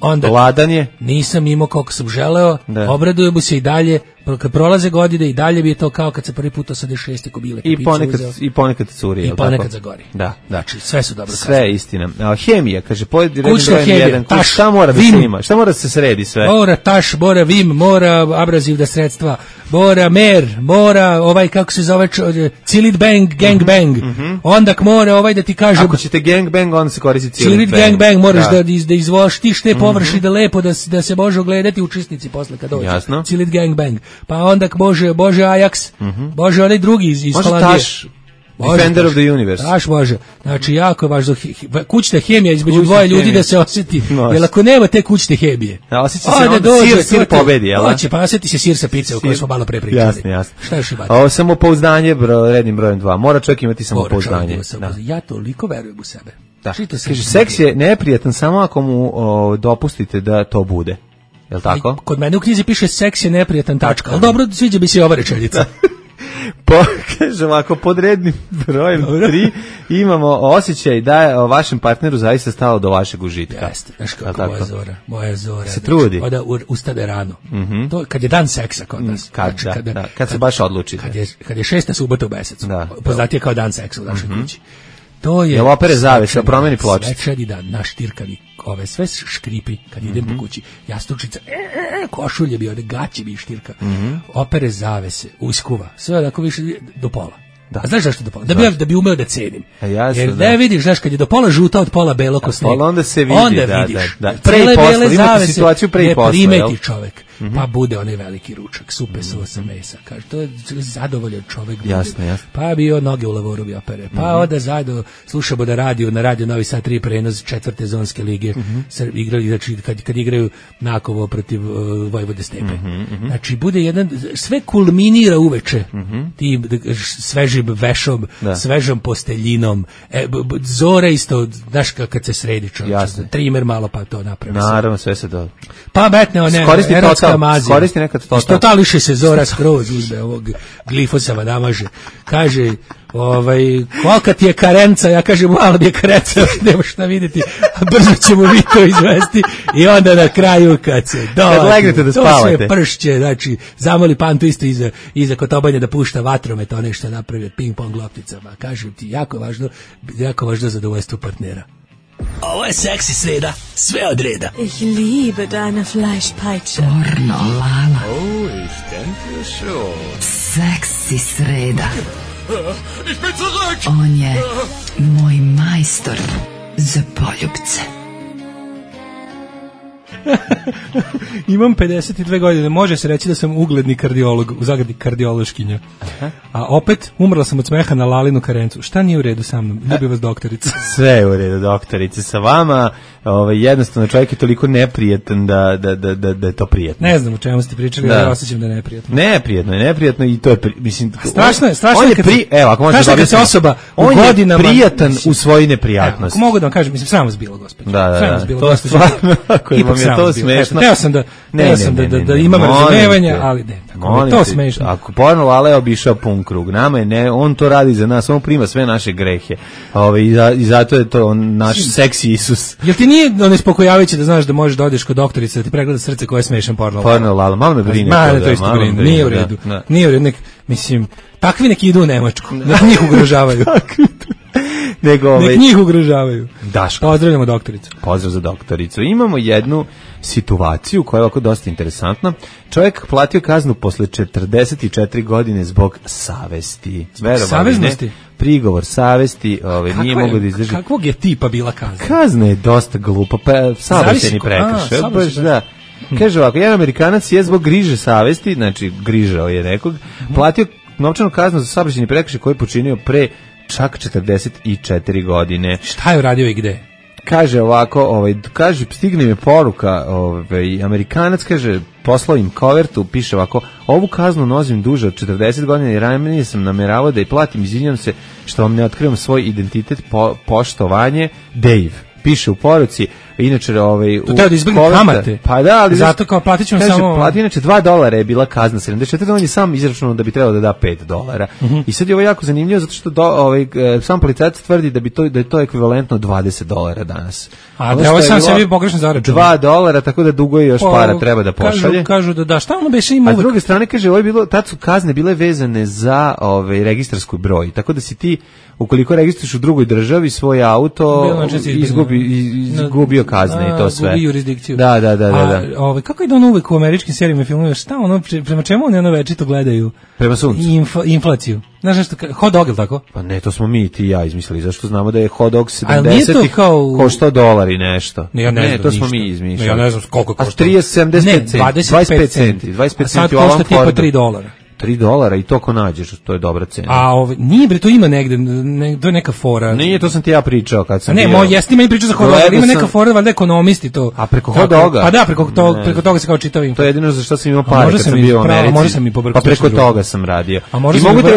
Onda ladan je. Nisam imao koliko sam želeo, obradujem mu se i dalje, kad prolaze godine i dalje bi je to kao kad se prvi put 86. kobile. I ponekad curi. I ponekad zagori. Da. Znači, sve su dobro. Sve je istina. Hemija, kaže, kućna hemija, šta mora da se ima? Šta mora da se sredi sve? Mora taš, mora vim, mora abrazivna sredstva, mora mer, mora kako se zove, cilit bang, gang bang. Onda mora da ti kažem... Ako ćete gang bang, onda se koristi cilit gang bang, moraš da izvoštiš te površine lepo, da se može ogledati učesnici posle kad dođe. Jasno. Cilit gang bang. Pa onda može Ajax, može onaj drugi iz Holandije. Može Taš, Defender of the Universe. Taš može. Znači, jako je važno, kućna hemija između dvoje ljudi da se osjeti. Jer ako nema te kućne hemije, osjeti se onda sir pobedi, jel? Hoće, pa osjeti se sir sa pice o kojoj smo malo pre pričali. Jasno. Šta još imate? Ovo samopouzdanje rednim brojem 2. Mora čovjek imati samopouzdanje. Ja toliko verujem u sebe. Kaže, seks je neprijatan samo ako mu dopustite da to bude. Jel tako? Kod mene u knjizi piše seks je neprijatan tačka, ali dobro, sviđa bi se i ova rečenica. Kaže ovako, pod rednim brojem 3 imamo osjećaj da je vašem partneru zaista stalo do vašeg užitka. Jeste, znaš kako moja Zora. Se trudi. Oda ustade rano. To kad je dan seksa kod nas. Kad se baš odlučite. Kad je 6. subota u mesecu. Poznatije kao dan seksa u našoj kući. To je... Jel opere zavese, promeni pločicu? Svečani dan, naš tirkavi, sve škripi, kad idem po kući, jastučica, košulje bi, one gaće bi štirka, opere zavese, uskuva, sve onako više do pola. A znaš zašto do pola? Da bi umeo da cenim. Jer ne vidiš, znaš, kad je do pola žuta, od pola belo ko sneg. Onda se vidi, onda vidiš. Pre i posle, imate situaciju pre i posle. Ne primeti čovek. Pa bude onaj veliki ručak, supe sosa mesa. Kaže, to je zadovoljan čovek. Jasno. Pa bio noge u lavoru bi opere. Pa onda zajedno slušamo na radio Novi Sad 3 prenos 4. zonske lige. Igrali, znači, kad igraju Nakovo protiv Vojvode Stepe. Znači, bude jedan, sve kulminira uveče. Tim svežim vešom, svežom posteljinom. Zora isto, znaš kad se sredi čovječ. Trimer malo pa to napravi. Naravno, sve se to. Pa metne one koristi nekad total. Totališe se Zora skroz uzme ovog glifosama namaže. Kaže, kolika ti je karenca? Ja kažem, malo mi je karenca, nema šta vidjeti, a brzo ćemo vi to izvesti i onda na kraju kad se kad legnete da spavate. To sve pršće, znači, zamoli Pantu isto iza kotobanja da pušta vatromet, one što napravi ping-pong lopticama. Kažem ti, jako važno zadovoljstvo partnera. Ovo je seksi sreda, sve od reda. Ich liebe deine Fleischpeitsche. Pornolala. Oh, ich denke schon. Seksi sreda. Ich bin zurück. On je moj majstor za poljupce. Imam 52 godine, može se reći da sam ugledni kardiolog, u zagradi kardiološkinja. A opet, umrla sam od smeha na Lalinu karencu. Šta nije u redu sa mnom? Ljubi vas doktorica. Sve je u redu, doktorice. Sa vama, jednostavno čovjek je toliko neprijetan da je to prijetno. Ne znam o čemu ste pričali, ali osjećam da je neprijatno. Neprijatno i to je, mislim... Strašno je kad se osoba u godinama... On je prijatan u svojoj neprijatnosti. Ako mogu da vam kažem, mislim, sram vas bilo, gospođo. Da, to je stvarno, ako vam je to smešno. Teo sam da imam razumevanja, ali ne, tako je to smešno. Ako porno Lale obišao pun krug, nama je on to radi za nas, on prima sve naše grehe. I zato je to naš seksi Isus. Jel ti nije nespokojavajuće da znaš da možeš da odeš kod doktorice da ti pregleda srce koje je smešan porno Lale? Porno Lale, malo me brine. To isto brine, nije u redu. Nije u redu, mislim, takvi neki idu u Nemačku, da njih ugrožavaju. Nek njih ugrožavaju. Daško. Pozdravljamo doktoricu. Pozdrav za doktoricu. Imamo jednu situaciju koja je ovako dosta interesantna. Čovjek platio kaznu posle 44 godine zbog savesti. Saveznosti? Prigovor savesti, nije mogo da izdrži. Kakvog je tipa bila kazna? Kazna je dosta glupa, saobraćajni prekršaj. Da. Kaže ovako, jedan Amerikanac je zbog griže savesti, znači grižao je nekog, platio novčanu kaznu za saobraćajni prekršaj koji je počinio pre čak 44 godine. Šta je uradio i gde? Kaže ovako, kaže, stigne mi poruka, Amerikanac, kaže, poslao im kovertu, piše ovako, ovu kaznu nozim duže od 40 godina i ranije sam nameravao da je platim, izvinjam se što vam ne otkrivam svoj identitet, poštovanje, Dave. Piše u poruci, inače to treba da izbjegne kamate. Pa da, ali zato kao platit ćemo samo... Plati, inače $2 je bila kazna 74, on je sam izračunao da bi trebalo da da $5. I sad je ovo jako zanimljivo zato što sam policajac tvrdi da je to ekvivalentno $20 danas. A da ovo sam sebi pogrešno zaračunao. $2, tako da dugo je još para treba da pošalje. Kažu da šta ono beše ima. A s druge strane kaže, ovo je bilo, tad su kazne bile vezane za registarski broj, tako da si ti ukoliko registruješ u drugoj državi svoj auto, izgubio kazne i to sve. Gubi jurisdikciju. Da. A kako je da ono uvek u američkim serijama i filmovima, šta ono, prema čemu oni ono večito gledaju? Prema suncu. Inflaciju. Znaš nešto, hot dog, ili tako? Pa ne, to smo mi ti i ja izmislili, zašto znamo da je hot dog 70 koštao $1 i nešto. Ne, to smo mi izmišljali. Ja ne znam koliko košta. A 75 centi. 25 centi. 25 centi. A sad košta tipa $3. $3 i to ko nađeš, to je dobra cena. A nije bre, to ima negde, to je neka fora. Nije, to sam ti ja pričao kad sam bio. Ne, jeste meni pričao za hot doga, ima neka fora, valjda ekonomisti to. A preko hot doga? Pa da, preko toga se kao čitao info. To je jedino za što sam imao pare kad sam bio u Americi. Može sam i pobrkati. Pa preko toga sam radio.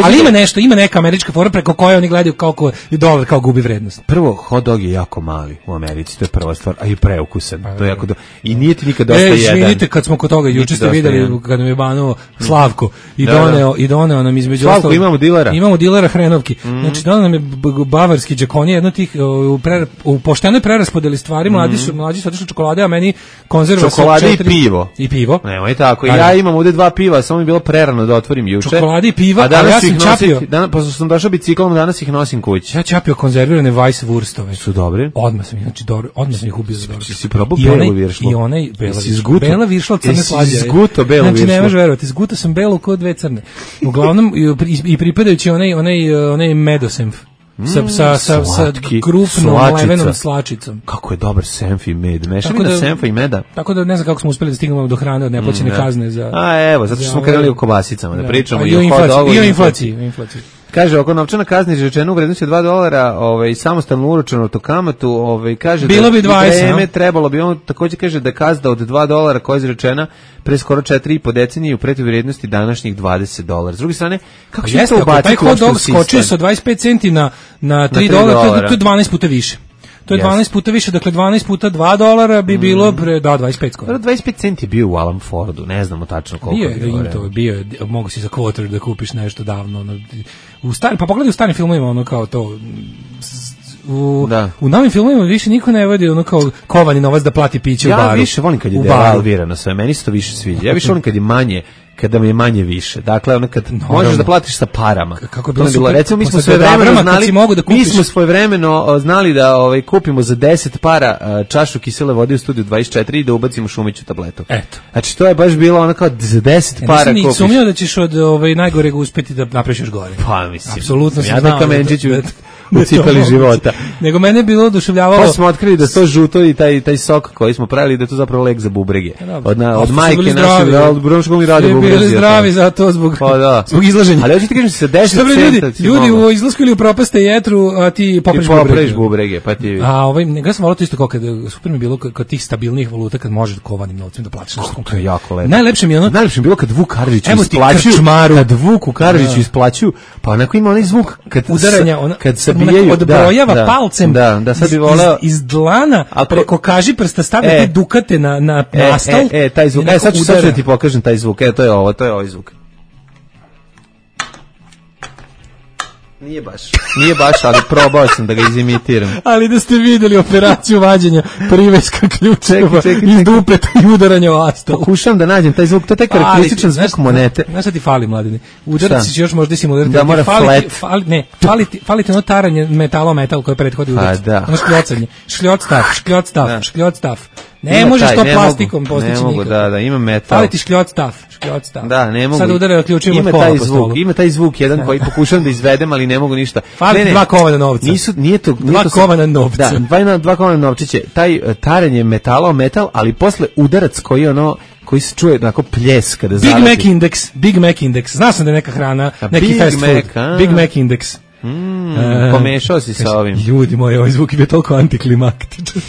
Ali ima nešto, ima neka američka fora preko koje oni gledaju kako dolar kao gubi vrednost. Prvo, hot dog je jako mali u Americi, to je prva stvar, a i preukusan. To je jako i nije ti nikad dosta jedan. Vidite kad smo kod toga, juče ste videli kad nam je banuo Slavko i doneo nam između Slavko, imamo dilera hrenovki. Znači doneo nam je bavarski džakonije, jedno tih u poštenoj preraspodeli stvari, mlađi su otišli čokolade, a meni konzerva čokolade i pivo. Nemoj tako. Ja imam ovde 2 piva, samo mi je bilo prerano da otvorim juče. Čokolade i piva, a ja sam čapio. Pošto sam došao biciklom, danas ih nosim kući. Ja čapio konzervirane Weisswurstove. Su dobri? Odmah sam ih ubio za dobro. Si probao belu viršlu? I onaj bela viršla crne slađe. Zguto belu viršlu. Znači ne možeš verovati, zguto sam belu kod 2 crne. Uglavnom i pripadajući onaj medosenf sa krupnom levenom slačicom. Kako je dobar senf i med. Mešavina senfa i meda. Tako da ne znam kako smo uspeli da stignemo do hrane od neplaćene kazne za... evo, zato što smo krenuli u kobasicama da pričamo i o hot dogu i o inflaciji. Kaže, oko novčana kazna izrečena u vrednosti $2, samostalno uračunatu automatu, kaže bilo bi 20, trebalo bi, on također kaže da kazna od $2 koja je izrečena pre skoro 4,5 decenije u protivvrednosti današnjih $20. S druge strane, kako će to ubaciti taj hot dog skočio sa 25 centi na $3, to je 12 puta više. To je 12 puta više, dakle 12 puta $2 bi bilo 25 skoro. 25 centi je bio u Alan Fordu, ne znamo tačno koliko bio je, mogu si za quarter da kupiš nešto davno. Pa pogledaj u starim filmovima, ono kao to... U novim filmovima više niko ne vodi ono kao kovani novac da plati piće u baru. Ja više volim kad je devalvirano sve, meni se to više sviđa. Ja više volim kad je manje, kada mi je manje više. Dakle, ono kad možeš da platiš sa parama. Kako je bilo recimo, mi smo svojevremeno znali da kupimo za 10 para čašu kisele vode u studiju 24 i da ubacimo šumiću tabletu. Eto. Znači, to je baš bilo ono kao za 10 para kupiš. Nisam sumnio da ćeš od najgoreg uspeti da napraviš još gore. Pa, mislim. Apsolutno sam znao. u cipeli života. Nego mene je bilo oduševljavalo. Pa smo otkrili da to žuto i taj sok koji smo pravili da je to zapravo lek za bubrege. Od majke naše, mi radi bubrege. Bili zdravi za to zbog izlaženja. Ali hoćete kažem se 10 centa. Ljudi u izlasku ili u propaste jetru, a ti popreš bubrege. Pa ti. Ja sam volao to isto kao kad super mi bilo kod tih stabilnih valuta kad možeš kovanim novcem da platiš nešto. To je jako lepo. Najlepše mi je bilo kad Vuk Karadžić isplaćuju. Kad Vuku Karadžiću isplaćuju, pa onako ima onaj zvuk kad udaranja, kad sabijaju, odbrojava palcem. Da, sad bi voleo iz dlana preko kaži prsta stavlja te dukate na nastal. Taj zvuk. Sad ću da ti pokažem taj zvuk. To je ovaj zvuk. Nije baš, ali probao sam da ga izimitiram. Ali da ste videli operaciju vađenja priveska ključeva iz dupeta i udaranja o astal. Pokušam da nađem taj zvuk, to je taj karakterističan zvuk monete. Znaš šta ti fali, mladine? Udarac će još možda simulariti. Da mora flat. Fali ti ono taranje metal koje prethodi udarac. Ono škljocanje. Škljot stav. Ne možeš to plastikom postići nikako. Ne mogu, da, ima metal. Fali ti škljot stav. Da, ne mogu. Sad udaraju ključima od kola po stolu. Ima taj zvuk jedan koji pokušam da izvedem, ali ne mogu ništa. Fali dva kovana novca. Nije to dva kovana novca. Da, dva kovana novčiće. Taj taranje metala o metal, ali posle udarac koji se čuje onako pljes kada zaleti. Big Mac Index. Znao sam da je neka hrana, neki fast food. Big Mac Index. Pomešao si sa ovim. Ljudi moji, ovaj zvuk je bio toliko antiklimaktičan.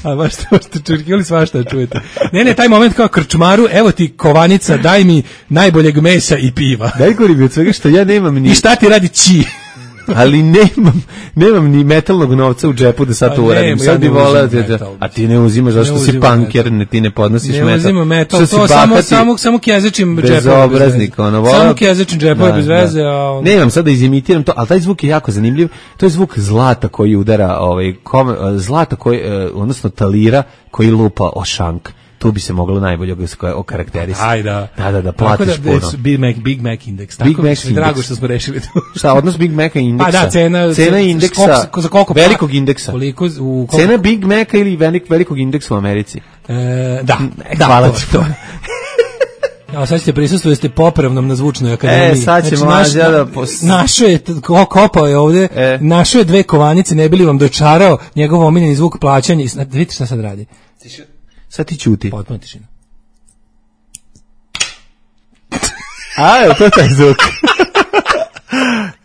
A baš ste čekali svašta da čujete. Ne, taj moment kao krčmaru, evo ti kovanica, daj mi najboljeg mesa i piva. Daj gori od svega što ja nemam ni... I šta ti radi či? Ali nemam ni metalnog novca u džepu da sad to uradim. Sad bi voleo a ti ne uzimaš zašto si punker, ti ne podnosiš metal. Ne uzimam metal, to samo kjezečim džepove. Bezobraznik, samo kjezečim džepove bez veze. Nemam sad da izimitiram to, ali taj zvuk je jako zanimljiv. To je zvuk zlata koji udara, zlata koji, odnosno talira koji lupa o šank. Tu bi se moglo najbolje okarakterisati. Aj da platiš puno. Big Mac Index. Tako mi je drago što smo rešili to. Šta, odnos Big Maca i indeksa? Pa da, cena indeksa, za koliko? Velikog indeksa. Cena Big Maca ili velikog indeksa u Americi? Da. Hvala ti to. Ja, sad ćete prisustvovati, ste popravnom na zvučnoj akademiji. Sad će mlađa da... Našao je, kopao je ovde, našao je dve kovanice, ne bi li vam dočarao njegov omiljeni zvuk plaćanja. Vidite šta sad radi. Sad ti ćuti. Potpuno tišina. Evo, to je taj zvuk.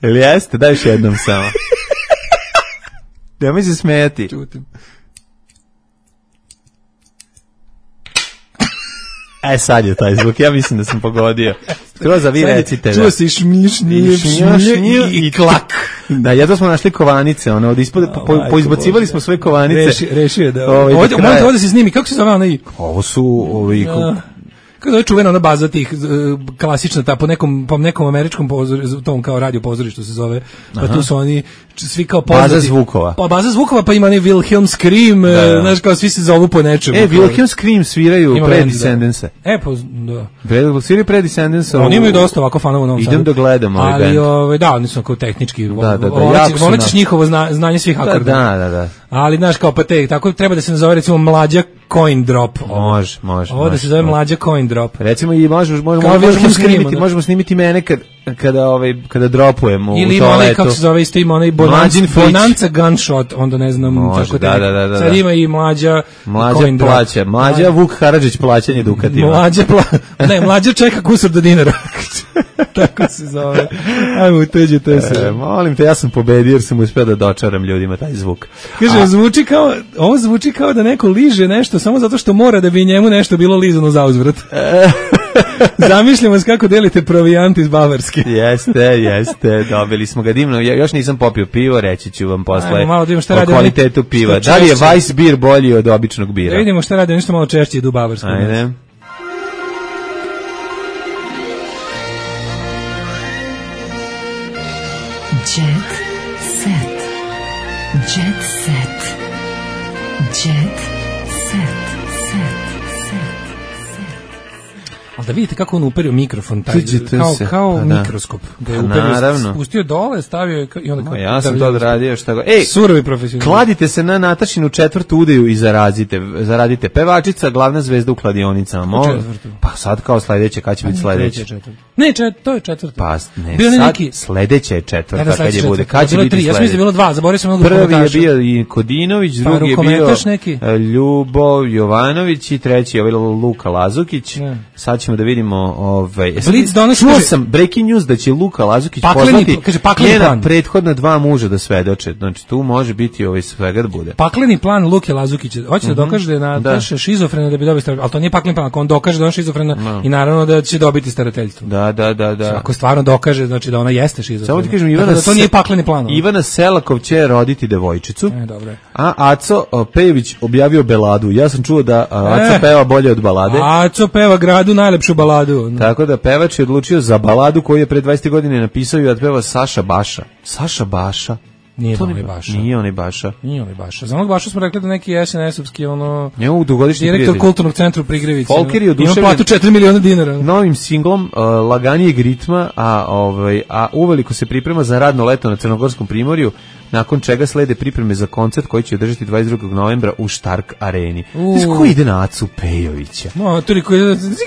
Ili jeste? Daj još jednom samo. Nemoj se smijati. Čutim. Sad je taj zvuk, ja mislim da sam pogodio. Skroz, vi recite. Čuo si šmiš i klak. Da, jedno smo našli kovanice, od ispod, poizbacivali smo sve kovanice. Rešio je da. Ovdje se snimi, kako se zove ona i? Ovo su ovi... Kako je čuvena ona baza tih klasična ta po nekom američkom pozorištu, tom kao radio pozorištu se zove. Pa tu su oni svi kao poznati. Baza zvukova. Pa baza zvukova, pa ima oni Wilhelm Scream, znaš kao svi se zovu po nečemu. Wilhelm Scream sviraju Predescendence. Pa da. Sviraju Predescendence. Oni imaju dosta ovako fanova u Novom Sadu. Idem da gledam ovaj band. Ali da, oni su kao tehnički. Volit ćeš njihovo znanje svih akorda. Da. Ali znaš kao pa tako treba da se nazove recimo Mlađa Coin Drop. Može. Ovo da se zove Mlađa Coin Drop. Recimo i možemo snimiti mene kada dropujem u toaletu. Ili ima onaj, kako se zove, isto ima onaj Bonanza Gunshot, onda ne znam. Može, da. Sad ima i Mlađa Coin Drop. Mlađa Vuk Karadžić plaćanje dukatima. Mlađa čeka kusur do dinara. Tako se zove. Ajmo, uteđite se. Molim te, ja sam pobedio jer sam uspio da dočaram ljudima taj zvuk. Kaže, ovo zvuči kao da neko liže nešto samo zato što mora da bi njemu nešto bilo lizano za uzvrat. Zamišljamo se kako delite provijant iz Bavarske. Jeste, dobili smo ga divno. Ja još nisam popio pivo, reći ću vam posle o kvalitetu piva. Da li je Weiss beer bolji od običnog bira? Da vidimo šta radi, nešto malo češće idu u Bavarsku. Ajde. Jet set. Jet set. Jet set. Ali da vidite kako on uperio mikrofon, taj, kao mikroskop. Da je uperio, spustio dole, stavio je i onda... Ja sam to odradio šta go... Ej, surovi profesionalni. Kladite se na Natašinu 4. udeju i zaradite. Pevačica, glavna zvezda u kladionicama. Pa sad kao sledeće, kad će biti sledeće? Ne, to je 4. Pa ne, sad sledeće je 4. kad je bude. Kad će biti sledeće? Ja sam mislim da je bilo 2, zaboravio sam mnogo komentaša. Prvi je bio i Kodinović, drugi je bio Ljubo Jovanović i treći je Luka Lazukić. Sad ćemo da vidimo čuo sam breaking news da će Luka Lazukić pozvati njena prethodna 2 muža da svedoče. Znači tu može biti svega da bude. Pakleni plan Luke Lazukića. Hoće da dokaže da je Nataša šizofrena da bi dobio starateljstvo. Ali to nije pakleni plan, ako on dokaže da je on šizofrena i naravno da će dobiti starateljstvo. Da. Ako stvarno dokaže, znači da ona jeste šizofrena. Samo ti kažem, to nije pakleni plan. Ivana Selakov će roditi devojčicu. Dobro. A Aco Pejović objavio baladu. Ja sam čuo da Aco peva bolje od balade. Aco peva gradu najlepšu baladu. Tako da pevač je odlučio za baladu koju je pre 20 godina napisao i otpeva Saša Baša. Saša Baša. Nije onaj Baša. Za onog Baša smo rekli da neki SNS-ovski direktor kulturnog centra u Prigrevici. Folker je oduševljen. Ima platu 4 miliona dinara. Novim singlom laganijeg ritma, a uveliko se priprema za radno leto na Crnogorskom primorju, nakon čega slede pripreme za koncert koji će održati 22. novembra u Štark areni. Znaš ko ide na Acu Pejovića? No, to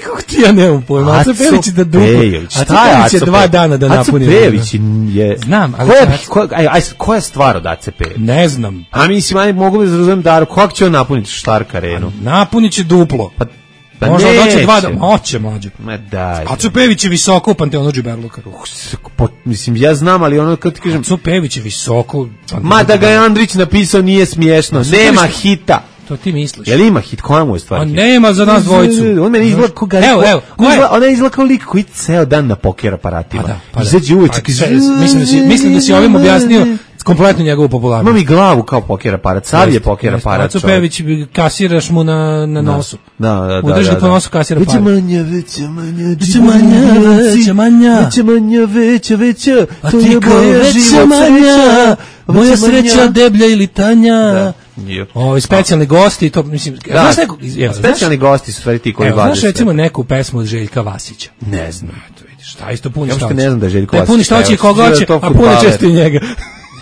kako ti ja nemam pojma. Aca Pejović je da dupo. Šta je Aca Pejović? 2 dana da napuni. Aca Pejović je... Znam, ali... Koja je stvar od Aca Pejović? Ne znam. A mislim, mogu da razumem Daru, kako će on napuniti Štark arenu? Napunit će duplo. Možda doće 2 dana. Moće, mlađe. Ma daj. Aco Pejović je visoko u Panteonu Džiberluka. Mislim, ja znam, ali ono kad ti kažem... Aco Pejović je visoko... Ma da ga je Andrić napisao nije smiješno. Nema hita. To ti misliš. Jel ima hit? Koja mu je stvar? On nema za nas dvojicu. On meni izgleda kao Gari. Evo. Ona izgleda kao lik koji ceo dan na poker aparatima. Izađe uvečak. Mislim da si ovim objasnio kompletno njegovu popularnost. Imam i glavu kao poker aparat. Sav je poker aparat. Aco Pejović, kasiraš mu na nosu. Da. Udrži po nosu, kasira pare. Veća. A ti kao veća manja. Moja sreća deblja ili tanja. Specijalni gosti, to mislim... Specijalni gosti su stvari ti koji vade. Znaš recimo neku pesmu od Željka Vasića? Ne znam. Šta isto puni šta hoće? Ja ne znam da je Željko Vasić. Puni šta hoće i koga hoće, a puni često i njega.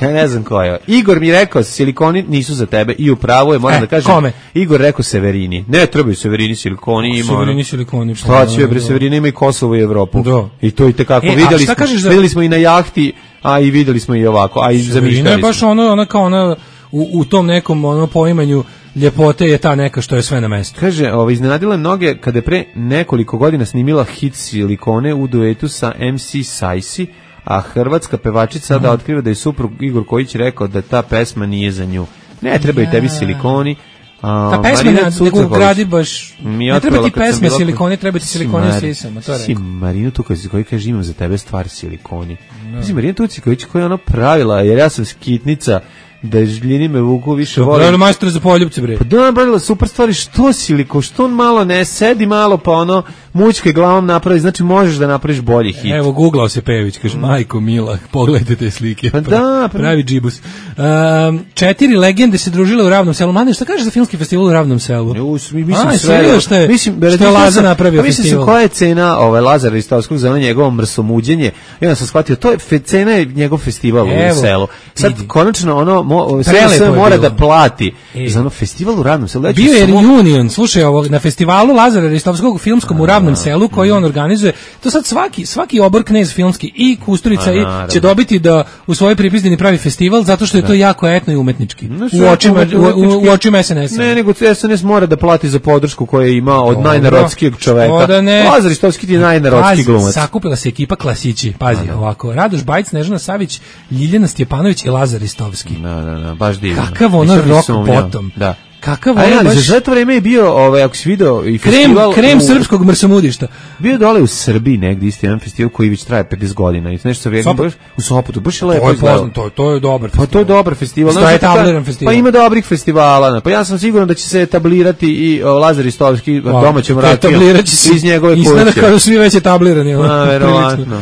Ja ne znam ko je. Igor mi rekao, silikoni nisu za tebe i upravo je, moram da kažem. Kome? Igor rekao Severini. Ne trebaju Severini, silikoni ima. Severini, silikoni. Šta će bre, Severini ima i Kosovo i Evropu. Da. I to i tekako. Videli smo i na jahti, a i videli smo i ovako, a i zamišljali smo. Ne baš ona kao ona u tom nekom poimanju ljepote je ta neka što je sve na mestu. Kaže, iznenadila je mnoge kada je pre nekoliko godina snimila hit Silikone u duetu sa MC Sajsi, a hrvatska pevačica sada otkriva da je suprug Igor Kojić rekao da ta pesma nije za nju. Ne trebaju tebi silikoni. Ta pesma nego gradi baš... Ne treba ti pesme silikoni, treba ti silikoni u sisama, to je rekao. Marinu Tuković koji kaže imam za tebe stvar silikoni. Mislim, Marina Tuković koja je ona pravila, jer ja sam skitnica, da žljini me vuku više vole. Pravilo majstora za poljubce, bre. Pa da, pravila super stvari, što siliko, što on malo ne sedi malo, pa ono mućke glavom napravi, znači možeš da napraviš bolji hit. Evo, googlao se Pejović, kaže, majko mila, pogledajte te slike. Pa da, pravi džibus. 4 legende se družile u Ravnom selu. Mladine, šta kažeš za filmski festival u Ravnom selu? Mislim, što je Laza napravio festival. Mislim, koja je cena Lazara Ristovskog za njegovo mrsomuđenje? I onda sam shvatio, to je cena je njegov festival u selu. Sad, konačno, sve mora da plati za ono festival u Ravnom selu. Bio je reunion, slušaj, na festivalu Lazara Ristovskog filmskom u Ravnom selu koji on organizuje. To sad svaki obor knez filmski i Kusturica će dobiti da u svojoj pripizdini pravi festival zato što je to jako etno i umetnički. U očima SNS-a. Ne, nego SNS mora da plati za podršku koju ima od najnarodskijeg čoveka. Lazar Ristovski je najnarodski glumac. Sakupila se ekipa klasići. Pazi, ovako. Radoš Bajić, Snežana Savić, Ljiljana Stjepanović i Lazar Ristovski. Da, baš divno. Kakav ono rock bottom. Da. Kakav ono baš... Za to vreme je bio, ako si video i festival... Krem srpskog mrsomudišta. Bio dole u Srbiji negdje isti jedan festival koji već traje 50 godina. I nešto sa u Sopotu. Baš je lepo izgledalo. To je dobar festival. Pa to je dobar festival. Šta je etabliran festival? Pa ima dobrih festivala. Pa ja sam siguran da će se etablirati i Lazar Ristovski domaćem ratijom iz njegove kuće. Izgleda kao da su svi već etablirani. Verovatno.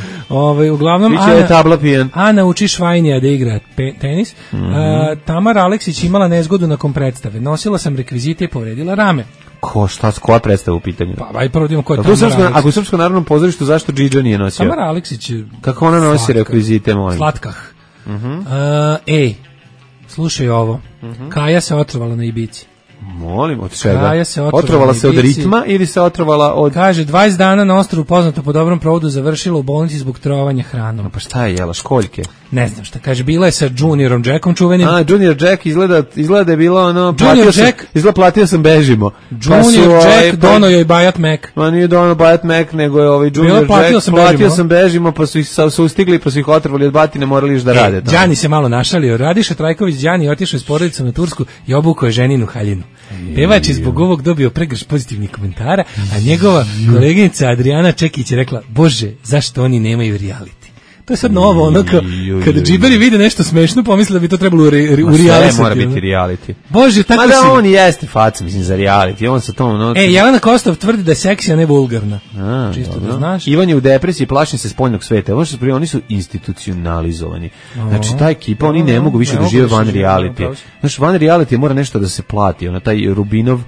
Uglavnom Ana uči Švajnija da igra tenis. Tamara Aleksić imala nezgodu nakon predstave. Nosila sam rekvizite i povredila rame. koja predstava u pitanju? Pa aj prvo idemo ko je Tamara Aleksić. Ako u Srpskom narodnom pozorištu, zašto Džidža nije nosio? Tamara Aleksić. Kako ona nosi rekvizite, molim? Slatkah. Slušaj ovo. Kaja se otrovala na Ibici. Molim, od čega? Kaja se otrovala se od ritma ili se otrovala od... Kaže, 20 dana na ostrvu poznato po dobrom provodu završila u bolnici zbog trovanja hranom. Pa šta je jela, školjke? Ne znam šta, kaže, bila je sa Juniorom Jackom čuvenim. Junior Jack izgleda je bilo ono... Platio sam bežimo. Junior Jack, dono joj Bajat Mac. Ma nije dono Bajat Mac, nego je ovaj Junior Jack, platio sam bežimo, pa su ih ustigli, pa su ih otrovali od batine, morali još da rade. Đani se malo našalio. Radiša Trajković Đani otišao s porodicom na Tursku i obukao je ženinu haljinu. Pevač je zbog ovog dobio pregrš pozitivnih komentara, a njegova koleginica Adriana Čekić je rekla, Bože, zašto oni nemaju reality? To je sad novo, ono kada džiberi vide nešto smešno, pomisle da bi to trebalo u reality. Sve mora biti reality. Bože, tako si... Mada on jeste faca, mislim, za reality. On sa tom... Jelena Kostov tvrdi da je seksi, a ne vulgarna. Čisto da znaš. Ivan je u depresiji, plaši se spoljnog sveta. Oni su institucionalizovani. Znači, ta ekipa, oni ne mogu više da žive van reality. Znači, van reality mora nešto da se plati. Taj Rubinov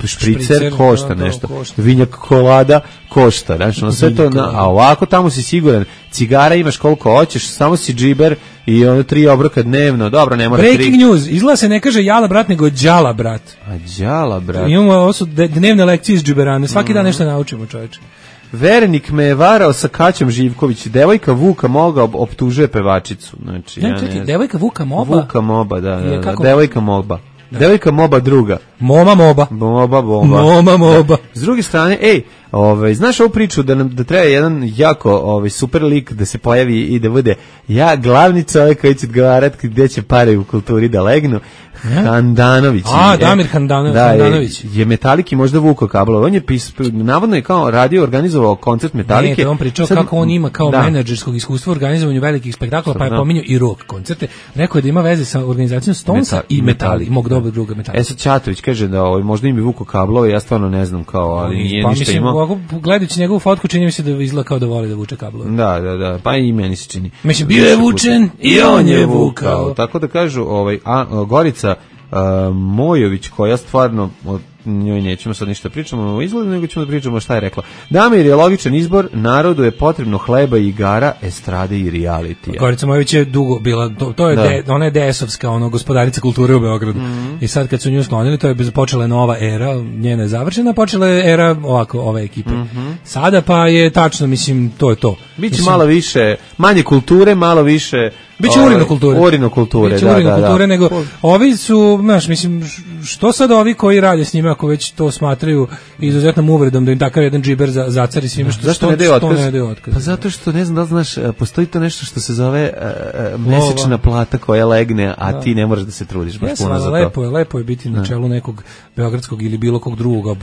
špricer košta nešto. Vinjak kolada košta. Znači, sve to... A ovako tamo si siguran. Cigara imaš koliko hoćeš, samo si džiber i 3 obroka dnevno. Dobro, ne mora 3. Breaking news, izgleda se ne kaže jala brat, nego đala brat. A đala brat. Imamo ovo su dnevne lekcije iz džiberane, svaki dan nešto naučimo, čoveče. Verenik me je varao sa Kaćom Živković, devojka Vuka Moga optužuje pevačicu. Znači, devojka Vuka Moba? Vuka Moba, da, devojka Moba. Devojka Moba druga. Moma Moba. Moma Moba. S druge strane, znaš ovu priču da treba jedan jako super lik da se pojavi i da bude glavni čovjek koji će odgovarati gdje će pare u kulturi da legnu. Handanović. Damir Handanović. Je Metaliki možda vukao kablove. On je navodno je kao radio, organizovao koncert Metalike. Ne, on pričao kako on ima kao menadžerskog iskustva u organizovanju velikih spektakla, pa je pominjao i rock koncerte. Rekao je da ima veze sa organizacijom Stonesa i Metallica, mog dobrog druga Metallica. Sad Ćatović kaže da možda im bi vukao kablove, ja stvarno ne znam ali nije ništa imao. Gledajući njegovu fotku čini mi se da izgleda kao da voli da vuče kablove. Da, pa i meni se čini. Mislim, bio je vučen i on je vukao. Tako da kažu, Gorica Mojović, koja stvarno njoj nećemo sad ništa pričamo o izgledu, nego ćemo da pričamo šta je rekla. Damir je logičan izbor, narodu je potrebno hleba i igara, estrade i realitija. Gorica Mojović je dugo bila, to je ona je DS-ovska, gospodarica kulture u Beogradu. I sad kad su nju sklonili, to je počela nova era, njena je završena, počela je era ove ekipe. Sada pa je tačno, mislim, to je to. Biće malo više, manje kulture, malo više... Biće urinokulture, da. Nego ovi su, znaš, mislim, što sad ovi koji rade s njima, ako već to smatraju izuzetnom uvredom da im takav jedan džiber zacari svima, zašto ne daju otkaz? Pa zato što, ne znam da znaš, postoji to nešto što se zove mesečna plata koja legne, a ti ne moraš da se trudiš baš puno za to. Lepo je biti na čelu nekog beogradskog ili bilo kog drugog,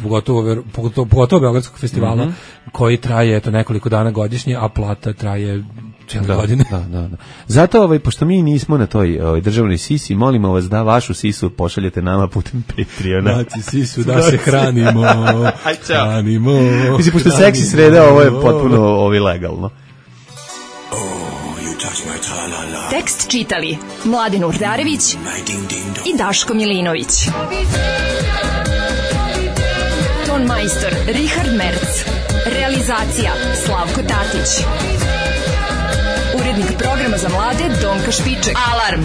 pogotovo beogradskog festivala, koji traje nekoliko dana godišnje, a plata traje cijele godine. Da. Zato, pošto mi nismo na toj državnoj sisi, molimo vas da vašu sisu pošaljete nama putem Patreona. Dati sisu da se hranimo. Mislim, pošto seksi sreda, ovo je potpuno legalno. Tekst čitali Mladin Urdarević i Daško Milinović. Ton majstor Richard Merc. Realizacija Slavko Tatić. Urednik programa za mlade Donka Špiček. Alarm!